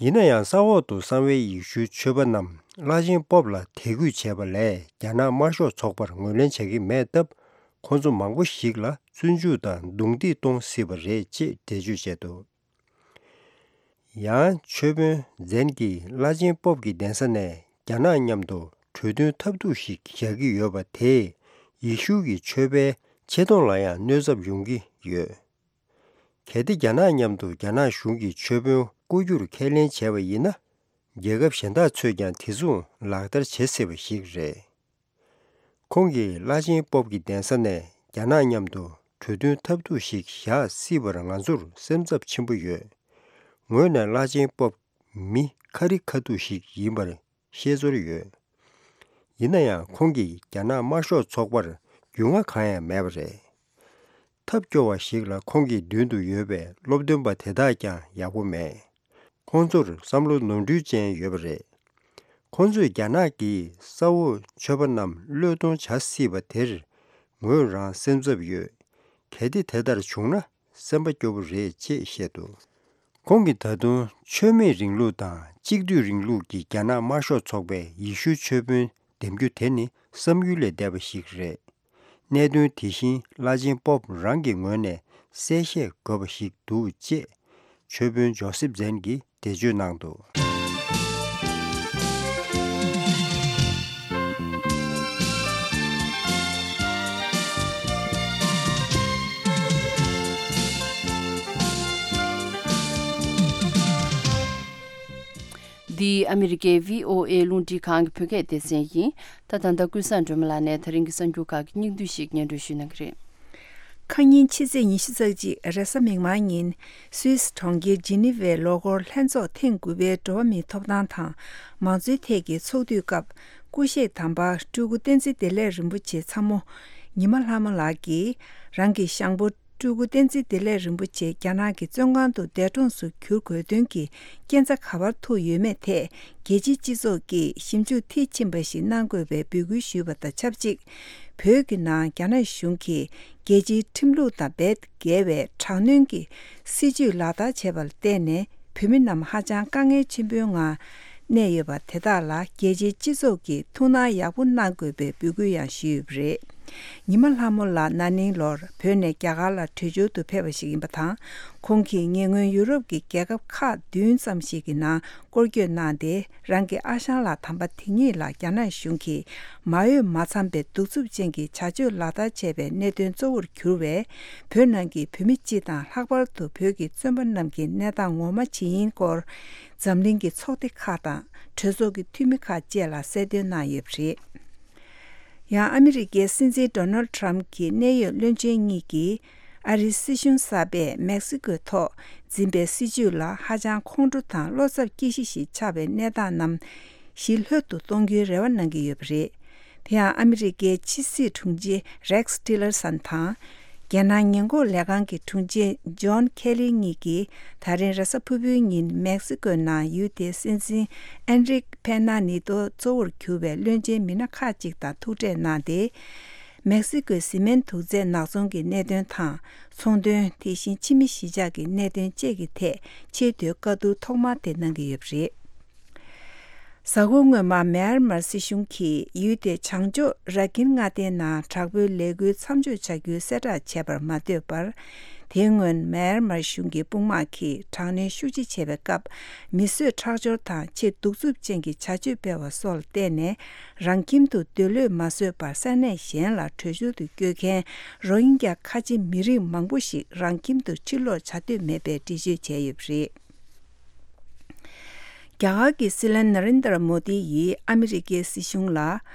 ཡིན་ན་ཡང་། ས་འོག་ཏུ་གསང་བའི་ཡེ་ཤུའི་ཆོས་པ་རྣམས་བླ་ཆེན་པོབ་ལ་དད་གུས་བྱས་པ་ལས། རྒྱ་ནག་དམར་ཤོག་ཚོགས་པར་ངོས་ལེན་བྱ་གི་མེད་སྟབས། ཁོང་ཚོ་མང་པོ་ཞིག་ལ་བཙོན་འཇུག་དང་རྡུང་རྡེག་གཏོང་སྲིད་པ་རེད་ཅེས་འགྲེལ་བརྗོད་བྱས་འདུག། ཡང་ཆོས་དཔོན་ཛན་གྱིས་བླ་ཆེན་པོབ་ཀྱི་གདན་ས་ནས་རྒྱ་ནག་མཉམ་དུ་ གྲོས་མཐུན་ཐབས་སྡུག་ཞིག་བཞག་གི་ཡོད་པ་དེས་ཡེ་ཤུ་གི་ཆོས་པའི་ཆེ་མཐོང་ལ་ཡང་གནོད་ཚབས་ཡོང་གི་ཡོད། གལ་ཏེ་རྒྱ་ནག་མཉམ་དུ་རྒྱ་ནག་གཞུང་གི་ཆོས་དཔོན་བསྐོ་རྒྱུར་ཁས་ལེན་བྱས་པ་ཡིན་ན། རྒྱལ་ཁབ་གཞན་དག་ཚོས་ཀྱང་དེ་མཚུངས་ལག་བསྟར་བྱེད་སྲིད་པ་ཞིག་རེད། ཁོང་གིས་བླ་ཆེན་པོབ་ཀྱི་གདན་ས་ནས་རྒྱ་ནག་མཉམ་དུ་གྲོས་མཐུན་ཐབས་སྡུག་ཞིག་བཞག་སྲིད་པར་ང་ཚོར་སེམས་འཚབ་ཆེན་པོ་ཡོད། ངོས་ནས་བླ་ཆེན་པོབ་མི་ཁ་རི་ཁ་ཐུག་ཞིག་ཡིན་པར་ཤེས་ཚོར་ཡོད། ཡིན་ན་ཡང་ཁོང་གིས་རྒྱ་ནག་དམར་ཤོག་ཚོགས་པར་རྒྱུས་མངའ་གང་ཡང་མེད་པ་རེད། ཐབས་སྐྱོ་བ་ཞིག་ལ་ཁོང་གི་མདུན་དུ་ཡོད་པའི་སློབ་སྟོན་པ་དེ་དག་ཀྱང་ཡག་པོ་མེད། ཁོང་ཚོར་བསམ་བློ་ནོར་འཁྲུལ་ཅན་ཡོད་པ་རེད། ཁོང་ཚོས་རྒྱ་ནག་གིས་ས་འོག་ཆོས་པ་རྣམས་བློས་གཏོང་བྱ་སྲིད་པ་དེར་ངོས་རང་སེམས་འཚབ་ཡོད། གལ་ཏེ་དེ་ལྟར་བྱུང་ན་སེམས་པ་སྐྱོ་པོ་རེད་ཅེས་བཤད་འདུག་ཁོང་གིས་ད་དུང་ཆོས་མེད་རིང་ལུགས་དང་གཅིག་སྡུད་རིང་ལུགས་ཀྱི་རྒྱ་ནག་དམར་ཤོག་ཚོགས་པའི་ཡེ་ཤུའི་ཆོས་དཔོན་འདེམས་རྒྱུ་དེ་ནི་བསམ་ཡུལ་ལས་འདས་པ་ཞིག་རེད། གནད་དོན་དེ་བཞིན་བླ་ཆེན་པོབ་རང་གི་ངོས་ནས་གསལ་བཤད་དགོས་པ་ཞིག་འདུག་ཅེས་ཆོས་དཔོན་ཇོ་སེབ་ཛན་གྱིས་འགྲེལ་བརྗོད་གནང་འདུག་འདི་ཨ་མི་རི་ཀའི་བྷི་ཨོ་ཨེ་རླུང་འཕྲིན་ཁང་གི་བོད་སྐད་སྡེ་ཚན་ཡིན། ད་ད་ལྟ་ཀུན་བཟང་སྒྲོལ་མ་ལགས་ནས་ད་རིང་གི་གསར་འགྱུར་ཁག་གི་སྙིང་བསྡུས་ཤིག་སྙན་སྒྲོན་ཞུ་གནང་གི་རེད། ཁ་ཉིན་ཕྱི་ཚེས་ཉི་ཤུ་རྩ་གཅིག་རེས་གཟའ་མིག་དམར་ཉིན་སུད་སི་གྲོང་ཁྱེར་ཇི་ནི་ཝའི་ལོ་འཁོར་ལྷན་ཚོགས་ཐེངས་དགུ་པའི་འགྲོ་བ་མིའི་ཐོབ་ཐང་དང་མང་གཙོའི་ཐད་ཀྱི་ཚོགས་དུས་སྐབས་སྐུ་གཤེགས་དམ་པ་སྤྲུལ་སྐུ་བསྟན་འཛིན་བདེ་ལེགས་རིན་པོ་ཆེ་ཚ་མོ་ཉི་མ་ལྷ་མོ་ལགས་ཀྱིས་རང་གི་ཞང་པོ་སྤྲུལ་སྐུ་བསྟན་འཛིན་བདེ་ལེགས་རིན་པོ་ཆེ་རྒྱ་ནག་གི་བཙོན་ཁང་དུ་འདས་གྲོངས་སུ་གྱུར་དགོས་དོན་གྱི་རྐྱེན་རྩ་ག་པར་ཐུག་ཡོད་མེད་ཐད་རྒྱལ་སྤྱིའི་སྤྱི་ཚོགས་ཀྱིས་ཞིབ་འཇུག་མཐིལ་ཕྱིན་པ་ཞིག་གནང་དགོས་པའི་འབོད་སྐུལ་ཞུས་པ་དང་ཆབས་ཅིག་བོད་ཀྱི་ནང་རྒྱ་ནག་གཞུང་གིས་རྒྱལ་སྤྱིའི་ཁྲིམས་ལུགས་དང་རྦད་འགལ་བའི་དྲག་གནོན་གྱི་སྲིད་བྱུས་ལག་བསྟར་བྱས་པར་བརྟེན་ནས་བོད་མི་རྣམས་ཧ་ཅང་དཀའ་ངལ་ཆེན་པོའི་ངང་གནས་ཡོད་པ་དེ་དག་ལ་རྒྱལ་སྤྱིའི་སྤྱི་ཚོགས་ཀྱིས་ཐུགས་སྣང་ཡག་པོ་གནང་དགོས་པའི་འབོད་སྐུལ་ཡང་ཞུས་ཡོད་པ་རེད། ཉི་མ་ལྷ་མོ་ལགས་ན་ནིང་ལོར་བོད་ནས་རྒྱ་གར་ལ་བྲོས་བྱོལ་དུ་ཕེབས་པ་ཞིག་ཡིན་པ་དང་། ཁོང་གིས་ཉེ་སྔོན་ཡུ་རོབ་ཀྱི་རྒྱལ་ཁབ་ཁག་བདུན་ཙམ་ཞིག་གི་ནང་སྐོར་སྐྱོད་གནང་སྟེ། རང་གི་ཨ་ཞང་ལགས་དམ་པ་དེ་ཉིད་ལ་རྒྱ་ནག་གཞུང་གིས་མ་འོས་མ་འཚམས་པའི་གདུག་རྩུབ་ཅན་གྱི་བྱ་སྤྱོད་ལག་བསྟར་བྱས་པའི་གནད་དོན་གཙོ་བོར་གྱུར་བའི་བོད་ནང་གི་བོད་མི་སྤྱི་དང་ལྷག་པར་དུ་བོད་ཀྱི་བཙོན་པ་རྣམས་ཀྱི་གནས་སྟངས་ངོ་མ་ཇི་ཡིན་སྐོར་འཛམ་གླིང་གི་ཚོགས་སྡེ་ཁག་དང་གྲོས་ཚོགས་ཀྱི་འཐུས་མི་ཁག་བཅས་ལ་གསལ་སྟོན་གནང་ཡོད་པ་རེད། ཡང་ཨ་མི་རི་ཀའི་སྲིད་འཛིན་ཌོ་ནལ་ཌི་ཊརམ་གྱི་གནད་ཡོད་བློན་ཆེན་གཉིས་ཀྱིས་ཨ་རིའི་སྲིད་གཞུང་གསར་པས་མེག་སི་ཀོའི་ཐོག་འཛིན་པའི་སྲིད་བྱུས་ལ་ཧ་ཅང་ཁོང་ཁྲོ་དང་བློ་འཚབ་སྐྱེ་གཞི་ཞིག་ཆགས་པའི་གནས་སྟངས་རྣམས་ཞི་ལྷོད་དུ་གཏོང་རྒྱུའི་རེ་བ་གནང་གི་ཡོད་པ་རེད། དེ་ཡང་ཨ་མི་རི་ཀའི་ཕྱི་སྲིད་དྲུང་ཆེ་རེག་སི་ཊི་ལར་སན་དང་། རྒྱལ་ནང་ཉེན་འགོག་ལས་ཁང་གི་དྲུང་ཆེ་ཇོན་ཁེ་ལི་གཉིས་ཀྱིས་ད་རིང་རེས་གཟའ་ཕུར་བུའི་ཉིན་མེག་སི་ཀོའི་ནང་ཡུལ་དེའི་སྲིད་འཛིན་ཨན་རིག་པེ་ན་ནི་ཏོ་གཙོ་བོར་གྱུར་པའི་བློན་ཆེན་མི་སྣ་ཁག་ཅིག་དང་ཐུག་འཕྲད་གནང་སྟེ། མེག་སི་ཀོའི་བཟི་སྨན་དུག་རྫས་ནག་ཚོང་གི་གནད་དོན་དང་། ཚོང་དོན། དེ་བཞིན་ཕྱི་མི་གཞིས་ཆགས་ཀྱི་གནད་དོན་བཅས་ཀྱི་ཐད་ཆེས་མཐོའི་བཀའ་བསྡུར་ཐོག་མ་དེ་གནང་གི་ཡོད་པ་རེད། གཟའ་འཁོར་སྔོན་མ་མེན་མར་སྲིད་གཞུང་གིས་ཡུལ་དེའི་བྱང་ཕྱོགས་ར་ཀིན་མངའ་སྡེའི་ནང་དྲག་པོའི་ལས་འགུལ་མཚམས་འཇོག་བྱ་རྒྱུའི་གསལ་བསྒྲགས་བྱས་པར་མ་ལྟོས་པར། དེའི་སྔོན་མེན་མར་གཞུང་གི་དཔུང་དམག་གིས་དྲག་གནོན་ཤུགས་ཆེ་བྱས་པའི་སྐབས། མི་གསོད་ཁྲག་སྦྱོར་དང་ཆེས་གདུག་རྩུབ་ཅན་གྱི་བྱ་སྤྱོད་སྤེལ་བ་སོགས་ལ་བརྟེན་ནས། རང་ཁྱིམ་དུ་སྡོད་ལོས་མ་བཟོད་པར་ས་གནས་གཞན་ལ་བྲོས་བྱོལ་དུ་བསྐྱོད་མཁན་རོ་ཧིན་གྱ་ཁ་ཆེ་མི་རིགས་མང་པོ་ཞིག་རང་ཁྱིམ་དུ་ཕྱིར་ལོག་བྱ་འདོད་མེད་པའི་འགྲེལ་བརྗོད་བྱས་ཡོད་པ་རེད། རྒྱ་གར་གྱི་སྲིད་བློན་ན་རེན་དར་མོ་དི་ཡིས་ཨ་མི་རི་ཀའི་སྲིད་གཞུང་ལ།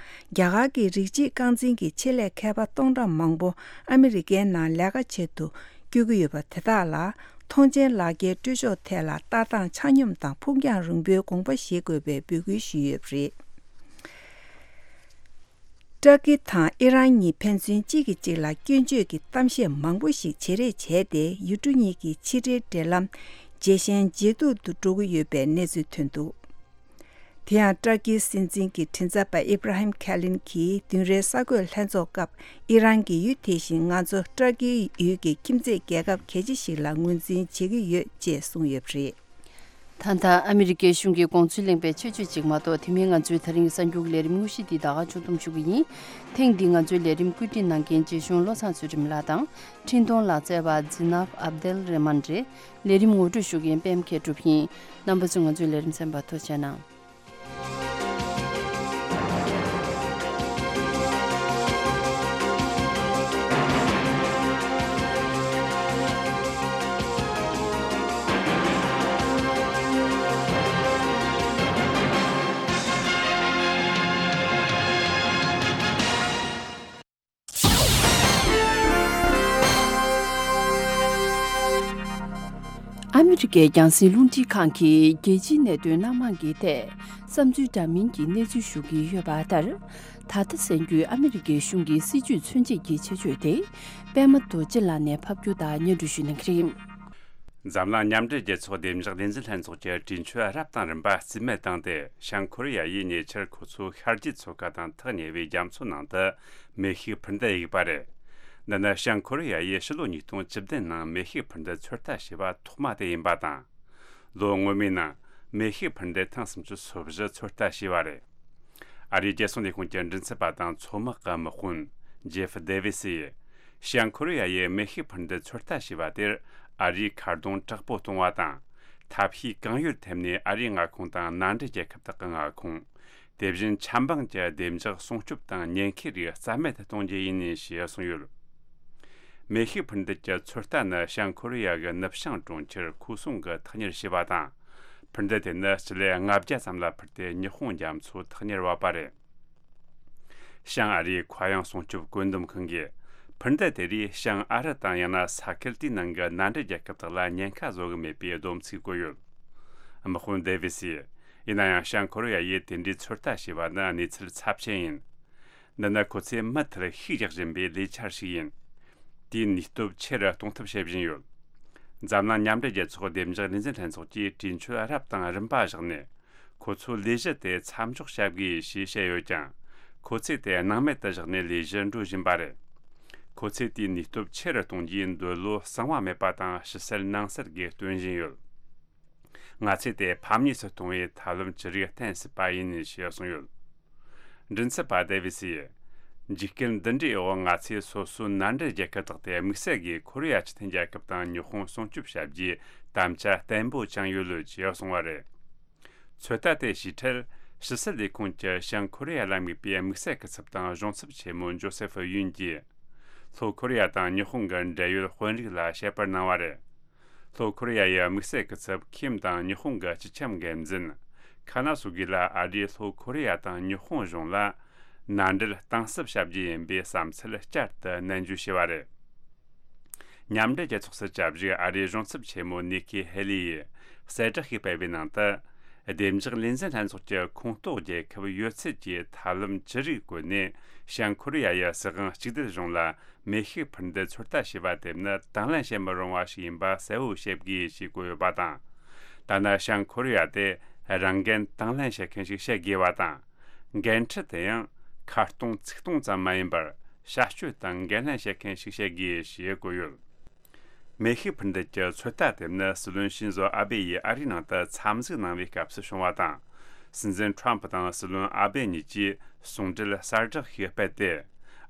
རྒྱ་གར་གྱི་རིགས་གཅིག་རྐང་འཛིན་གྱི་ཆེད་ལས་མཁས་པ་སྟོང་ཕྲག་མང་པོ་ཨ་མི་རི་ཀའི་ནང་ལས་ཀ་བྱེད་དུ་བསྐྱོད་ཀྱི་ཡོད་པ་དེ་དག་ལ། ཐོངས་མཆན་ལག་འཁྱེར་སྤྲོད་ཕྱོགས་ཐད་ལ་ལྟ་སྟངས་ཆ་སྙོམས་དང་ཕུགས་རྒྱང་རིང་པོའི་དགོངས་པ་བཞེས་དགོས་པའི་འབོད་སྐུལ་ཞུས་ཡོད་པ་རེད། ཏྲ་ཀི་དང་ཨི་རན་གཉིས་ཕན་ཚུན་གཅིག་གིས་གཅིག་ལ་སྐྱོན་བརྗོད་ཀྱི་གཏམ་བཤད་མང་པོ་ཞིག་བྱེད་རེས་བྱས་ཏེ། ཡུལ་གྲུ་གཉིས་ཀྱི་ཕྱི་འབྲེལ་འབྲེལ་ལམ་ཇེ་ཞན་ཇེ་སྡུག་ཏུ་འགྲོ་གི་ཡོད་པའི་གནས་ཚུལ་ཐོན་འདུག་དེ་ཡང་ཏྲ་ཀིའི་སྲིད་འཛིན་གྱི་མགྲིན་ཚབ་པ་ཨི་བྷ་ར་ཧིམ་ཁེ་ལིན་གྱིས་བདུན་རེའི་གསར་འགོད་ལྷན་ཚོགས་སྐབས། ཨི་རན་གྱིས་ཡུལ་དེ་བཞིན་ང་ཚོ་ཏྲ་ཀིའི་ཡུལ་གྱི་ཁྱིམ་མཚེས་རྒྱལ་ཁབ་གལ་ཆེ་ཞིག་ལ་ངོས་འཛིན་བྱེད་ཀྱི་ཡོད་ཅེས་གསུངས་ཡོད་པ་རེད། ད་ལྟ་ཨ་མི་རི་ཀའི་གཞུང་གི་དགོངས་ཚུལ་གླེང་བའི་ཆེད་བརྗོད་ཅིག་མ་གཏོགས། དེ་མིན་ང་ཚོའི་ད་རིང་གི་གསར་འགྱུར་ལས་རིམ་དངོས་གཞི་འདི་ད་ག་ཆུ་འདུམ་ཞུ་གི་ཡིན། ཐེངས་འདི་ང་ཚོའི་ལས་རིམ་བཀོད་སྒྲིག་གནང་མཁན་རྗེ་གཞུང་བློ་བཟང་ཚུལ་ཁྲིམས་ལགས་དང་། འཕྲིན་གཏོང་ལག་རྩལ་བ་ཛི་ནབ་ཨབ་དེལ་རེ་མན་རེད། ལས་རིམ་ངོ་སྤྲོད་ཞུ་མཁན་པད་མ་མཁས་གྲུབ་ཡིན། རྣམ་པ་ཚོས་ང་ཚོའི་ལས་རིམ་གསན་པར་ཐུགས་རྗེ་གནང་། ཨ་མི་རི་ཀའི་རྒྱང་སྲིང་རླུང་འཕྲིན་ཁང་གིས་རྒྱལ་སྤྱིའི་གནད་དོན་སྣ་མང་གི་ཐད་བསམ་ཚུལ་འདྲ་མིན་གྱི་གནས་ཚུལ་ཞུ་གི་ཡོད་པ་ལྟར། ད་ལྟ་གསན་རྒྱུའི་ཨ་མི་རི་ཀའི་གཞུང་གི་སྲིད་ཇུས་མཚོན་བྱེད་ཀྱི་ཆེད་བརྗོད་དེ། པད་མ་རྡོ་རྗེ་ལགས་ནས་ཕབ་སྒྱུར་དང་སྙན་སྒྲོན་ཞུ་གནང་གི་རེད། འཛམ་གླིང་མཉམ་འབྲེལ་རྒྱལ་ཚོགས་བདེ་འཇགས་ལས་འཛིན་ལྷན་ཚོགས་ཀྱི་གྲོས་ཆོད་རབ་དང་རིམ་པ་རྩིས་མེད་བཏང་སྟེ། བྱང་ཁོ་རེ་ཡ་ཡིས་ཉེ་ཆར་ཁོ་ཚོའི་ཤར་རྒྱུད་ཚོགས་ཁག་དང་ཐག་ཉེ་བའི་རྒྱ་མཚོ་ནང་དུ་མེ་ཤུགས་འཕུར་མདའ་གཡུགས་པ་རེད། འདི་ནི་བྱང་ཁོ་རེ་ཡ་ཡིས་ཕྱི་ལོ་ཉིས་སྟོང་བཅུ་བདུན་ནང་མེ་ཤུགས་འཕུར་མདའ་ཚོད་ལྟ་བྱས་པ་ཐོག་མ་དེ་ཡིན་པ་དང་། ལོ་སྔོན་མའི་ནང་མེ་ཤུགས་འཕུར་མདའ་ཐེངས་སུམ་ཅུ་སོ་བཞི་ཚོད་ལྟ་བྱས་པ་རེད། ཨ་རིའི་རྒྱལ་སྲུང་ལས་ཁུངས་ཀྱི་མགྲིན་ཚབ་པ་དང་མཚོ་དམག་གི་དམག་དཔོན་ཇེ་ཧྥ་དེ་ཝི་སི་ཡིས། བྱང་ཁོ་རེ་ཡ་ཡིས་མེ་ཤུགས་འཕུར་མདའ་ཚོད་ལྟ་བྱས་པ་དེར་ཨ་རིའི་ཁ་རྡུང་དྲག་པོ་གཏོང་བ་དང་། ཐབས་ཤེས་གང་ཡོད་ཐེབས་ནས་ཨ་རིའི་མངའ་ཁོངས་དང་མནའ་འབྲེལ་རྒྱལ་ཁབ་དག་གི་མངའ་ཁོངས། དེ་བཞིན་ཆབ་འབངས་ཀྱི་བདེ་འཇགས་སྲུང་སྐྱོབ་དང་ཉེན་ཁའི་རིགས་རྩ་མེད་དུ་གཏོང་རྒྱུ་ཡིན་ཞེས་གསུངས་ཡོད། མེ་ཤུགས་འཕུར་མདའ་གྱི་ཚོད་ལྟ་ནི་བྱང་ཁོ་རེ་ཡ་གི་ནུབ་བྱང་གྲོང་ཁྱེར་ཁུའུ་སུང་གི་ཐག་ཉར་བྱས་པ་དང་། འཕུར་མདའ་དེ་ནི་སྤྱི་ལེ་ལྔ་བརྒྱ་ཙམ་ལ་འཕུར་ཏེ་ཉི་ཧོང་རྒྱ་མཚོའི་ཐག་ཉར་བབས་པ་རེད། བྱང་ཨ་རིའི་མཁའ་དབྱིངས་སྲུང་སྐྱོབ་བཀོད་འདོམས་ཁང་གིས། འཕུར་མདའ་དེ་རིགས་བྱང་ཨ་རི་དང་ཡང་ན་ས་ཁུལ་དེའི་ནང་གི་མནའ་འབྲེལ་རྒྱལ་ཁབ་དག་ལ་ཉེན་ཁ་བཟོ་གི་མེད་པའི་སྡོམ་ཚིག་བཀོད་ཡོད། དམག་དཔོན་དེ་ཝི་སིས། ཡིན་ན་ཡང་བྱང་ཁོ་རེ་ཡ་ཡིས་དེ་འདྲའི་ཚོད་ལྟ་བྱས་པ་ནི་གནས་ཚུལ་ཚབས་ཆེན་ཡིན། འདི་ནི་ཁོ་ཚོས་མུ་མཐུད་ཤུགས་རྒྱག་བཞིན་པའི་ལས་འཆར་ཞིག་ཡིན། དེའི་ནུས་སྟོབས་ཆེ་རུ་གཏོང་ཐབས་བྱེད་བཞིན་ཡོད། འཛམ་གླིང་མཉམ་འབྲེལ་རྒྱལ་ཚོགས་བདེ་འཇགས་ལས་འཛིན་ལྷན་ཚོགས་ཀྱིས་གྲོས་ཆོད་རབ་དང་རིམ་པ་བཞག་ནས། ཁོ་ཚོའི་ལས་གཞི་དེ་མཚམས་འཇོག་བྱ་དགོས་ཞེས་བཤད་ཡོད་ཀྱང་། ཁོ་ཚོས་དེ་སྣང་མེད་དུ་བཞག་ནས་ལས་གཞི་འགྲོ་བཞིན་པ་རེད། ཁོ་ཚོས་དེའི་ནུས་སྟོབས་ཆེ་རུ་གཏོང་རྒྱུའི་འདོད་བློ་གསང་བ་མེད་པ་དང་ཕྱི་གསལ་ནང་གསལ་གྱིས་སྟོན་བཞིན་ཡོད། ང་ཚོས་དེ་ཕམ་ཉེས་སུ་གཏོང་བའི་ཐབས་ལམ་ཅི་རིགས་བསྟེན་སྲིད་པ་ཡིན་ཞེས་གསུངས་ཡོད། མགྲིན་ཚབ་པ་དེ་ཝི་སིས། འཇིགས་སྐུལ་འདི་འདྲའི་འོག་ང་ཚོས་སོ་སོའི་མནའ་འབྲེལ་རྒྱལ་ཁབ་དག་དེ་དམིགས་བསལ་གྱིས་ཁོ་རེ་ཡ་སྤྱི་མཐུན་རྒྱལ་ཁབ་དང་ཉི་ཧོང་སྲུང་སྐྱོབ་བྱ་རྒྱུའི་དམ་བཅའ་བརྟན་པོ་བཅངས་ཡོད་ལོས་ཅེས་གསུངས་པ་རེད། ཚོད་ལྟ་དེ་བྱས་འཕྲལ་ཕྱི་སྲིད་ལས་ཁུངས་ཀྱི་བྱང་ཁོ་རེ་ཡ་ལ་དམིགས་པའི་དམིགས་བསལ་སྐུ་ཚབ་དང་གཞུང་ཚབ་ཆེན་མོ་ཇོ་སེ་ཧྥུ་ཡུན་གྱིས། ལྷོ་ཁོ་རེ་ཡ་དང་ཉི་ཧོང་གི་འབྲེལ་ཡོད་དཔོན་རིགས་ལ་བཤད་པར་གནང་བ་རེད། ལྷོ་ཁོ་རེ་ཡ་ཡི་དམིགས་བསལ་སྐུ་ཚབ་ཁིམ་དང་ཉི་ཧོང་གི་སྤྱི་ཁྱབ་འགན་འཛིན་ཁ་ན་སུ་གི་ལ་ཨ་རིས་ལྷོ་ཁོ་རེ་ཡ་དང་ཉི་ཧོང་གཞུང་ལ་མནའ་འབྲེལ་གཏིང་ཟབ་བྱ་རྒྱུ་ཡིན་པའི་བསམ་ཚུལ་བསྐྱར་དུ་ནན་བརྗོད་བྱས་པ་རེད། མཉམ་འབྲེལ་རྒྱལ་ཚོགས་སུ་བཅའ་བཞུགས་ཨ་རིའི་གཞུང་ཚབ་ཆེན་མོ་ནི་ཁི་ཧེ་ལི་ཡིས་གསལ་བསྒྲགས་ཤིག་སྤེལ་བའི་ནང་དུ། བདེ་འཇགས་ལས་འཛིན་ལྷན་ཚོགས་ཀྱི་ཁོངས་གཏོགས་རྒྱལ་ཁབ་ཡོད་ཚད་ཀྱིས་ཐབས་ལམ་ཅི་རིགས་བཀོལ་ནས་བྱང་ཁོ་རེ་ཡ་ཡི་སྲིད་དབང་གཅིག་སྡུད་གཞུང་ལ་མེ་ཤུགས་འཕུར་མདའ་ཚོད་ལྟ་བྱས་པ་དེ་ནི་དང་ལེན་བྱེད་མི་རུང་བ་ཞིག་ཡིན་པ་གསལ་བོ་བཤད་དགོས་ཞེས་བཀོད་ཡོད་པ་དང་། ཐ་ན་བྱང་ཁོ་རེ་ཡ་དེ་རང་འགན་དང་ལེན་བྱེད་མཁན་ཞིག་བྱེད་དགོས་པ་དང་། འགན་འཁྲི་དེ་ཡང་ཁ་གཏོང་ཚིག་གཏོང་ཙམ་མ་ཡིན་པར་བྱ་སྤྱོད་དང་འགན་ལེན་བྱེད་མཁན་ཞིག་བྱེད་དགོས་ཞེས་བཀོད་ཡོད། མེ་ཤུགས་འཕུར་མདའ་གྱི་ཚོད་ལྟ་དེ་ནི་སྲིད་བློན་ཤིན་ཛོ་ཨ་བེ་ཡིས་ཨ་རིའི་ནང་དུ་འཚམས་གཟིགས་གནང་བའི་སྐབས་སུ་བྱུང་བ་དང་། སྲིད་འཛིན་ཁྲོམ་ཕུ་དང་སྲིད་བློན་ཨ་བེ་གཉིས་ཀྱིས་ཟུང་འབྲེལ་གསལ་བསྒྲགས་ཤིག་སྤེལ་ཏེ།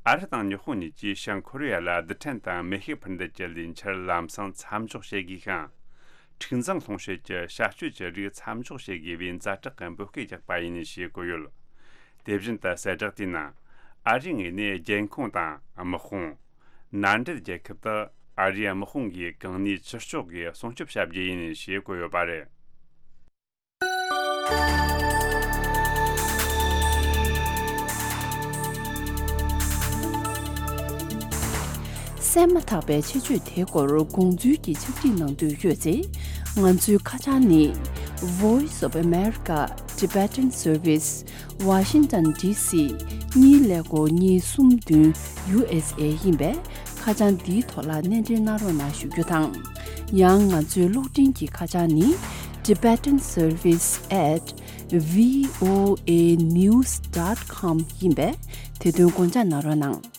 ཨ་རི་དང་ཉི་ཧོང་གཉིས་ཀྱིས་བྱང་ཁོ་རེ་ཡ་ལ་རྡུལ་ཕྲན་དང་མེ་ཤུགས་འཕུར་མདའ་གྱི་ལས་འཆར་ལམ་སང་མཚམས་འཇོག་བྱེད་དགོས་ཤིང་། འཁྲུག་འཛིང་སློང་བྱེད་ཀྱི་བྱ་སྤྱོད་ཀྱི་རིགས་མཚམས་འཇོག་བྱེད་དགོས་པའི་ཛ་དྲག་གི་འབོད་སྐུལ་བརྒྱབ་པ་ཡིན་ཞེས་བཀོད་ཡོད། དེ་བཞིན་དུ་གསལ་བསྒྲགས་དེའི་ནང་། ཨ་རིའི་ངོས་ནས་རྒྱལ་ཁོངས་དང་དམག་དཔུང་། མནའ་འབྲེལ་རྒྱལ་ཁབ་དག་ཨ་རིའི་དམག་དཔུང་གིས་གང་ནུས་ཅི་ལྕོགས་ཀྱིས་སྲུང་སྐྱོབ་བྱ་རྒྱུ་ཡིན་ཞེས་བཀོད་ཡོད་པ་རེད། གསན་མ་ཐག་པའི་ཆེད་བརྗོད་དེའི་སྐོར་དགོངས་ཚུལ་གྱི་ཕྱག་བྲིས་གནང་འདོད་ཡོད་ཚེ། ང་ཚོའི་ཁ་བྱང་ནི། Voice of America Tibetan Service Washington D C གཉིས་ཀླད་ཀོར་གཉིས་གསུམ་བདུན་U S A ཡིན་པས། ཁ་བྱང་འདིའི་ཐོག་ལ་སྣེ་འདྲེན་གནང་རོགས་གནང་ཞུ་རྒྱུ་དང་། ཡང་ང་ཚོའི་གློག་འཕྲིན་གྱི་ཁ་བྱང་ནི། Tibetan Service at V O A news dot com ཡིན་པས། དེ་དོན་དགོངས་འཇགས་གནང་རོགས་གནང་།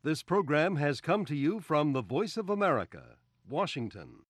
This program has come to you from the Voice of America, Washington.